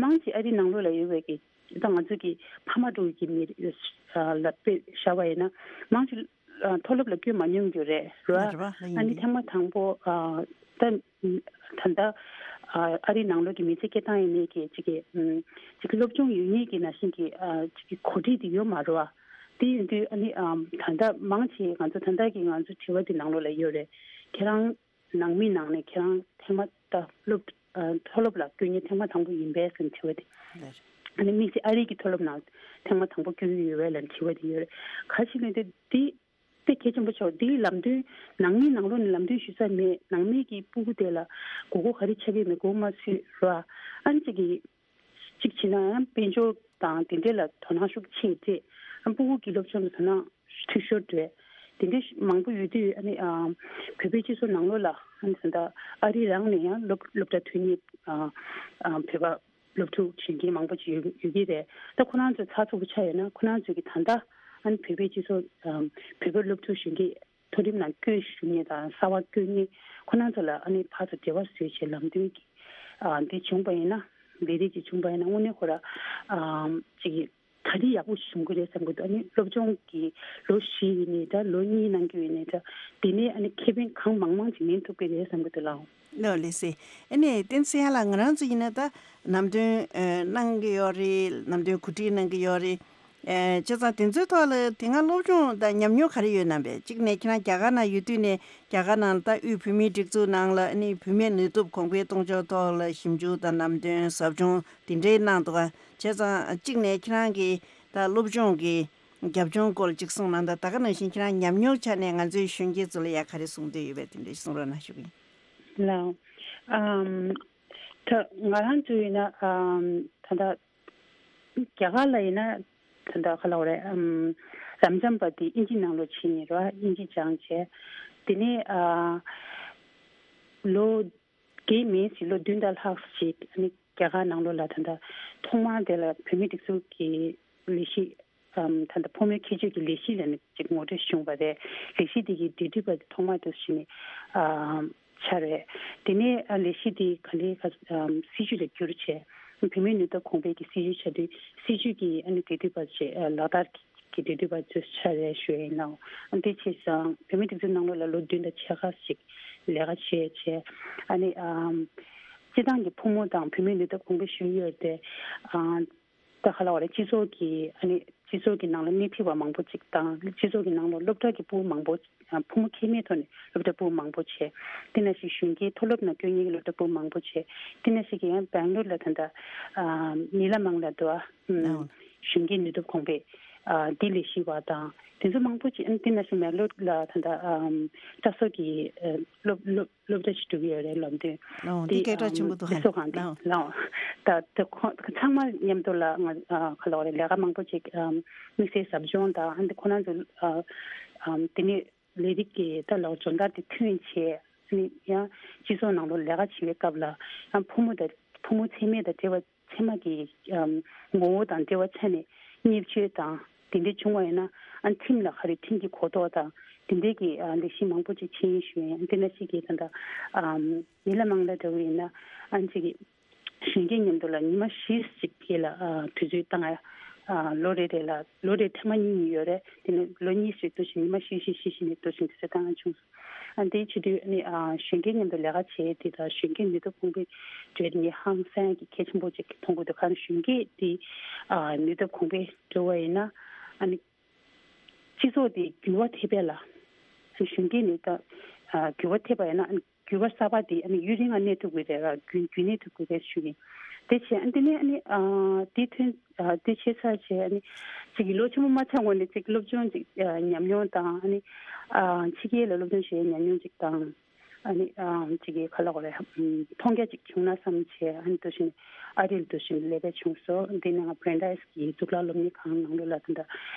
མང་ཆེ་ཨ་རིའི་ནང་ལོགས་ལ་ཡོད་པའི་གི་ ད་ང་ཚོ་གི་ཕ་མ་འགྲོ་གི་མི་ལ་དཔེ་བཞག་པ་ཡིན་ན་མང་ཆེ་མཐོ་སློབ་ལ་བསྐྱོད་མ་མྱོང་རྒྱུ་རེད་ར། རེད་པ། ལ་ཡིན་ཨ་ནི་གི་ཐེངས་མ་དང་པོ་ད་ད་ལྟ་ཨ་རིའི་ནང་ལོགས་ཀྱི་མི་ཚེ་སྐྱེལ་སྟངས་ཡིན་ནའི་གི་ཅིག་གི་ཅིག་གི་སློབ་སྦྱོང་ཡོད་ངེས་ཀྱི་ནང་བཞིན་གྱི་ཅིག་གི་གོ་སྒྲིག་དེ་ཡོད་མ་རེད་བ། དེ་ཡིན་དུས་ཨ་ནི་ད་ལྟ་མང་ཆེ་ང་ཚོ་ད་ལྟ་གི་ང་ཚོ་དྲི་བ་དེ་ནང་ལོགས་ལ་ཡོད་རེད། ཁྱེད་རང་ནང་མི་ནང་ནས་ཁྱེད་རང་ཐེངས་མ་ད་སློབ་ཨ་མཐོ་སློབ་ལ་བསྐྱོད་མཁན་ཐེངས་མ་དང་པོ་ཡིན་པས་ཟེར་དྲི་བ་དེ། ལགས། ཨ་ནི་དམིགས་བསལ་ཨ་རི་གི་མཐོ་སློབ་ནང་ཐེངས་མ་དང་པོ་བསྐྱོད་ཀྱི་ཡོད་པས་ལབ་དྲི་བ་དེ་ཡོད་རེད། ག་ཞིག་ལས་དེ་དེ་དཔེ་གལ་ཆེན་པོ་ཆགས། དེའི་ལམ་སྟོན་ནང་མིའི་ནང་ལོགས་ནས་ལམ་སྟོན་ཞུ་ས་མེད། ནང་མི་གི་སྤུ་གུ་དེ་ལ་དགོས་མཁོ་ག་རེ་ཆགས་ཀྱི་མེད་མགོ་མ་ཚོས་ར། ཨ་ནི་ཅིག་གི་གཅིག་བྱས་ན་ཡང་དཔལ་འབྱོར་དང་དེ་འདྲས་ལ་དོ་སྣང་ཤུགས་ཆེ་སྤྲད། ཨ་སྤུ་གུ་གི་སློབ་སྦྱོང་ལ་དོ་སྣང་འཐུས་ཤོར་སྤྲད། དེ་འདྲས་མང་པོ་ཡོད་དུས་ཨ་ནི་ཨ་བོད་པའི་སྤྱི་ཚོགས་ནང་ལོགས་ལ་ཨ་ནི་ད་ལྟ་ཨ་རི་རང་ནས་ཡང་སློབ་སློབ་གྲྭ་ཐོན་མཁན་ཨ་ཨ་བོད་པ་སློབ་ཕྲུག་གཞོན་སྐྱེས་མང་པོ་ཅིག་ཡོད་ཡོད་ཀྱི་རེད། ད་ཁོ་རང་ཚོ་ཚགས་ཚུད་པོ་ཆགས་ཡོད་ན་ཁོ་རང་ཚོ་གི་ད་ལྟ་ཨ་ནི་བོད་པའི་སྤྱི་ཚོགས་ཨ་བོད་པའི་སློབ་ཕྲུག་གཞོན་སྐྱེས་མཐོ་རིམ་ནང་བསྐྱོད་ཞུ་མཁན་དང་གསར་པ་བསྐྱོད་མཁན་ཁོ་རང་ཚོ་ལ་ཨ་ནི་ཕར་ཚུར་འབྲེལ་བ་བཟོས་བྱས་ལམ་སྟོན་གྱི་ཨ་འདི་བྱུང་པ་ཡིན་ན་ལས་རིགས་ཀྱི་བྱུང་པ་ཡིན་ན་དངོས་གནས་ཁོ་ར་ཨ་ཅིག་ག་རེ་ཡག་པོ་ཞིག་བྱུང་གི་རེད་བསམ་གི་འདུག་ཨ་ནི་སློབ་སྦྱོང་གི་ལོ་བཞི་ཡིན་ནའི་འདྲ་ལོ་གཉིས་གནང་རྒྱུ་ཡིན་ནའི་འདྲ་དེ་ནས་ཨ་ནི་ཁེ་ཕན་གང་མང་མང་ཅིག་ལེན་ཐུབ་ཀྱི་རེད་བསམ་གི་འདུག་ལགས། ལགས་ལགས་སེ། ཨ་ནི་བསྟན་འཛིན་ཡ་ལགས་ང་རང་ཚོ་ཡིན་ན་ད་ནམ་དོན་ཨ་གནང་གི་ཡོད་རེད། ནམ་དོན་གོ་སྒྲིག་གནང་གི་ཡོད་རེད། ཨེ་བྱས་ཙང་དེ་ཚོའི་ཐོག་ལ་དེ་སྔ་སློབ་སྦྱོང་དང་ཉམས་མྱོང་ག་རེ་ཡོད་ན་བས། གཅིག་ནས་ཁྱེད་རང་རྒྱ་གར་ནང་ཡོད་དུས་ནས་རྒྱ་གར་ནང་ད་དབུས་བོད་མིའི་སྒྲིག་འཛུགས་ནང་ལ་ཨ་ནི་བུད་མེད་ནུས་སྟོབས་གོང་འཕེལ་གཏོང་ཕྱོགས་ཐོག་ལ་ཞིབ་འཇུག་དང་ལམ་སྟོན་ཟབ་སྦྱོང་དེ་འདྲའི་གནང་འདུག་ག་བྱས་ཙང་གཅིག་ནས་ཁྱེད་རང་གི་ད་སློབ་སྦྱོང་གི་རྒྱབ་ལྗོངས་སྐོར་ལ་གཅིག་གསུངས་གནང་དང་། ད་ག་ནང་བཞིན་ཁྱེད་རང་ཉམས་མྱོང་ཆ་ནས་ང་ཚོའི་གཞོན་སྐྱེས་ཚོ་ལ་ཡ་ག་རེ་གསུང་འདོད་ཡོད་པས་དེ་འདྲ་གསུང་རོགས་གནང་ཞུ་གི་ཡིན། ལགས། ཨམ། ད་ང་རང་ཚོ་ཡིན་ན་ཨམ་ད་ལྟ་རྒྱ་གར་ལ་ཡིན་ན་ད་ལྟ་ག་ལབ་དགོས་རེད། ཨམ། རབ་འབྱམས་པ་དེ་དབྱིན་ཇི་ནང་ལོགས་ཕྱིན་ནས་ར་དབྱིན་ཇི་སྦྱངས་བྱས། དེ་ནས་ཨ་ལོ་བརྒྱད་མིན་ཞིག་ལོ་བདུན་དང་ལྷག་ཞིག་ཨ་ནི་རྒྱ་གར་ནང་ལོགས་ལ་ད་ལྟ་ཐོག་མར་དེ་ལ་བོད་མིའི་སྒྲིག་འཛུགས་ཀྱི་ལས་གཞི་ཨམ་ད་ལྟ་ཕོ་མོའི་ཁྱད་ཆོས་ཀྱི་ལས་གཞི་ལ་ནི་ཅིག་ངོ་སྤྲོད་བྱུང་བ་རེད། ལས་གཞི་དེ་གི་འབྲེལ་མཐུད་པ་དེ་ཐོག་མར་དུ་ཞིག་ནི་ཨམ་ཆགས་རེད། དེ་ནས་ཨ་ལས་གཞི་དེ་ག་ལེ་ག་ཨམ་སྲིད་ཇུས་ལ་བསྒྱུར་བྱས། བུད་མེད་ནུས་སྟོབས་གོང་འཕེལ་གྱི་སྲིད་ཇུས་ཆགས་དུས་སྲིད་ཇུས་ཀྱི་ཨ་ནི་འབྲེལ་མཐུད་པ་བྱས་ཨ་ལག་བསྟར་གྱི་འབྲེལ་མཐུད་པ་ཚོས་ཆགས་རེད་ཞུ་ཡ་ཡིན་ནའང་། ཨ་དེ་བྱས་ཙང་བུད་མེད་སྒྲིག་འཛུགས་ནང་ལོགས་ལ་ལོ་བདུན་དང་ཕྱེད་ཀ་ཞིག་ལས་ཀ་བྱས་བྱས། ཨ་ནི་ཨམ་སྤྱི་བཏང་གི་ཕོ་མོ་དང་བུད་མེད་ནུས་སྟོབས་གོང་འཕེལ་ཞུ་ཡི་ཡོད་དེ། ཨ་ད་ག་ལབ་དགོས་རེད། སྤྱི་ཚོགས་ཀྱི་ཨ་ནི་སྤྱི་ཚོགས་ཀྱི་ནང་ལ་སྣེ་ཁྲིད་པ་མང་པོ་ཅིག་དང་སྤྱི་ཚོགས་ཀྱི་ནང་ལ་སློབ་གྲྭ་གི་ཕྲུ་གུ་མང་པོ་ཨ་ཕོ་མོ་ཁྱད་མེད་ཐོག་ནས་སློབ་གྲྭ་ཕྲུ་གུ་མང་པོ་བྱས། དེ་ནང་བཞིན་གཞོན་སྐྱེས་མཐོ་སློབ་ནང་བསྐྱོད་མཁན་གྱི་སློབ་གྲྭ་ཕྲུ་གུ་མང་པོ་བྱས། དེ་ནང་བཞིན་གྱི་ཡང་སྦེང་ལོར་ལ་ད་ལྟ་ཨ་ནི་ལ་མང་ལ་འདུག་ཨ་ཨུམ་ཨོ་གཞོན་སྐྱེས་ནུས་སྟོབས་གོང་འཕེལ་ཨ་འདི་ལས་གཞི་བ་དང་དེ་ཚོ་མང་པོ་ཅིག་ཨ་ནི་དེ་ནང་བཞིན་མེག་ལོར་ལ་ད་ལྟ་ཨམ་སྐྲ་གསོ་གི་ཨ་སློབ་སློབ་སློབ་གྲྭ་ཞིག་འགྲོ་གི་ཡོད་རེད། ལམ་སྟོན་ཨོ་འདི་འདི་སྐད་གྲགས་ཆེན་པོ་འདུག་ཨ་ནི་གསོ་ཁང་འདི་ལའོ། ད་ད་ཁོ་ཚང་མ་མཉམ་དུ་ལ་ང་ཨ་ག་ལབ་དགོས་རེད། ལས་ཀ་མང་པོ་ཅིག་ཨམ་དམིགས་བསལ་ཟབ་སྦྱོང་དང་ཨ་ནི་ཁོ་རང་ཚོ་ཨ་ཨམ་དེ་ནས་ལས་རིགས་ཀྱི་ད་ལའོ་སྦྱོང་བརྡར་དེ་ཐོན་བྱས། ཨ་ནི་ཡང་སྤྱི་ཚོགས་ནང་ལོགས་ལས་ཀ་བྱེད་པའི་སྐབས་ལ་ཡང་ཕོ་མོ་དང་ཕོ་མོ་ཚད་མེད་དང་འབྲེལ་བ་ཚད་མ་གི་ཨམ་ངོ་བོ་དང་འབྲེལ་བ་ཆ་ནས་བརྙས་བཅོས་དང་དེ་འདྲ་བྱུང་བ་ཡིན་ན་ཨ་ཁྲིམས་ལ་ག་རེ་ཁྲིམས་ཀྱི་གོ་རྟོགས་དང་དེ་འདྲའི་གི་ཨ་ལས་གཞི་མང་པོ་ཅིག་ཕྱིན་ཡིན་ཞུ་ཡིན། དེ་ནང་བཞིན་གྱི་ད་ལྟ་ཨམ་ཉི་ལ་མང་ལ་འདྲ་བོ་ཡིན་ན་ཨ་ཅིག་གི་གཞོན་སྐྱེས་མཉམ་དུ་ལ་ཉི་མ་བཞི་ཞིག་གི་ལ་ཨ་དུས་ཚོད་བཏང་ཡ། ཨ་ལོ་རེ་རེ་ལ་ལོ་རེ་ཐེངས་མ་གཉིས་གཉིས་ཡོད་རེད། དེ་ནས་ལོ་གཉིས་ཤིག་འདུག་བཞིན་ཉི་མ་བཞི་བཞི་བཞི་བཞི་ནས་འདུག་བཞིན་དུས་ཚོད་བཏང་ཡ་བྱུང་སོང་། ཨ་འདི་བྱེད་དུས་ཨ་ནི་ཨ་གཞོན་སྐྱེས་མཉམ་དུ་ལས་ཀ་བྱེད་དེ་དང་གཞོན་སྐྱེས་ནུས་སྟོབས་གོང་འཕེལ་འགྲོ་ཡ་དེ་ངས་ཧང་སང་གི་གལ་ཆེན་པོ་ཅིག་མཐོང་གི་འདུག་ག་རེ་གཞོན་སྐྱེས་དེ་ཨ་ནུས་སྟོབས་གོང་འཕེལ་འགྲོ་བ་ཡིན་ན་ཨ་ནི་སྤྱི་ཚོགས་དེ་འགྱུར་བ་ཐེབས་པས་ལ། ཨ་ནི་གཞོན་སྐྱེས་ནི་ད་ཨ་འགྱུར་བ་ཐེབས་པ་ཡིན་ན་ཨ་ནི་འགྱུར་བ་གསར་པ་དེ་ཨ་ནི་ཡུན་རིང་ང་གནས་ཐུབ་ཀྱི་རེད་ར། རྒྱུན་རྒྱུན་གནས་ཐུབ་ཀྱི་རེད་ཞུ་གི་ཡིན། དེ་བྱས་ཨ་འདི་ནས་ཨ་ནི་ཨ་དེ་ཐོན་ཨ་དེ་བྱས་ཚར་བྱས་ཨ་ནི་ཅིག་གི་ལོ་ཆེན་པོ་མ་ཆགས་གོང་ནས་ཅིག་སློབ་སྦྱོང་ཅིག་ཨ་ཉམས་མྱོང་དང་ཨ་ནི་ཨ་ཕྱི་རྒྱལ་ལ་སློབ་སྦྱོང་བྱེད་ཡའི་ཉམས་མྱོང་ཅིག་དང་། ཨ་ནི་ཨ་ཅིག་གི་ག་ལབ་དགོས་རེད། ཨམ་མཐོང་རྒྱ་ཅིག་བྱུང་ན་བསམ་བྱས་ཨ་ནི་འདུག་བཞིན་ཨ་རིར་འདུག་བཞིན་སླེབས་པ་བྱུང་སོང་། འདི་ནས་ང་བྷི་རན་ཌའེ་སི་གི་གཙུག་ལག་སློབ་གཉེར་ཁང་ནང་ལོགས་ལ་ད་ལྟ་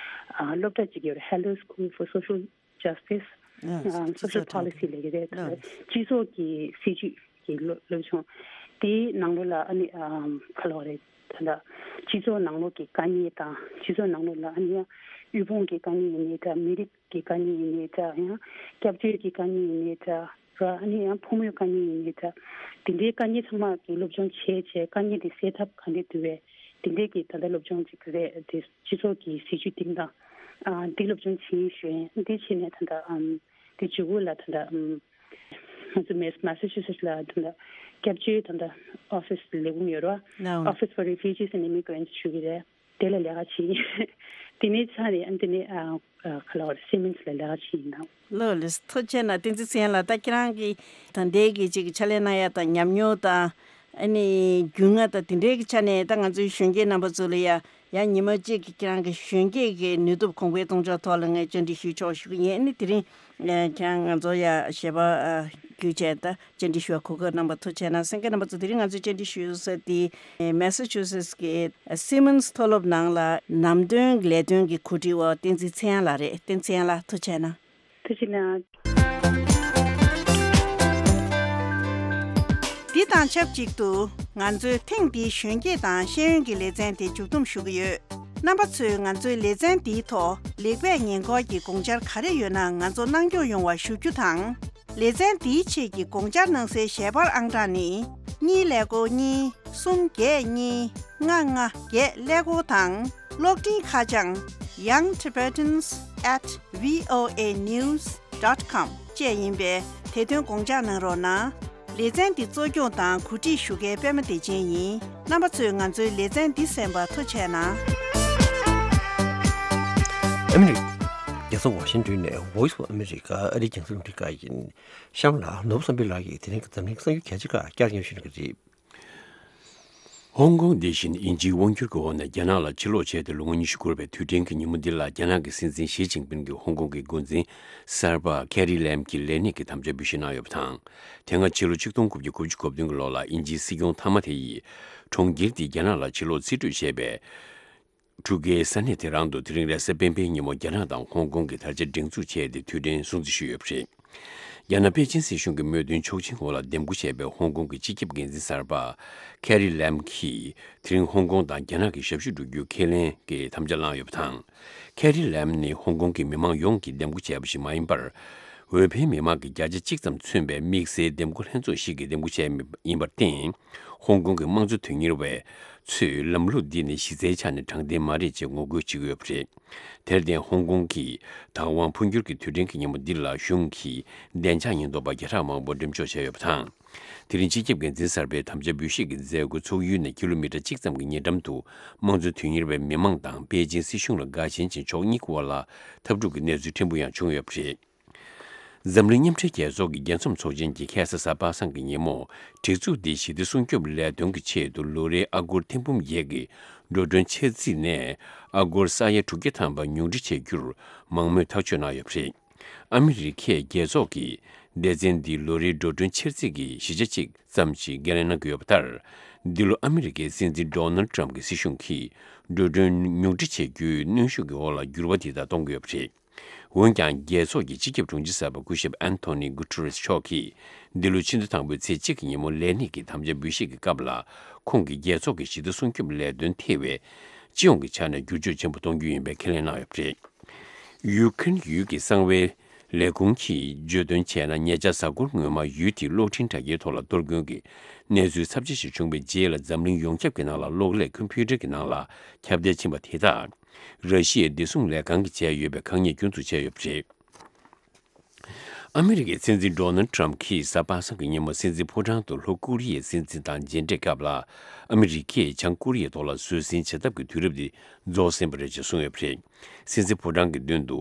ཨ་སློབ་གྲྭ་ཅིག་ཡོད་རེད། Hello School for Social Justice ཨ་Social Policy ལབ་ཀྱི་རེད། ད་ལྟ་སྤྱི་ཚོགས་ཀྱི་སྲིད་ཇུས་ཀྱི་སློབ་སློབ་སྦྱོང་དེའི་ནང་ལོགས་ལ་ཨ་ནི་ཨམ་ག་ལབ་དགོས་རེད། ད་ལྟ་སྤྱི་ཚོགས་ནང་ལོགས་ཀྱི་དཀའ་ངལ་དང་སྤྱི་ཚོགས་ནང་ལོགས་ལ་ཨ་ནི་ཡང་དབུལ་ཕོངས་ཀྱི་དཀའ་ངལ་ཡིན་ནའི་འདྲ། མི་རིགས་ཀྱི་དཀའ་ངལ་ཡིན་ནའི་འདྲ། ཡང་སྐྱབས་བཅོལ་གྱི་དཀའ་ངལ་ཡིན་ནའི་འདྲ་ར། ཨ་ནི་ཡང་ཕོ་མོའི་དཀའ་ངལ་ཡིན་ནའི་འདྲ། དེ་འདྲའི་དཀའ་ངལ་ཚང་མ་གི་སློབ་སྦྱོང་བྱས་བྱས་དཀའ་ངལ་དེ་སེལ་ཐབས་ག་འདྲས་འདུག་པས། དེ་འདྲའི་གི་ད་ལྟ་སློབ་སྦྱོང་ཅིག་རེད། དེ་སྤྱི་ཚོགས་ཀྱི་སྲིད་ཇུས་སྟེང་དང་། ཨ། འདི་སློབ་སྦྱོང་བྱེད་ཞུ་ཡིན། འདི་བྱས་ནས་ད་ལྟ། ཨམ། དེ་མཇུག་གུ་ལ་ད་ལྟ། ཨམ། ང་ཚོ་མེས། མ་སེ་ཆུ་སེ་ཊི་ལ་ད་ལྟ་སྐྱབས་བཅོལ་ད་ལྟ་ཨོ་ཕིས་ལས་ཁུངས་ཡོད་རེད་བ། ཨོ་ཕིས་ཕོར་རི་ཕིའུ་ཇིས་ཨེན་ཌི་ཨི་མི་གྷི་རེན་ཊི་ཞུ་གི་རེད། དེ་ལ་ལས་ཀ་བྱེད། དེ་ནས་ཚར་རེད། ཨ། དེ་ནས། ཨ། ཨ། ག་ལ་བར་སི་མེན་སི་ལ་ལས་ཀ་བྱེད་ཡིན་ནམ། ལགས་ལགས། ཐུགས་རྗེ་ཆེ་གནང་། བསྟན་འཛིན་ཚེ་དབྱངས་ལགས། ད་ཁྱེད་རང་གིས་ད་ལྟའི་གི་ཅིག་ཕྱག་ལས་གནང་ཡ་དང་ཉམས་མྱོང་དང་། ཨ་ནི་རྒྱུས་མངའ་དང་དེ་འདྲའི་གི་ཆ་ནས། ད་ང་ཚོའི་གཞོན་སྐྱེས་རྣམ་པ་ཚོ་ལ་ཡ། ཡང་ཉི་མ་གཅིག་གི་ཁྱེད་རང་གི་གཞོན་སྐྱེས་ཀྱི་ནུས་སྟོབས་གོང་འཕེལ་གཏོང་ཕྱོགས་ཐོག་ལ་ངས་བཅར་འདྲི་ཞུས་ཆོག་ཞུ་གི་ཡིན། ཨ་ནི་དེ་རིང་ཁྱེད་རང་ང་ཚོ་ཡ་ཞལ་པར་བརྒྱུད་བྱས་ད་བཅར་འདྲི་ཞུ་བར་གོ་སྐབས་གནང་བར་ཐུགས་རྗེ་ཆེ་གནང་། གསན་མཁན་རྣམ་པ་ཚོ། དེ་རིང་ང་ཚོས་བཅར་འདྲི་ཞུ་ས་དེ་མེ་སི་ཆུ་སེ་ཊི་གི་སི་མོན་སི་མཐོ་སློབ་ནང་ལ་ནམ་དོན་ལས་དོན་གྱི་གོ་སྒྲིག་འོག་བསྟན་འཛིན་ཚེ་དབྱངས་ལགས་རེད། བསྟན་འཛིན་ཚེ་དབྱངས་ལགས། ཐུགས་རྗེ་ཆེ་གནང་། ཐུགས་རྗེ་གནང་། འདི་དང་ཆབས་ཅིག་ཏུ་ང་ཚོས་ཐེངས་འདིའི་གཞོན་སྐྱེས་དང་ཤེས་ཡོན་གྱི་ལེ་ཚན་དེ་མཇུག་བསྡོམས་ཞུ་གི་ཡོད། རྣམ་པ་ཚོས་ང་ཚོའི་ལེ་ཚན་འདིའི་ཐོག་ལེགས་སྤེལ་ཉེས་འགོག་གི་དགོངས་འཆར་ག་རེ་ཡོད་ན་ང་ཚོར་གནང་སྐྱོང་ཡོང་བ་ཞུ་རྒྱུ་དང་། ལེ་ཚན་འདིའི་ཆེད་ཀྱི་དགོངས་འཆར་གནང་སའི་ཞལ་པར་ཨང་གྲངས་ནི། གཉིས་ཀླད་ཀོར་གཉིས། གསུམ་བརྒྱད་གཉིས། ལྔ་ལྔ་བརྒྱད་ཀླད་ཀོར་དང་། གློག་འཕྲིན་ཁ་བྱང་Young Tibetans at V O A news dot com བཅས་ཡིན་པས། དེ་དོན་དགོངས་འཇགས་གནང་རོགས་གནང་། ལེ་ཚན་འདི་གཙོ་སྐྱོང་དང་གོ་སྒྲིག་ཞུ་མཁན་པད་མ་བདེ་ཆེན་ཡིན། རྣམ་པ་ཚོས་ང་ཚོའི་ལེ་ཚན་འདི་གསན་པར་ཐུགས་རྗེ་ཆེ་གནང་། ཨ་མི་རི་ཀ་རྒྱལ་ས་ཝ་ཤིང་ཊོན་ནས་Voice of America ཨ་རིའི་རྒྱང་སྲིང་རླུང་འཕྲིན་ཁང་ཡིན། གཤམ་ལ་ནོར་བུ་བསམ་འཕེལ་ལགས་ཀྱིས་དེ་རིང་གི་འཛམ་གླིང་གི་གསར་འགྱུར་གལ་ཆེ་ཁག་བསྐྱར་སྙན་ཞུ་གནང་གི་རེད། ཧོང་ཀོང་འདི་བཞིན་དབྱིན་ཇིའི་དབང་སྒྱུར་གྱི་འོག་ནས་རྒྱ་ནག་ལ་ཕྱིར་ལོག་བྱས་ཏེ་ལོ་ངོ་ཉི་ཤུ་འཁོར་བའི་དུས་དྲན་གྱི་ཉིན་མོ་འདི་ལ། རྒྱ་ནག་གི་སྲིད་འཛིན་ཞི་ཅིན་ཕིན་གྱིས་ཧོང་ཀོང་གི་འགོ་འཛིན་གསར་པ་ཁེ་རི་ལེམ་གྱི་ལས་གནས་ཀྱི་དམ་བཅའ་འབུལ་བཞེས་གནང་ཡོད་པ་དང་། དེ་སྔ་ཕྱི་ལོ་ཆིག་སྟོང་དགུ་བརྒྱ་དགུ་བཅུ་གོ་བདུན་གྱི་ལོ་ལ་དབྱིན་ཇིའི་སྲིད་སྐྱོང་མཐའ་མ་དེ་ཡིས་གྲོང་ཁྱེར་འདི་རྒྱ་ནག་ལ་ཕྱིར་ལོག་རྩིས་སྤྲོད་བྱས་པའི་འཁྲུག་རྐྱེན་ས་གནས་དེ་རང་དུ་དེ་རིང་རེས་གཟའ་སྤེན་པའི་ཉིན་མོ་རྒྱ་ནག་དང་ཧོང་ཀོང་གི་དར་ཆ་སྒྲེང་འཛུགས་བྱས་ཏེ་དུས་དྲན་སྲུང་བརྩི་ཞུས་ཡོད་པ་རེད། རྒྱ་ནག་པེ་ཅིན་སྲིད་གཞུང་གི་མོས་མཐུན་ཆོག་མཆན་འོག་ལ་འདེམས་བསྐོ་བྱས་པའི་ཧོང་ཀོང་གི་སྤྱི་ཁྱབ་འགན་འཛིན་གསར་པ་ཁེ་རི་ལེམ་གྱིས་དེ་རིང་ཧོང་ཀོང་དང་རྒྱ་ནག་གི་ཞབས་ཞུ་སྒྲུབ་རྒྱུའི་ཁས་ལེན་གྱི་དམ་བཅའ་བླངས་ཡོད་པ་དང་། ཁེ་རི་ལེམ་ནི་ཧོང་ཀོང་གི་མི་མང་ཡོངས་ཀྱིས་འདེམས་བསྐོ་བྱས་པ་ཞིག་མ་ཡིན་པར། འོས་འཕེན་མི་མང་གི་བརྒྱ་ཆ་གཅིག་ཙམ་མཚོན་པའི་དམིགས་བསལ་འདེམས་བསྐོ་ལྷན་ཚོགས་ཤིག་གིས་འདེམས་བསྐོ་བྱས་ཡིན་པར་བརྟེན། ཧོང་ཀོང་གི་དམངས་གཙོ་དོན་གཉེར་བ་ཚོས་ལམ་ལུགས་འདི་ནི་གཞི་རྩའི་ཆ་ནས་དྲང་བདེན་མ་རེད་ཅེས་ངོ་རྒོལ་བྱེད་ཀྱི་ཡོད་པ་རེད། དེར་བརྟེན་ཧོང་ཀོང་གི་བདག་དབང་འཕོ་འགྱུར་གྱི་དུས་དྲན་གྱི་ཉིན་མོ་འདི་ལ་གཞུང་གིས་བདེ་འཇགས་ཉེན་རྟོག་པ་བརྒྱ་ཕྲག་མང་པོ་འགྲེམས་འཇོག་བྱས་ཡོད་པ་དང་། དེ་རིང་སྤྱི་ཁྱབ་འགན་འཛིན་གསར་པའི་དམ་བཅའ་འབུལ་བཞེས་ཀྱི་མཛད་སྒོ་ཚོགས་ཡུལ་ནས་ཀི་ལོ་མི་ཊར་གཅིག་ཙམ་གྱི་ཉེ་འགྲམ་དུ་དམངས་གཙོ་དོན་གཉེར་བའི་མི་མང་དང་པེ་ཅིན་སྲིད་གཞུང་ལ་དགའ་ཞེན་ཅན་ཕྱོགས་གཉིས་ཀྱི་དབར་ལ་འཐབ་འཁྲུག་གི་གནས་ཚུལ་ཕྲན་བུ་ཡང་བྱུང་ཡོད་པ་རེད། འཛམ་གླིང་མཉམ་འབྲེལ་རྒྱལ་ཚོགས་ཀྱི་རྒྱལ་འཛོམས་ཚོགས་ཆེན་གྱི་ཁ་སང་གཟའ་པ་སངས་ཀྱི་ཉིན་མོ། སྒྲིག་འཛུགས་འདིས་ཞི་བདེ་སྲུང་སྐྱོབ་ལས་དོན་གྱི་ཆེད་དུ་ལོ་རེའི་ཨ་སྒོར་ཐེར་འབུམ་བརྒྱད་ཀྱི་འགྲོ་གྲོན་འཆར་རྩིས་ནས་ཨ་སྒོར་ས་ཡ་དྲུག་བརྒྱ་ཐམ་པ་ཉུང་འཕྲི་བྱེད་རྒྱུར་མང་མོས་ཐག་གཅོད་གནང་ཡོད་པ་རེད། ཨ་མི་རི་ཁས་རྒྱལ་ཚོགས་ཀྱི་སྡེ་ཚན་འདིའི་ལོ་རེའི་འགྲོ་གྲོན་འཆར་རྩིས་ཀྱི་བཞི་ཆ་གཅིག་ཙམ་ཞིག་འགན་ལེན་གནང་གི་ཡོད་པ་ལྟར། འདི་ལོ་ཨ་མི་རི་ཀའི་སྲིད་འཛིན་ཌོ་ནལ་ཊམ་གྱི་སྲིད་གཞུང་གིས་འགྲོ་གྲོན་ཉུང་འཕྲི་བྱེད་རྒྱུའི་གནོན་ཤུགས་ཀྱི་འོག་ལ་འགྱུར་བ་དེ་དག་གཏོང་གི་ཡོད་པ་རེད། འོན་ཀྱང་། རྒྱལ་ཚོགས་ཀྱི་སྤྱི་ཁྱབ་དྲུང་ཆེ་གསར་པ་སྐུ་ཞབས་ཨན་ཐོ་ནི་གུ་ཏུ་རེས་མཆོག་གིས་འདི་ལོ་ཕྱི་ཟླ་དང་པོའི་ཚེས་གཅིག་གི་ཉིན་མོ་ལས་གནས་ཀྱི་དམ་བཅའ་འབུལ་བཞེས་ཀྱི་སྐབས་ལ། ཁོང་གིས་རྒྱལ་ཚོགས་ཀྱི་ཞི་བདེ་སྲུང་སྐྱོབ་ལས་དོན་ཐེ་བའི་སྤྱི་ཡོངས་ཀྱི་ཆ་ནས་བསྒྱུར་བཅོས་ཆེན་པོ་གཏོང་རྒྱུ་ཡིན་པའི་ཁས་ལེན་གནང་ཡོད་པ་རེད། ཡུ་ཁུན་ཡུལ་གྱི་གསང་བའི་ལས་ཁུངས་ཀྱིས་བརྗོད་དོན་བྱས་ན། ཉེ་ཆར་གཟའ་འཁོར་སྔོན་མ་ཡུལ་དེའི་གློག་འཕྲིན་དྲ་རྒྱའི་ཐོག་ལ་གཏོར་སྐྱོན་གྱི་གནས་ཚུལ་ཚབས་ཆེ་ཞིག་བྱུང་བའི་རྗེས་ལ། འཛམ་གླིང་ཡོངས་ཁྱབ་ཀྱི་ནང་ལ་གློག་ཀླད་ཀམ་པུ་ཊར་གྱི་ནང་ལ་ཁྱབ་གདལ་ཕྱིན་པ་དེ་དག་ར་ཤི་ཡའི་བདེ་སྲུང་ལས་ཁང་གིས་བྱས་ཡོད་པའི་ཁ་ཉེས་སྐྱོན་འཛུགས་བྱས་ཡོད་པ་རེད། ཨ་མི་རི་ཀའི་སྲིད་འཛིན་ཌོ་ནལ་ཊམ་གྱིས་གཟའ་པ་སངས་ཀྱི་ཉིན་མོ་སྲིད་འཛིན་ཕོ་བྲང་དུ་ལྷོ་ཀོ་རི་ཡའི་སྲིད་འཛིན་དང་མཇལ་འཕྲད་སྐབས་ལ། ཨ་མི་རི་ཀས་བྱང་ཀོ་རི་ཡའི་ཐོག་ལ་བཟོད་བསྲན་བྱེད་ཐབས་ཀྱི་དུས་རབས་འདི་རྫོགས་ཟིན་པ་རེད་ཅེས་གསུངས་ཡོད་པ་རེད། སྲིད་འཛིན་ཕོ་བྲང་གི་མདུན་དུ།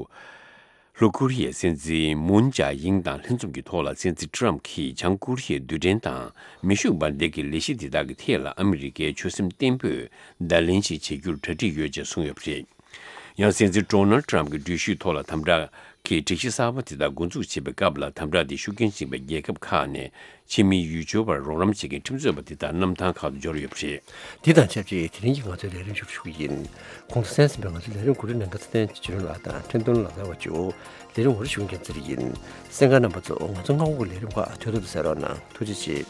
ལྷོ་ཀོ་རི་ཡའི་སྲིད་འཛིན་མུན་ཇཱ་ཡིང་དང་ལྷན་འཛོམས་ཀྱི་ཐོག་ལ། སྲིད་འཛིན་ཊམ་གྱིས་བྱང་ཀོ་རི་ཡའི་རྡུལ་ཕྲན་དང་མེ་ཤུགས་འབར་མདེལ་གྱི་ལས་གཞི་འདི་དག་གི་ཐད་ལ་ཨ་མི་རི་ཀའི་ཆོད་སེམས་བརྟན་པོས་བརྡ་ལན་ཞིག་བྱེད་རྒྱུར་གྲ་སྒྲིག་ཡོད་ཅེས་གསུངས་ཡོད་པ་རེད། ཡང་སྲིད་འཛིན་ཌོ་ནལ་ཊམ་གྱི་འགྲུལ་བཞུད་ཐོག་ལ་དམ་དྲག་གི་སྒྲིག་གཞི་གསར་པ་དེ་དག་འགོ་འཛུགས་བྱེད་པའི་སྐབས་ལ། དམ་དྲག་དེ་ཤུགས་རྐྱེན་ཅན་པའི་རྒྱལ་ཁབ་ཁག་ནས་ཕྱི་མིའི་ཡུལ་སྐྱོར་བར་རོགས་རམ་བྱེད་མཁན་ཁྲིམས་རྩོད་པ་དེ་དག་གནམ་ཐང་ཁག་ཏུ་འབྱོར་ཡོད་པ་རེད། དེ་དང་ཆབས་ཅིག་དེ་རིང་གི་ང་ཚོའི་ལས་རིམ་ཞུ་ཞུ་གི་ཡིན། གོང་དུ་གསན་ཟིན་པའི་ང་ཚོའི་ལས་རིམ་གོ་སྒྲིག་གནང་མཁན་ཚེ་བརྟན་ཆོས་སྒྲོན་ལགས་དང་ཁྲེན་ཏུན་ལགས་ལ་བ་ཅོ། ལས་རིམ་འོག་ཞུགས་མཁན་ཚེ་རིང་ཡིན། གསན་མཁན་རྣམ་པ་ཚོ་ང་ཚོ་སྔ་དགོང་གི་ལས་རིམ་ཁག་ཐོས་ཐོས་དུ་གསན་རོགས་གནང་། ཐུགས་རྗེ་ཆེ།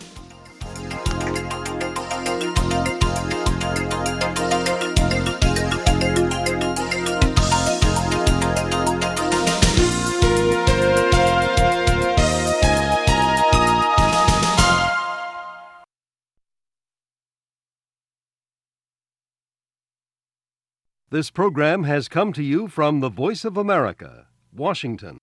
This program has come to you from the Voice of America, Washington.